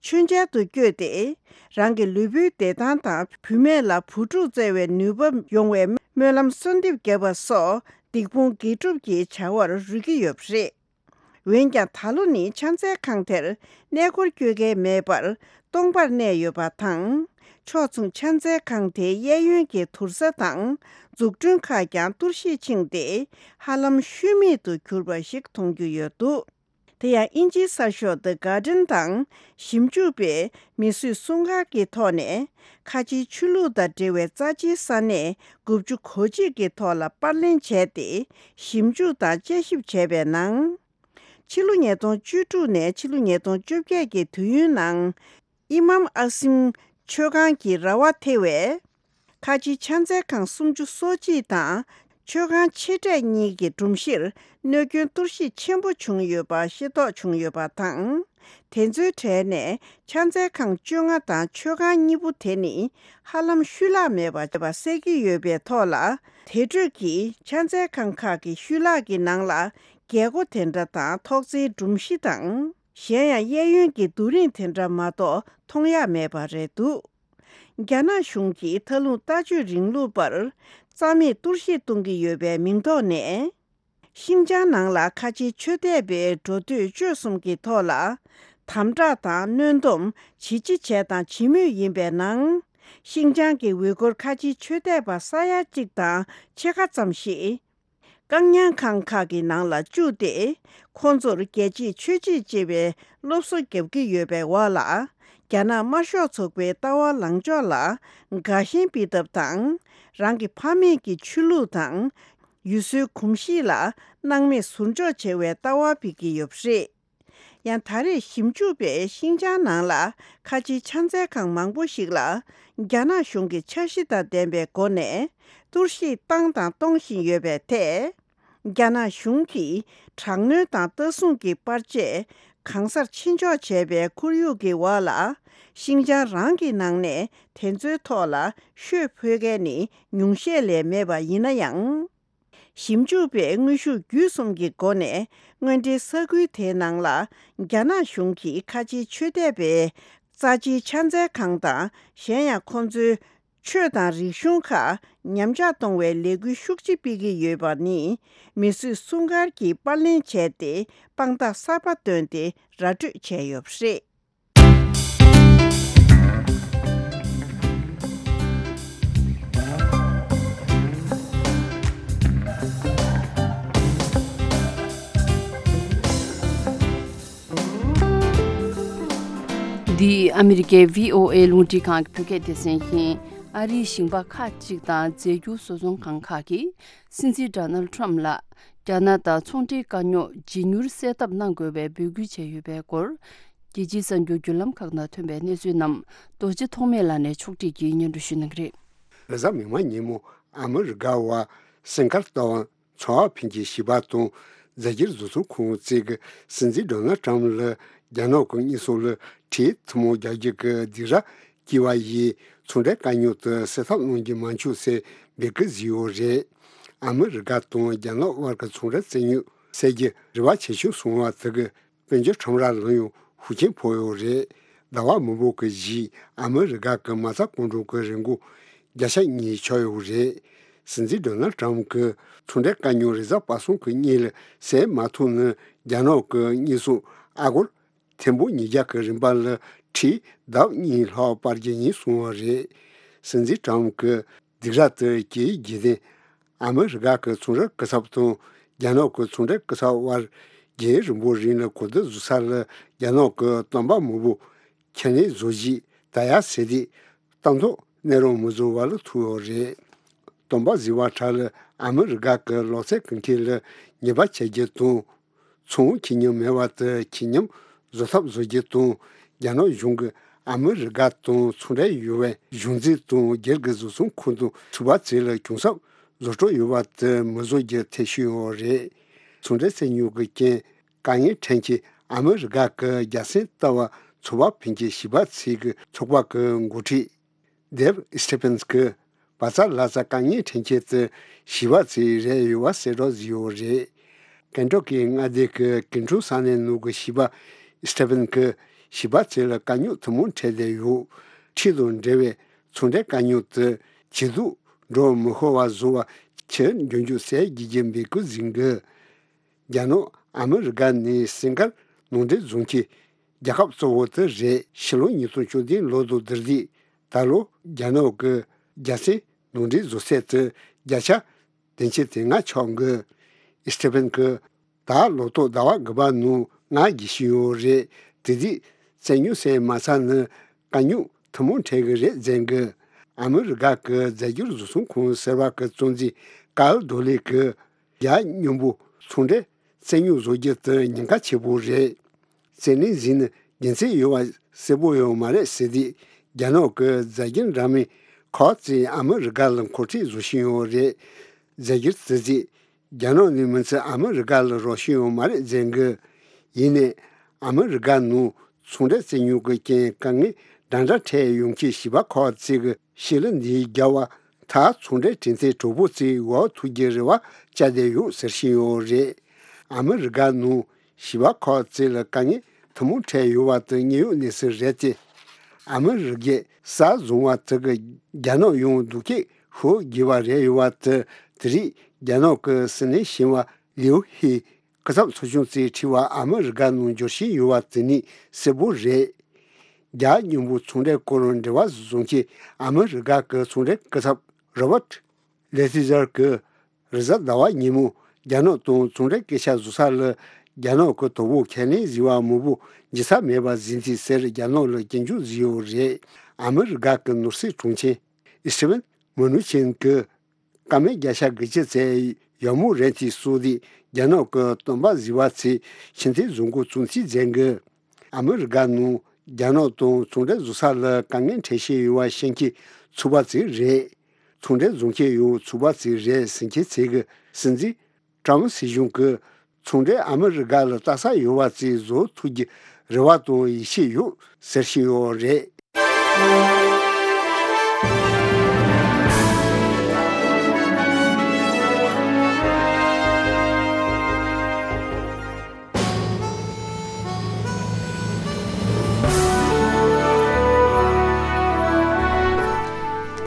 མཆོད་མཇལ་དུ་བསྐྱོད་དེ། རང་གི་ལུས་པོའི་བདེ་ཐང་དང་བུད་མེད་ལ་བུ་ཕྲུག་བཙའ་བའི་ནུས་པ་ཡོང་བའི་སྨོན་ལམ་གསོལ་འདེབས་བརྒྱབ་པ་སོགས་སྡིག་སྤོང་དགེ་སྒྲུབ་ཀྱི་བྱ་བར་རོལ་གྱི་ཡོད་པ་རེད། འོན་ཀྱང་། ད་ལོ་ནི་ཕྱག་འཚལ་ཁང་དེར་གནས་སྐོར་སྐྱོད་མཁན་མེད་པར་སྟོང་པར་གནས་ཡོད་པ་དང་། ཕྱོགས་མཚུངས་ཕྱག་འཚལ་ཁང་དེའི་གཡས་གཡོན་གྱི་དུར་ས་དང་འཛུགས་སྐྲུན་ཁག་ཀྱང་གཏོར་བཤིག་ཕྱིན་ཏེ། ཧ་ལམ་ཤུལ་མེད་དུ་གྱུར་པ་ཞིག་མཐོང་རྒྱུ་ཡོད་འདུག་དེ་ཡང་། དབྱིན་ཇིའི་གསར་ཤོག་The Guardian དང་ཞིབ་འཇུག་པས་མི་གསོད་སྲུང་སྐར་གྱི་ཐོག་ནས། ཁ་ཆེའི་ཆོས་ལུགས་དང་འབྲེལ་བའི་རྩ་ཆེའི་ས་གནས་དགུ་བཅུ་གོ་གཅིག་གི་ཐོག་ལ་པར་ལེན་བྱས་ཏེ། ཞིབ་འཇུག་དང་དཔྱད་ཞིབ་བྱས་པའི་ནང་། ཕྱི་ལོ་ཉིས་སྟོང་བཅུ་དྲུག་ནས་ཕྱི་ལོ་ཉིས་སྟོང་བཅོ་བརྒྱད་ཀྱི་དུས་ཡུན་ནང་། ཨི་མམ་ཨ་སིམ་མཆོད་ཁང་གི་ར་བ་ཐེ་བའི་ཁ་ཆེའི་ཕྱག་འཚལ་ཁང་སུམ་ཅུ་སོ་གཅིག་དང་། མཆོད་ཁང་ཆེ་གྲས་གཉིས་ཀྱི་སྒྲོམ་གཞིར་གནོད་སྐྱོན་གཏོར་བཤིག་ཆེན་པོ་བྱུང་ཡོད་པ་ཤེས་རྟོགས་བྱུང་ཡོད་པ་དང་། དེ་ཚོའི་གྲས་ནས་ཕྱག་འཚལ་ཁང་བཅོ་ལྔ་དང་མཆོད་ཁང་གཉིས་པོ་དེ་ནི་ཧ་ལམ་ཤུལ་ལྷག་མེད་པ་བྱས་པ་གསལ་གྱི་ཡོད་པའི་ཐོག་ལ། དེ་འཕྲོས་ཀྱི་ཕྱག་འཚལ་ཁང་ཁག་གི་ཤུལ་ལྷག་གི་ནང་ལ་རྒྱལ་སྒོ་དེ་འདྲ་དང་ཐོག་བརྩེགས་སྒྲོམ་གཞི་དང་། གཞན་ཡང་གཡས་གཡོན་གྱི་རྡོ་རིང་དེ་འདྲ་མ་གཏོགས་མཐོང་ཡ་མེད་པ་རེད་འདུག་རྒྱ་ནག་གཞུང་གིས་མཐའ་ལྷུང་ལྟ་སྤྱོད་རིང་ལུགས་པར་རྩ་མེད་གཏོར་བཤིག་གཏོང་གི་ཡོད་པའི་མིང་ཐོག་ནས། ཤིང་ཅང་ནང་ལ་ཁ་ཆེའི་ཆོས་དད་པའི་འགྲོ་སྡོད་སྤྱོད་གསུམ་གྱི་ཐོག་ལ་དམ་དྲག་དང་གནོན་སྡོམ་ཇི་ལྕི་བྱས་དང་བྱེད་མུས་ཡིན་པའི་ནང་། ཤིང་ཅང་གི་ཝི་གུར་ཁ་ཆེའི་ཆོས་དད་པ་ས་ཡ་གཅིག་དང་ཕྱེད་ཀ་ཙམ་ཞིག་བཀག་ཉར་ཁང་ཁག་གི་ནང་ལ་བཅུག་སྟེ། ཁོང་ཚོར་རྒྱལ་གཅེས་ཆོས་གཅེས་ཅེས་པའི་སློབ་གསོ་བརྒྱབ་ཀྱི་ཡོད་པའི་འོག་ལ། རྒྱ་ནག་དམར་ཤོག་ཚོགས་པའི་ལྟ་བ་ལངས་ཕྱོགས་ལ་དགའ་ཞེན་སྤེལ་ཐབས་དང་། རང་གི་ཕ་མེས་ཀྱི་ཆོས་ལུགས་དང་། ཡུལ་སྲོལ་གོམས་གཤིས་ལ་སྣང་མེད་ཟུར་འཇོག་བྱེད་པའི་ལྟ་བ་སྤེལ་གྱི་ཡོད་པ་རེད། ཡང་ད་རེས་ཞིབ་འཇུག་པས་ཤིང་ཅང་ནང་ལ་ཁ་ཆེའི་ཕྱག་འཚལ་ཁང་མང་པོ་ཞིག་ལ་རྒྱ་ནག་གཞུང་གིས་འཆར་གཞི་དང་ལྡན་པའི་སྒོ་ནས་གཏོར་བཤིག་བཏང་དང་གཏོང་བཞིན་ཡོད་པའི་ཐད། རྒྱ་ནག་གཞུང་གིས་དྲག་གནོན་དང་ལྟ་སྲུང་གི་པར་ཆས་གང་སར་ཕྱིན་འཇོག་བྱས་པའི་ཁོར་ཡུག་གི་འོག་ལ། ཤིང་ཅང་རང་གི་ནང་ནས་དེ་ཚོའི་ཐོག་ལ་ཤོད་ཕོད་མཁན་ནི་ཉུང་ཤས་ལས་མེད་པ་ཡིན་ན་ཡང་། ཞིབ་འཇུག་པས་དངོས་ཤུགས་བརྒྱུད་གསུམ་གྱི་སྒོ་ནས་དངོས་འབྲེལ་ས་ཁུལ་དེའི་ནང་ལ་རྒྱ་ནག་གཞུང་གིས་ཁ་ཆེའི་ཆོས་དད་པའི་རྩ་ཆེའི་ཕྱག་འཚལ་ཁང་དང་། གཞན་ཡང་ཁོང་ཚོའི་ཆོས་དང་རིག་གཞུང་ཁག་ཉམས་ཆག་གཏོང་བའི་ལས་འགུལ་ཤུགས་ཆེ་སྤེལ་གྱི་ཡོད་པ་ནི། མི་གསོད་སྲུང་སྐར་གྱིས་པར་ལེན་བྱས་ཏེ་དཔང་རྟགས་གསར་པ་བཏོན་ཏེ་ར་སྤྲོད་བྱས་ཡོད་པ་རེད། འདི་ཨ་མི་རི་ཀའི་བྷི་ཨོ་ཨེ་རླུང་འཕྲིན་ཁང་གི་བོད་སྐད་སྡེ་ཚན་ཡིན། ཨ་རིའི་ཞིང་པ་ཁག་ཅིག་དང་རྫས་འགྱུར་བཟོ་ཚོང་ཁང་ཁག་གིས། སྲིད་འཛིན་ཌོ་ནལ་ཊམ་ལ་རྒྱ་ནག་དང་ཚོང་འབྲེལ་དཀའ་རྙོག་ཇི་མྱུར་སེལ་ཐབས་གནང་དགོས་པའི་འབོད་སྐུལ་བྱས་ཡོད་པའི་སྐོར། རྒྱལ་སྤྱིའི་གསར་འགྱུར་བརྒྱུད་ལམ་ཁག་ནང་ཐོན་པའི་གནས་ཚུལ་རྣམས་རྡོ་རྗེ་ཐོགས་མེད་ལགས་ནས་ཕྱོགས་སྒྲིག་གིས་སྙན་སྒྲོན་ཞུ་གནང་གི་རེད། རེས་གཟའ་མིག་དམར་ཉིན་མོ་ཨ་མི་རི་ཀ་བ་སེང་གར་ལྟ་བ་ཚོར་བ་ཕིན་གྱི་ཞི་བ་དང་རྫས་འགྱུར་བཟོ་ཚོང་ཁང་བཅས་ཀྱིས་སྲིད་འཛིན་ཌོ་ནལ་ཊམ་ལ་རྒྱ་ནག་གི་དངོས་ཟོག་ལ་ཁྲལ་ཐུན་མོང་རྒྱག་རྒྱུ་གི་སྡིགས་ར་བསྐྱིས་པ་ཡིས་ཚོང་འབྲེལ་དཀའ་རྙོག་དེ་སེལ་ཐབས་གནང་རྒྱུ་མ་བྱུང་ཟེར་འབོད་སྐུལ་བཟོས་ཡོད་རེད། ཨ་མི་རི་ཀ་དང་རྒྱ་ནག་དབར་གྱི་ཚོང་འབྲེལ་བཙན་ཉུང་སེལ་རྒྱུ་རེ་བ་ཆེ་ཤོས་སོང་བ་དེ་གི་དཔལ་འབྱོར་ཁྲོམ་ར་ལ་ཡང་ཤུགས་རྐྱེན་ཕོག་ཡོད་རེད། ཟླ་བ་མང་པོ་གི་རྗེས་ཨ་མི་རི་ཀ་གི་མ་རྩ་གང་དྲུག་གི་རིན་གོང་བརྒྱ་ཆ་གཉིས་ཆག་ཡོད་རེད། སྲིད་འཛིན་ཌོ་ནལ་ཊམ་གྱི་ཚོང་འབྲེལ་དཀའ་རྙོག་རེས་གཟའ་པ་སངས་ཀྱི་ཉིན་ལ་སེལ་མ་ཐུབ་ན་རྒྱ་ནག་གི་དངོས་ཟོག་ཨ་སྒོར་ཐེར་འབུམ་ཉིས་བརྒྱ་གི་རིན་པ་ལ་ཁྲལ་ལྡབ་གཉིས་ལྷག་སྤར་རྒྱུ་ཡིན་གསུངས་པ་རེད། སྲིད་འཛིན་ཊམ་གྱི་སྡིགས་ར་དེ་གྱི་རྗེས་དེ། ཨ་མི་རི་ཀ་གི་ཚོང་རའི་སྐུ་ཚབ་དང་རྒྱ་ནག་གི་ཚོང་འབྲེལ་སྐུ་ཚབ་དབར་རྒྱུན་རིང་པོའི་རིང་ལ་གོ་བསྡུར་བཟོ་ས་ལ་རྒྱ་ནག་གི་སྟོན་པ་མང་པོ་ཁས་ལེན་བཟོ་རྗེས་ད་ཡ་ཟེར་དུས་གཏན་ཐོག་གནས་རོགས་མི་བཟོ་བ་ལ་ཐུག་ཡོད་རེད། སྟོན་པ་ཟེར་བ་ཁྲ་ལ་ཨ་མི་རི་ཀ་གི་ལོ་ཚད་ཀུན་མཁྱེན་ལ་ཉེས་པ་བྱེད་རྒྱུ་དང་། ཚོང་ཁེ་ཉམས་མེད་པ་དེ་ཁེ་ཉམས་བཟོ་ཐབས་བཟོ་རྒྱུ་དང་། རྒྱ་ནག་གཞུང་གིས་ཨ་མི་རི་ཀ་དང་ཚོང་འབྲེལ་ཡོད་པའི་གཞུང་འཛིན་དང་སྒེར་གྱི་བཟོ་ཚོང་ཁང་དང་ཚོགས་པ་བཅས་ལ་གྱོང་གསབ་བཟོ་སྤྲོད་ཡོད་པ་དེ་མི་བཟོ་རྒྱུ་ཐེ་བྱུས་ཡོད་རེད། ཚོང་འབྲེལ་བཙན་ཉུང་གི་རྐྱེན་དཀའ་ངལ་འཕྲད་མཁན་ཨ་མི་རི་ཀ་གི་རྒྱལ་སྲས་ལྟ་བ་ཚོར་བ་ཕིན་གྱི་ཞི་བ་ཚོས་ཀྱི་ཚོགས་པ་གི་འགོ་ཁྲིད། Dave Stephens གིས་བ་ཚ་ལ་ཚ་དཀའ་ངལ་འཕྲད་མཁན་དེ་ཞི་བ་ཚོས་རེད་ཡོད་པ་གསལ་བསྒྲགས་བཟོས་ཡོད་རེད། ཀེན་ཊོ་ཀི་མངའ་སྡེ་གི་ཀིན་ཀྲུའུ་ས་གནས་ནང་གི་ཞི་བ་Stephens གིས་ཞི་བ་ཚོ་ལ་དཀའ་རྙོག་ཐུན་མོང་འཕྲད་བསྡད་ཡོད། ཁྲལ་དང་འབྲེལ་བའི་ཚོང་འབྲེལ་དཀའ་རྙོག་དེ་ཇེ་སྡུག་འགྲོ་མི་ཤོར་བ་བཟོ་བ་ཆེད་མགྱོགས་མྱུར་སེལ་རྒྱུ་གི་འབོད་སྐུལ་ཟིན་གི་རྒྱ་ནག་ཨ་མི་རི་ཀ་ནས་སེང་དཀར་ནང་འདྲེན་བཟོ་མཁན་རྒྱལ་ཁབ་གཙོ་བོ་དེ་རེད། ཕྱི་ལོ་ཉིས་སྟོང་བཅུ་བདུན་ལོ་དང་བསྡུར་དུས་ད་ལོ་རྒྱ་ནག་གི་རྒྱལ་སྲས་ནང་འདྲེན་བཟོ་ཚད་དེ་བརྒྱ་ཆ་བདུན་ཅུ་དོན་ལྔ་ཆག་གི Stephens གིས་ད་ལོ་ཐོག་ཟླ་བ་དགུ་པ་ནང་ང་རྒྱལ་ཕྱིན་ཡོད་རེད། དེ་དུས་བཙན་ཉུང་སེལ་མ་ཚར་ན་དཀའ་རྙོག་ཐུན་མོང་འཕྲད་གི་རེད་ཟེར་གི་ཨ་མི་རི་ཀ་གི་རྫས་འགྱུར་བཟོ་ཚོང་ཁང་ཟེར་བ་གི་གཙོ་འཛིན་ཀཱལ་རྡོ་ལེ་གིས། རྒྱ་མཉམ་པོ་ཚོང་འབྲེལ་བཙན་ཉུང་བཟོ་རྒྱུ་དེ་ཉེན་ཁ་ཆེ་པོ་རེད། བརྩིས་ནས་གཟིགས་ན་རྒྱུ་མཚན་ཡོད་པ་གསལ་པོ་ཡོད་མ་རེད་ཟེར་དུས་རྒྱ་ནག་གི་རྫས་འགྱུར་འདྲ་མིན་ཁག་ཅིག་ཨ་མི་རི་ཀ་ལ་མཁོ་སྤྲོད་བཟོ་བཞིན་ཡོད་རེད། མཛད་རྒྱུར་བརྩི་རྩིས། རྒྱ་ནག་ནས་མི་ཚད་ཨ་མི་རི་ཀ་ལ་རོགས་བྱེད་ཡོད་མ་རེད་ཟེར་གི། ཡིན་ནའི་ཨ་མི་རི་ཀ་ནང་ཚོང་འབྲེལ་རྩོད་རྙོག་གི་རྐྱེན་དཀའ་ངལ་འདྲ་འདྲ་འཕྲད་ཡོང་གི། བྱིས་པ་ཁག་ཅིག་གི་ཕྱི་ལ་འདི་རྒྱ་བ་ད་ཚོང་འབྲེལ་གྲོས་མཐུན་གྲོགས་པོ་ཚོའི་འོག་ཐུག་རྒྱུའི་རེ་བ་བཅའ་བསྡད་ཡོད་ཟེར་བཞིན་ཡོད་རེད། ཨ་མི་རི་ཀ་ནང་བྱིས་པ་ཁག་ཅིག་ལ་དཀའ་ངལ་ཐུན་མོང་འཕྲད་ཡོད་པ་དེ་དངོས་ཡོད་གནས་ཚུལ་རེད་དེ། ཨ་མི་རི་ཀའི་གསར་བཟོ་བ་དེ་གི་རྒྱ་ནག་ཡང་སྡུག་སྐད་ཤོར་དགོས་པ་རེད། ཡོད་པ་དེ་དེ་རིང་རྒྱ་ནག་གི་སྲིད་བློན་ཆེན་པོ་ལིའུ་ཧེ་སྐུ་ཚབ་ཚོགས་ཆུང་ཚོས་ཁྲིད་པ་ཨ་མི་རི་ཀ་ནང་འབྱོར་བཞིན་ཡོད་པ་དེ་ནི་གསལ་པོ་རེད། རྒྱ་མཉམ་པོ་ཚོང་འབྲེལ་སྐོར་འབྲེལ་བ་བཟོ་མཁན་ཨ་མི་རི་ཀ་གི་ཚོང་འབྲེལ་སྐུ་ཚབ་རོ་བར་ལེ་ཐི་ཛར་གྱིས་རེས་གཟའ་ཟླ་བ་ཉིན་མོ་རྒྱ་ནག་དང་ཚོང་འབྲེལ་སྐད་ཆ་བཟོ་ས་ལ་རྒྱ་ནག་གི་དོ་ཕོག་ཁས་ལེན་བཟོས་པ་མང་པོ་བྱེད་ས་མེད་པ་ཟིན་ཏེ་ཟེར་རྒྱ་ནག་ལ་སྐྱོན་བརྗོད་བཟོས་ཡོད་རེད། ཨ་མི་རི་ཀ་གི་ནོར་སྲིད་དྲུང་ཆེ་ཨི་སི་ཊི་ཝན་མུ་ནུ་ཆིན་གྱིས་བཀའ་མོལ་བརྒྱ་ཆ་དགུ་བཅུ་ཙམ་ཡག་མོ་རེད་དེ་སོགས་ཏེ་རྒྱ་ནག་གི་སྟོན་པ་བཟོས་པ་ཚོའི་ཕྱི་ཐེངས་བཟོ་འགོ་བཙུགས་ཚུལ་མཛད་འགོ། ཨ་མི་རི་ཀ་ནང་རྒྱ་ནག་དང་ཚོང་འབྲེལ་བཟོ་ས་ལ་དཀའ་ངལ་འཕྲད་བཞིན་ཡོད་པ་ཤེས་མཁན་ཚོགས་པ་ཚོ་རེད། ཚོང་འབྲེལ་བཟོ་མཁན་ཡང་ཚོགས་པ་ཚོ་རེད་ཟེར་མཁན་ཚོས་གི་སྲིད་འཛིན་ཀྲམ་སྲིད་གཞུང་གིས་ཚོང་འབྲེལ་ཨ་མི་རི་ཀ་ལ་ལྟ་ས་ཡོད་པ་ཚོ་བཟོ་ཐུབ་རྒྱུ་རེ་བ་དང་ཡིད་ཆེས་ཡོད་ཟེར་བཞིན་ཡོད་རེད།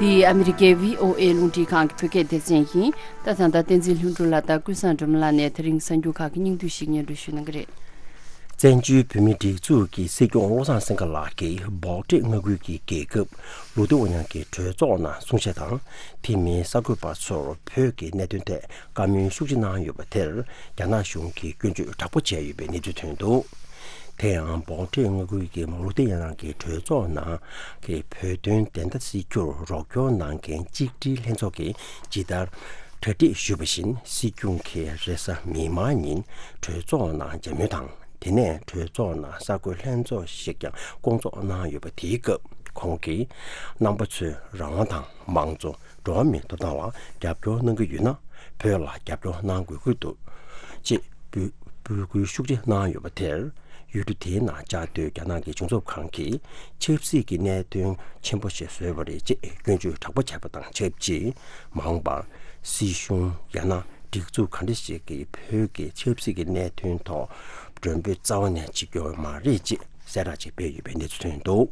འདི་ཨ་མི་རི་ཀའི་བྷི་ཨོ་ཨེ་རླུང་འཕྲིན་ཁང་གི་བོད་སྐད་སྡེ་ཚན་ཡིན། ད་ད་ལྟ་བསྟན་འཛིན་ལྷུན་གྲུབ་ལགས་དང་ཀུན་བཟང་སྒྲོལ་མ་ལགས་ནས་དེ་རིང་གསར་འགྱུར་ཁག་གི་སྙིང་བསྡུས་ཤིག་སྙན་སྒྲོན་ཞུ་གནང་གི་རེད། བཙན་བྱོལ་བོད་མིའི་སྒྲིག་འཛུགས་ཀྱི་སྲིད་སྐྱོང་བློ་བཟང་སེང་གེ་ལགས་ཀྱིས་སྦོག་ཁྲིད་མངའ་ཁུལ་གྱི་རྒྱལ་ཁབ་ལུ་ཏེ་ཝ་ཉང་གི་གྲོས་ཚོགས་ནང་གསུང་བཤད་དང་། དེ་མིན་གསར་འགོད་པ་ཚོར་བོད་ཀྱི་གནད་དོན་ཐད་བཀའ་མོལ་ཤུགས་ཆེ་གནང་ཡོད་པ་དེར་རྒྱ་ནག་གཞུང་གིས་སྐྱོན་བརྗོད་དྲག་པོ་བྱས་ཡོད་པའི་གནས་ཚུལ་ཐོན་འདུག་དེ་ཡང་སྦོག་ཁྲིད་མངའ་ཁུལ་གྱི་ལུ་ཏེ་ཝ་ཉང་གི་གྲོས་ཚོགས་ནང་གི་བོད་དོན་བདེན་མཐའ་གསལ་རྒྱུར་རོགས་སྐྱོར་གནང་མཁན་གཅིག་སྒྲིལ་ལྷན་ཚོགས་ཀྱིས་ཇི་ལྟར་གྲ་སྒྲིག་ཞུས་པ་བཞིན། སྲིད་སྐྱོང་གིས་རེས་གཟའ་མིག་དམར་ཉིན་གྲོས་ཚོགས་ནང་མཇལ་མོལ་དང་། དེ་ནས་གྲོས་ཚོགས་ནང་གསར་འགོད་ལྷན་ཚོགས་ཤིག་ཀྱང་བསྐོང་ཚོགས་གནང་ཡོད་པ། དེའི་སྐབས་ཁོང་གིས་རྣམ་པ་ཚོས་རང་དབང་དང་། མང་གཙོ། འགྲོ་བ་མིའི་ཐོབ་ཐང་ལ་རྒྱབ་སྐྱོར་གནང་གི་ཡོད་ན། བོད་ལ་རྒྱབ་སྐྱོར་གནང་དགོས་ཀྱི་འདུག་ཅེས་འབོད་འབོད་སྐུལ་ཤུགས་ཆེ་གནང་ཡོད་པ་དེར། ཡུལ་གྲུ་དེའི་ནང་བཅའ་སྡོད་རྒྱ་ནག་གི་གཞུང་ཚབ་ཁང་གིས་ཆབ་སྲིད་ཀྱི་གནད་དོན་ཆེན་པོ་ཞིག་བཟོས་པ་རེད་ཅེས་སྐྱོན་བརྗོད་དྲག་པོ་བྱས་པ་དང་ཆབས་ཅིག་མ་འོངས་པར་སྲིད་གཞུང་། ཡང་ན་སྒྲིག་འཛུགས་ག་འདྲ་ཞིག་གིས་བོད་ཀྱི་ཆབ་སྲིད་ཀྱི་གནད་དོན་ཐོག་མགྲོན་འབོད་རྩ་བ་ནས་བྱེད་ཀྱི་ཡོད་མ་རེད་ཅེས་གསལ་བསྒྲགས་ཅིག་སྤེལ་ཡོད་པའི་གནས་ཚུལ་ཐོན་འདུག་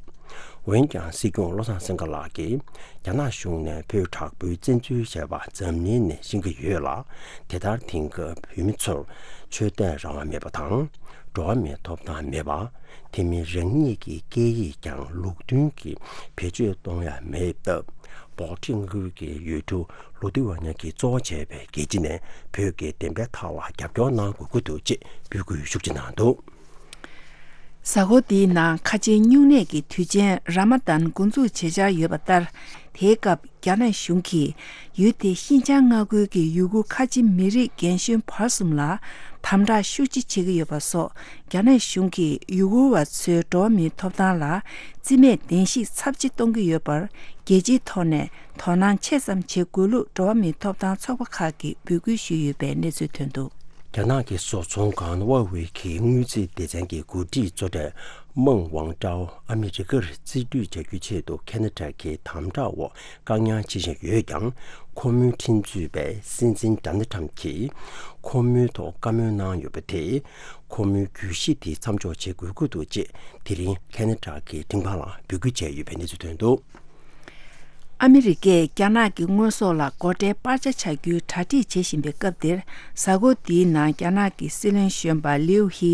འོན་ཀྱང་སྲིད་སྐྱོང་བློ་བཟང་སེང་གེ་ལགས་ཀྱིས་རྒྱ་ནག་གཞུང་ནས་བོད་དྲག་པོའི་བཙན་འཛུལ་བྱས་པ་འཛམ་གླིང་ནས་ཤེས་ཀྱི་ཡོད་ལ། དེ་ལྟར་དེང་སྐབས་བོད་མི་ཚོར་ཆོས་དད་རང་དབང་མེད་པ་དང་། འགྲོ་བ་མིའི་ཐོབ་ཐང་མེད་པ། དེ་མིན་རང་ཉིད་ཀྱི་སྐད་ཡིག་ཀྱང་ལུགས་མཐུན་གྱིས་བེད་སྤྱོད་གཏོང་ཡ་མེད་སྟབས། སྦོག་ཁྲིད་མངའ་ཁུལ་གྱི་ཡུལ་གྲུ་ལུ་ཏི་ཝ་ཉ་གིས་གཙོ་བོ་བྱས་པའི་རྒྱལ་སྤྱི་ནས་བོད་ཀྱི་བདེན་པའི་ཐག་ལ་རྒྱབ་སྐྱོར་གནང་དགོས་ཀྱི་འདུག་ཅེས་འབོད་སྐུལ་ཤུགས་ཆེ་གནང་འདུག་གཟའ་འཁོར་འདིའི་ནང་ཁ་ཆེའི་སྨྱུང་གནས་ཀྱི་དུས་ཆེན་ར་མ་དཱན་འགོ་འཛུགས་བྱེད་འཆར་ཡོད་པ་ལྟར། དེའི་སྐབས་རྒྱ་ནག་གཞུང་གིས་ཡུལ་དེའི་ཤིན་ཅང་མངའ་ཁུལ་གྱི་ཡུ་གུར་ཁ་ཆེ་མི་རིགས་རྒན་གཞོན་བར་གསུམ་ལ་དམ་དྲག་ཤུགས་ཆེ་བྱེད་ཀྱི་ཡོད་པ་སོགས། རྒྱ་ནག་གཞུང་གིས་ཡུ་གུར་བ་ཚོའི་འགྲོ་བ་མིའི་ཐོབ་ཐང་ལ་རྩིས་མེད་བདེན་བཞིའི་ཚབས་ཆེ་གཏོང་གི་ཡོད་པར། རྒྱལ་སྤྱིའི་ཐོག་ནས་དོ་སྣང་ཆེ་ཙམ་བྱེད་དགོས་ལུགས་འགྲོ་བ་མིའི་ཐོབ་ཐང་ཚོགས་པ་ཁག་གིས་འབོད་སྐུལ་ཞུས་ཡོད་པའི་གནས་ཚུལ་ཐོན་འདུག་རྒྱ་ནག་གི་བཟོ་ཚོང་ཁང་ཧྭ་ཝེ་གིས་དངུལ་རྩིས་སྡེ་ཚན་གྱི་འགོ་ཁྲིད་གཙོ་གྲས་མེང་ཝང་ཀྲའོ་ཨ་མི་རི་ཀར་རྩིས་སྤྲོད་བྱ་རྒྱུའི་ཆེད་དུ་ཁེ་ན་ཌ་གི་དམ་དྲག་འོག་བཀག་ཉར་བྱེད་བཞིན་ཡོད་ཀྱང་། ཁོ་མོའི་ཁྲིམས་རྩོད་པས་སྲིད་འཛིན་ཌོ་ནལ་ཊམ་གྱིས་ཁོ་མོའི་ཐོག་བཀའ་མོལ་གནང་ཡོད་པ་དེས། ཁོ་མོའི་གྱོད་གཞི་དེ་མཚམས་འཇོག་བྱེད་དགོས་ཀྱི་འདུག་ཅེས་དེ་རིང་ཁེ་ན་ཌ་གི་མགྲིན་ཁང་ལ་འབོད་སྐུལ་བྱས་ཡོད་པའི་གནས་ཚུལ་ཐོན་འདུག་ཨ་མི་རི་ཀས་རྒྱ་ནག་གི་དངོས་ཟོག་ལ་སྒོ་ཁྲལ་སྤར་ཆ་བྱ་རྒྱུའི་གྲ་སྒྲིག་བྱེད་བཞིན་པའི་སྐབས་འདིར། གཟའ་འཁོར་འདིའི་ནང་རྒྱ་ནག་གི་སྲིད་བློན་གཞོན་པ་ལིའུ་ཧི་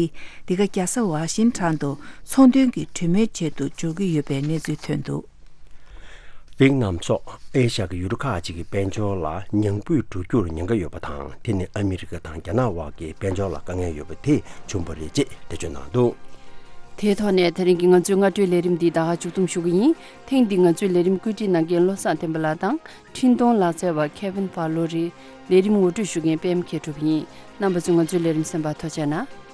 འདི་ག་རྒྱལ་ས་ཝ་ཤིང་ཊོན་དུ་ཚོང་དོན་གྱི་གྲོས་མོལ་ཆེད་དུ་འབྱོར་གྱི་ཡོད་པའི་གནས་ཚུལ་ཐོན་འདུག་ཝེད་ནམ་སོགས་ཨེ་ཤ་ཡ་གི་ཡུལ་གྲུ་ཁག་ཅིག་གི་དཔལ་འབྱོར་ལ་ཉམས་རྒུད་འགྲོ་རྒྱུར་ཉེན་ཁ་ཡོད་པ་དང་། དེ་ནི་ཨ་མི་རི་ཀ་དང་རྒྱ་ནག་དབར་གྱི་དཔལ་འབྱོར་ལ་དཀའ་ངལ་ཡོད་པ་དེས་བྱུང་བ་རེད་ཅེས་འགྲེལ་བརྗོད་གནང་འདུག་དེའི་ཐོག་ནས་དེ་རིང་གི་ང་ཚོའི་སྔ་དྲོའི་ལས་རིམ་འདི་ད་ག་མཇུག་བསྡོམས་ཞུ་གི་ཡིན། ཐེངས་འདིའི་ང་ཚོའི་ལས་རིམ་བཀོད་སྒྲིག་གནང་མཁན་བློ་བཟང་བསྟན་པ་ལགས་དང་། འཕྲིན་གཏོང་ལག་རྩལ་བ་ཁེ་ཝིན་ཕ་ལོ་རེད། ལས་རིམ་ངོ་སྤྲོད་ཞུ་མཁན་པད་མ་མཁས་གྲུབ་ཡིན། རྣམ་པ་ཚོས་ང་ཚོའི་ལས་རིམ་གསན་པར་ཐུགས་རྗེ་གནང་།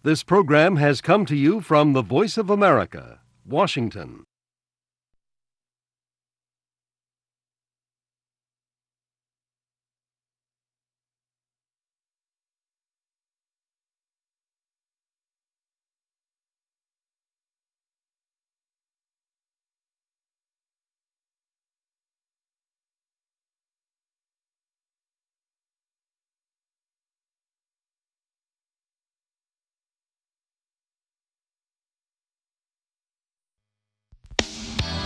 This program has come to you from the Voice of America, Washington.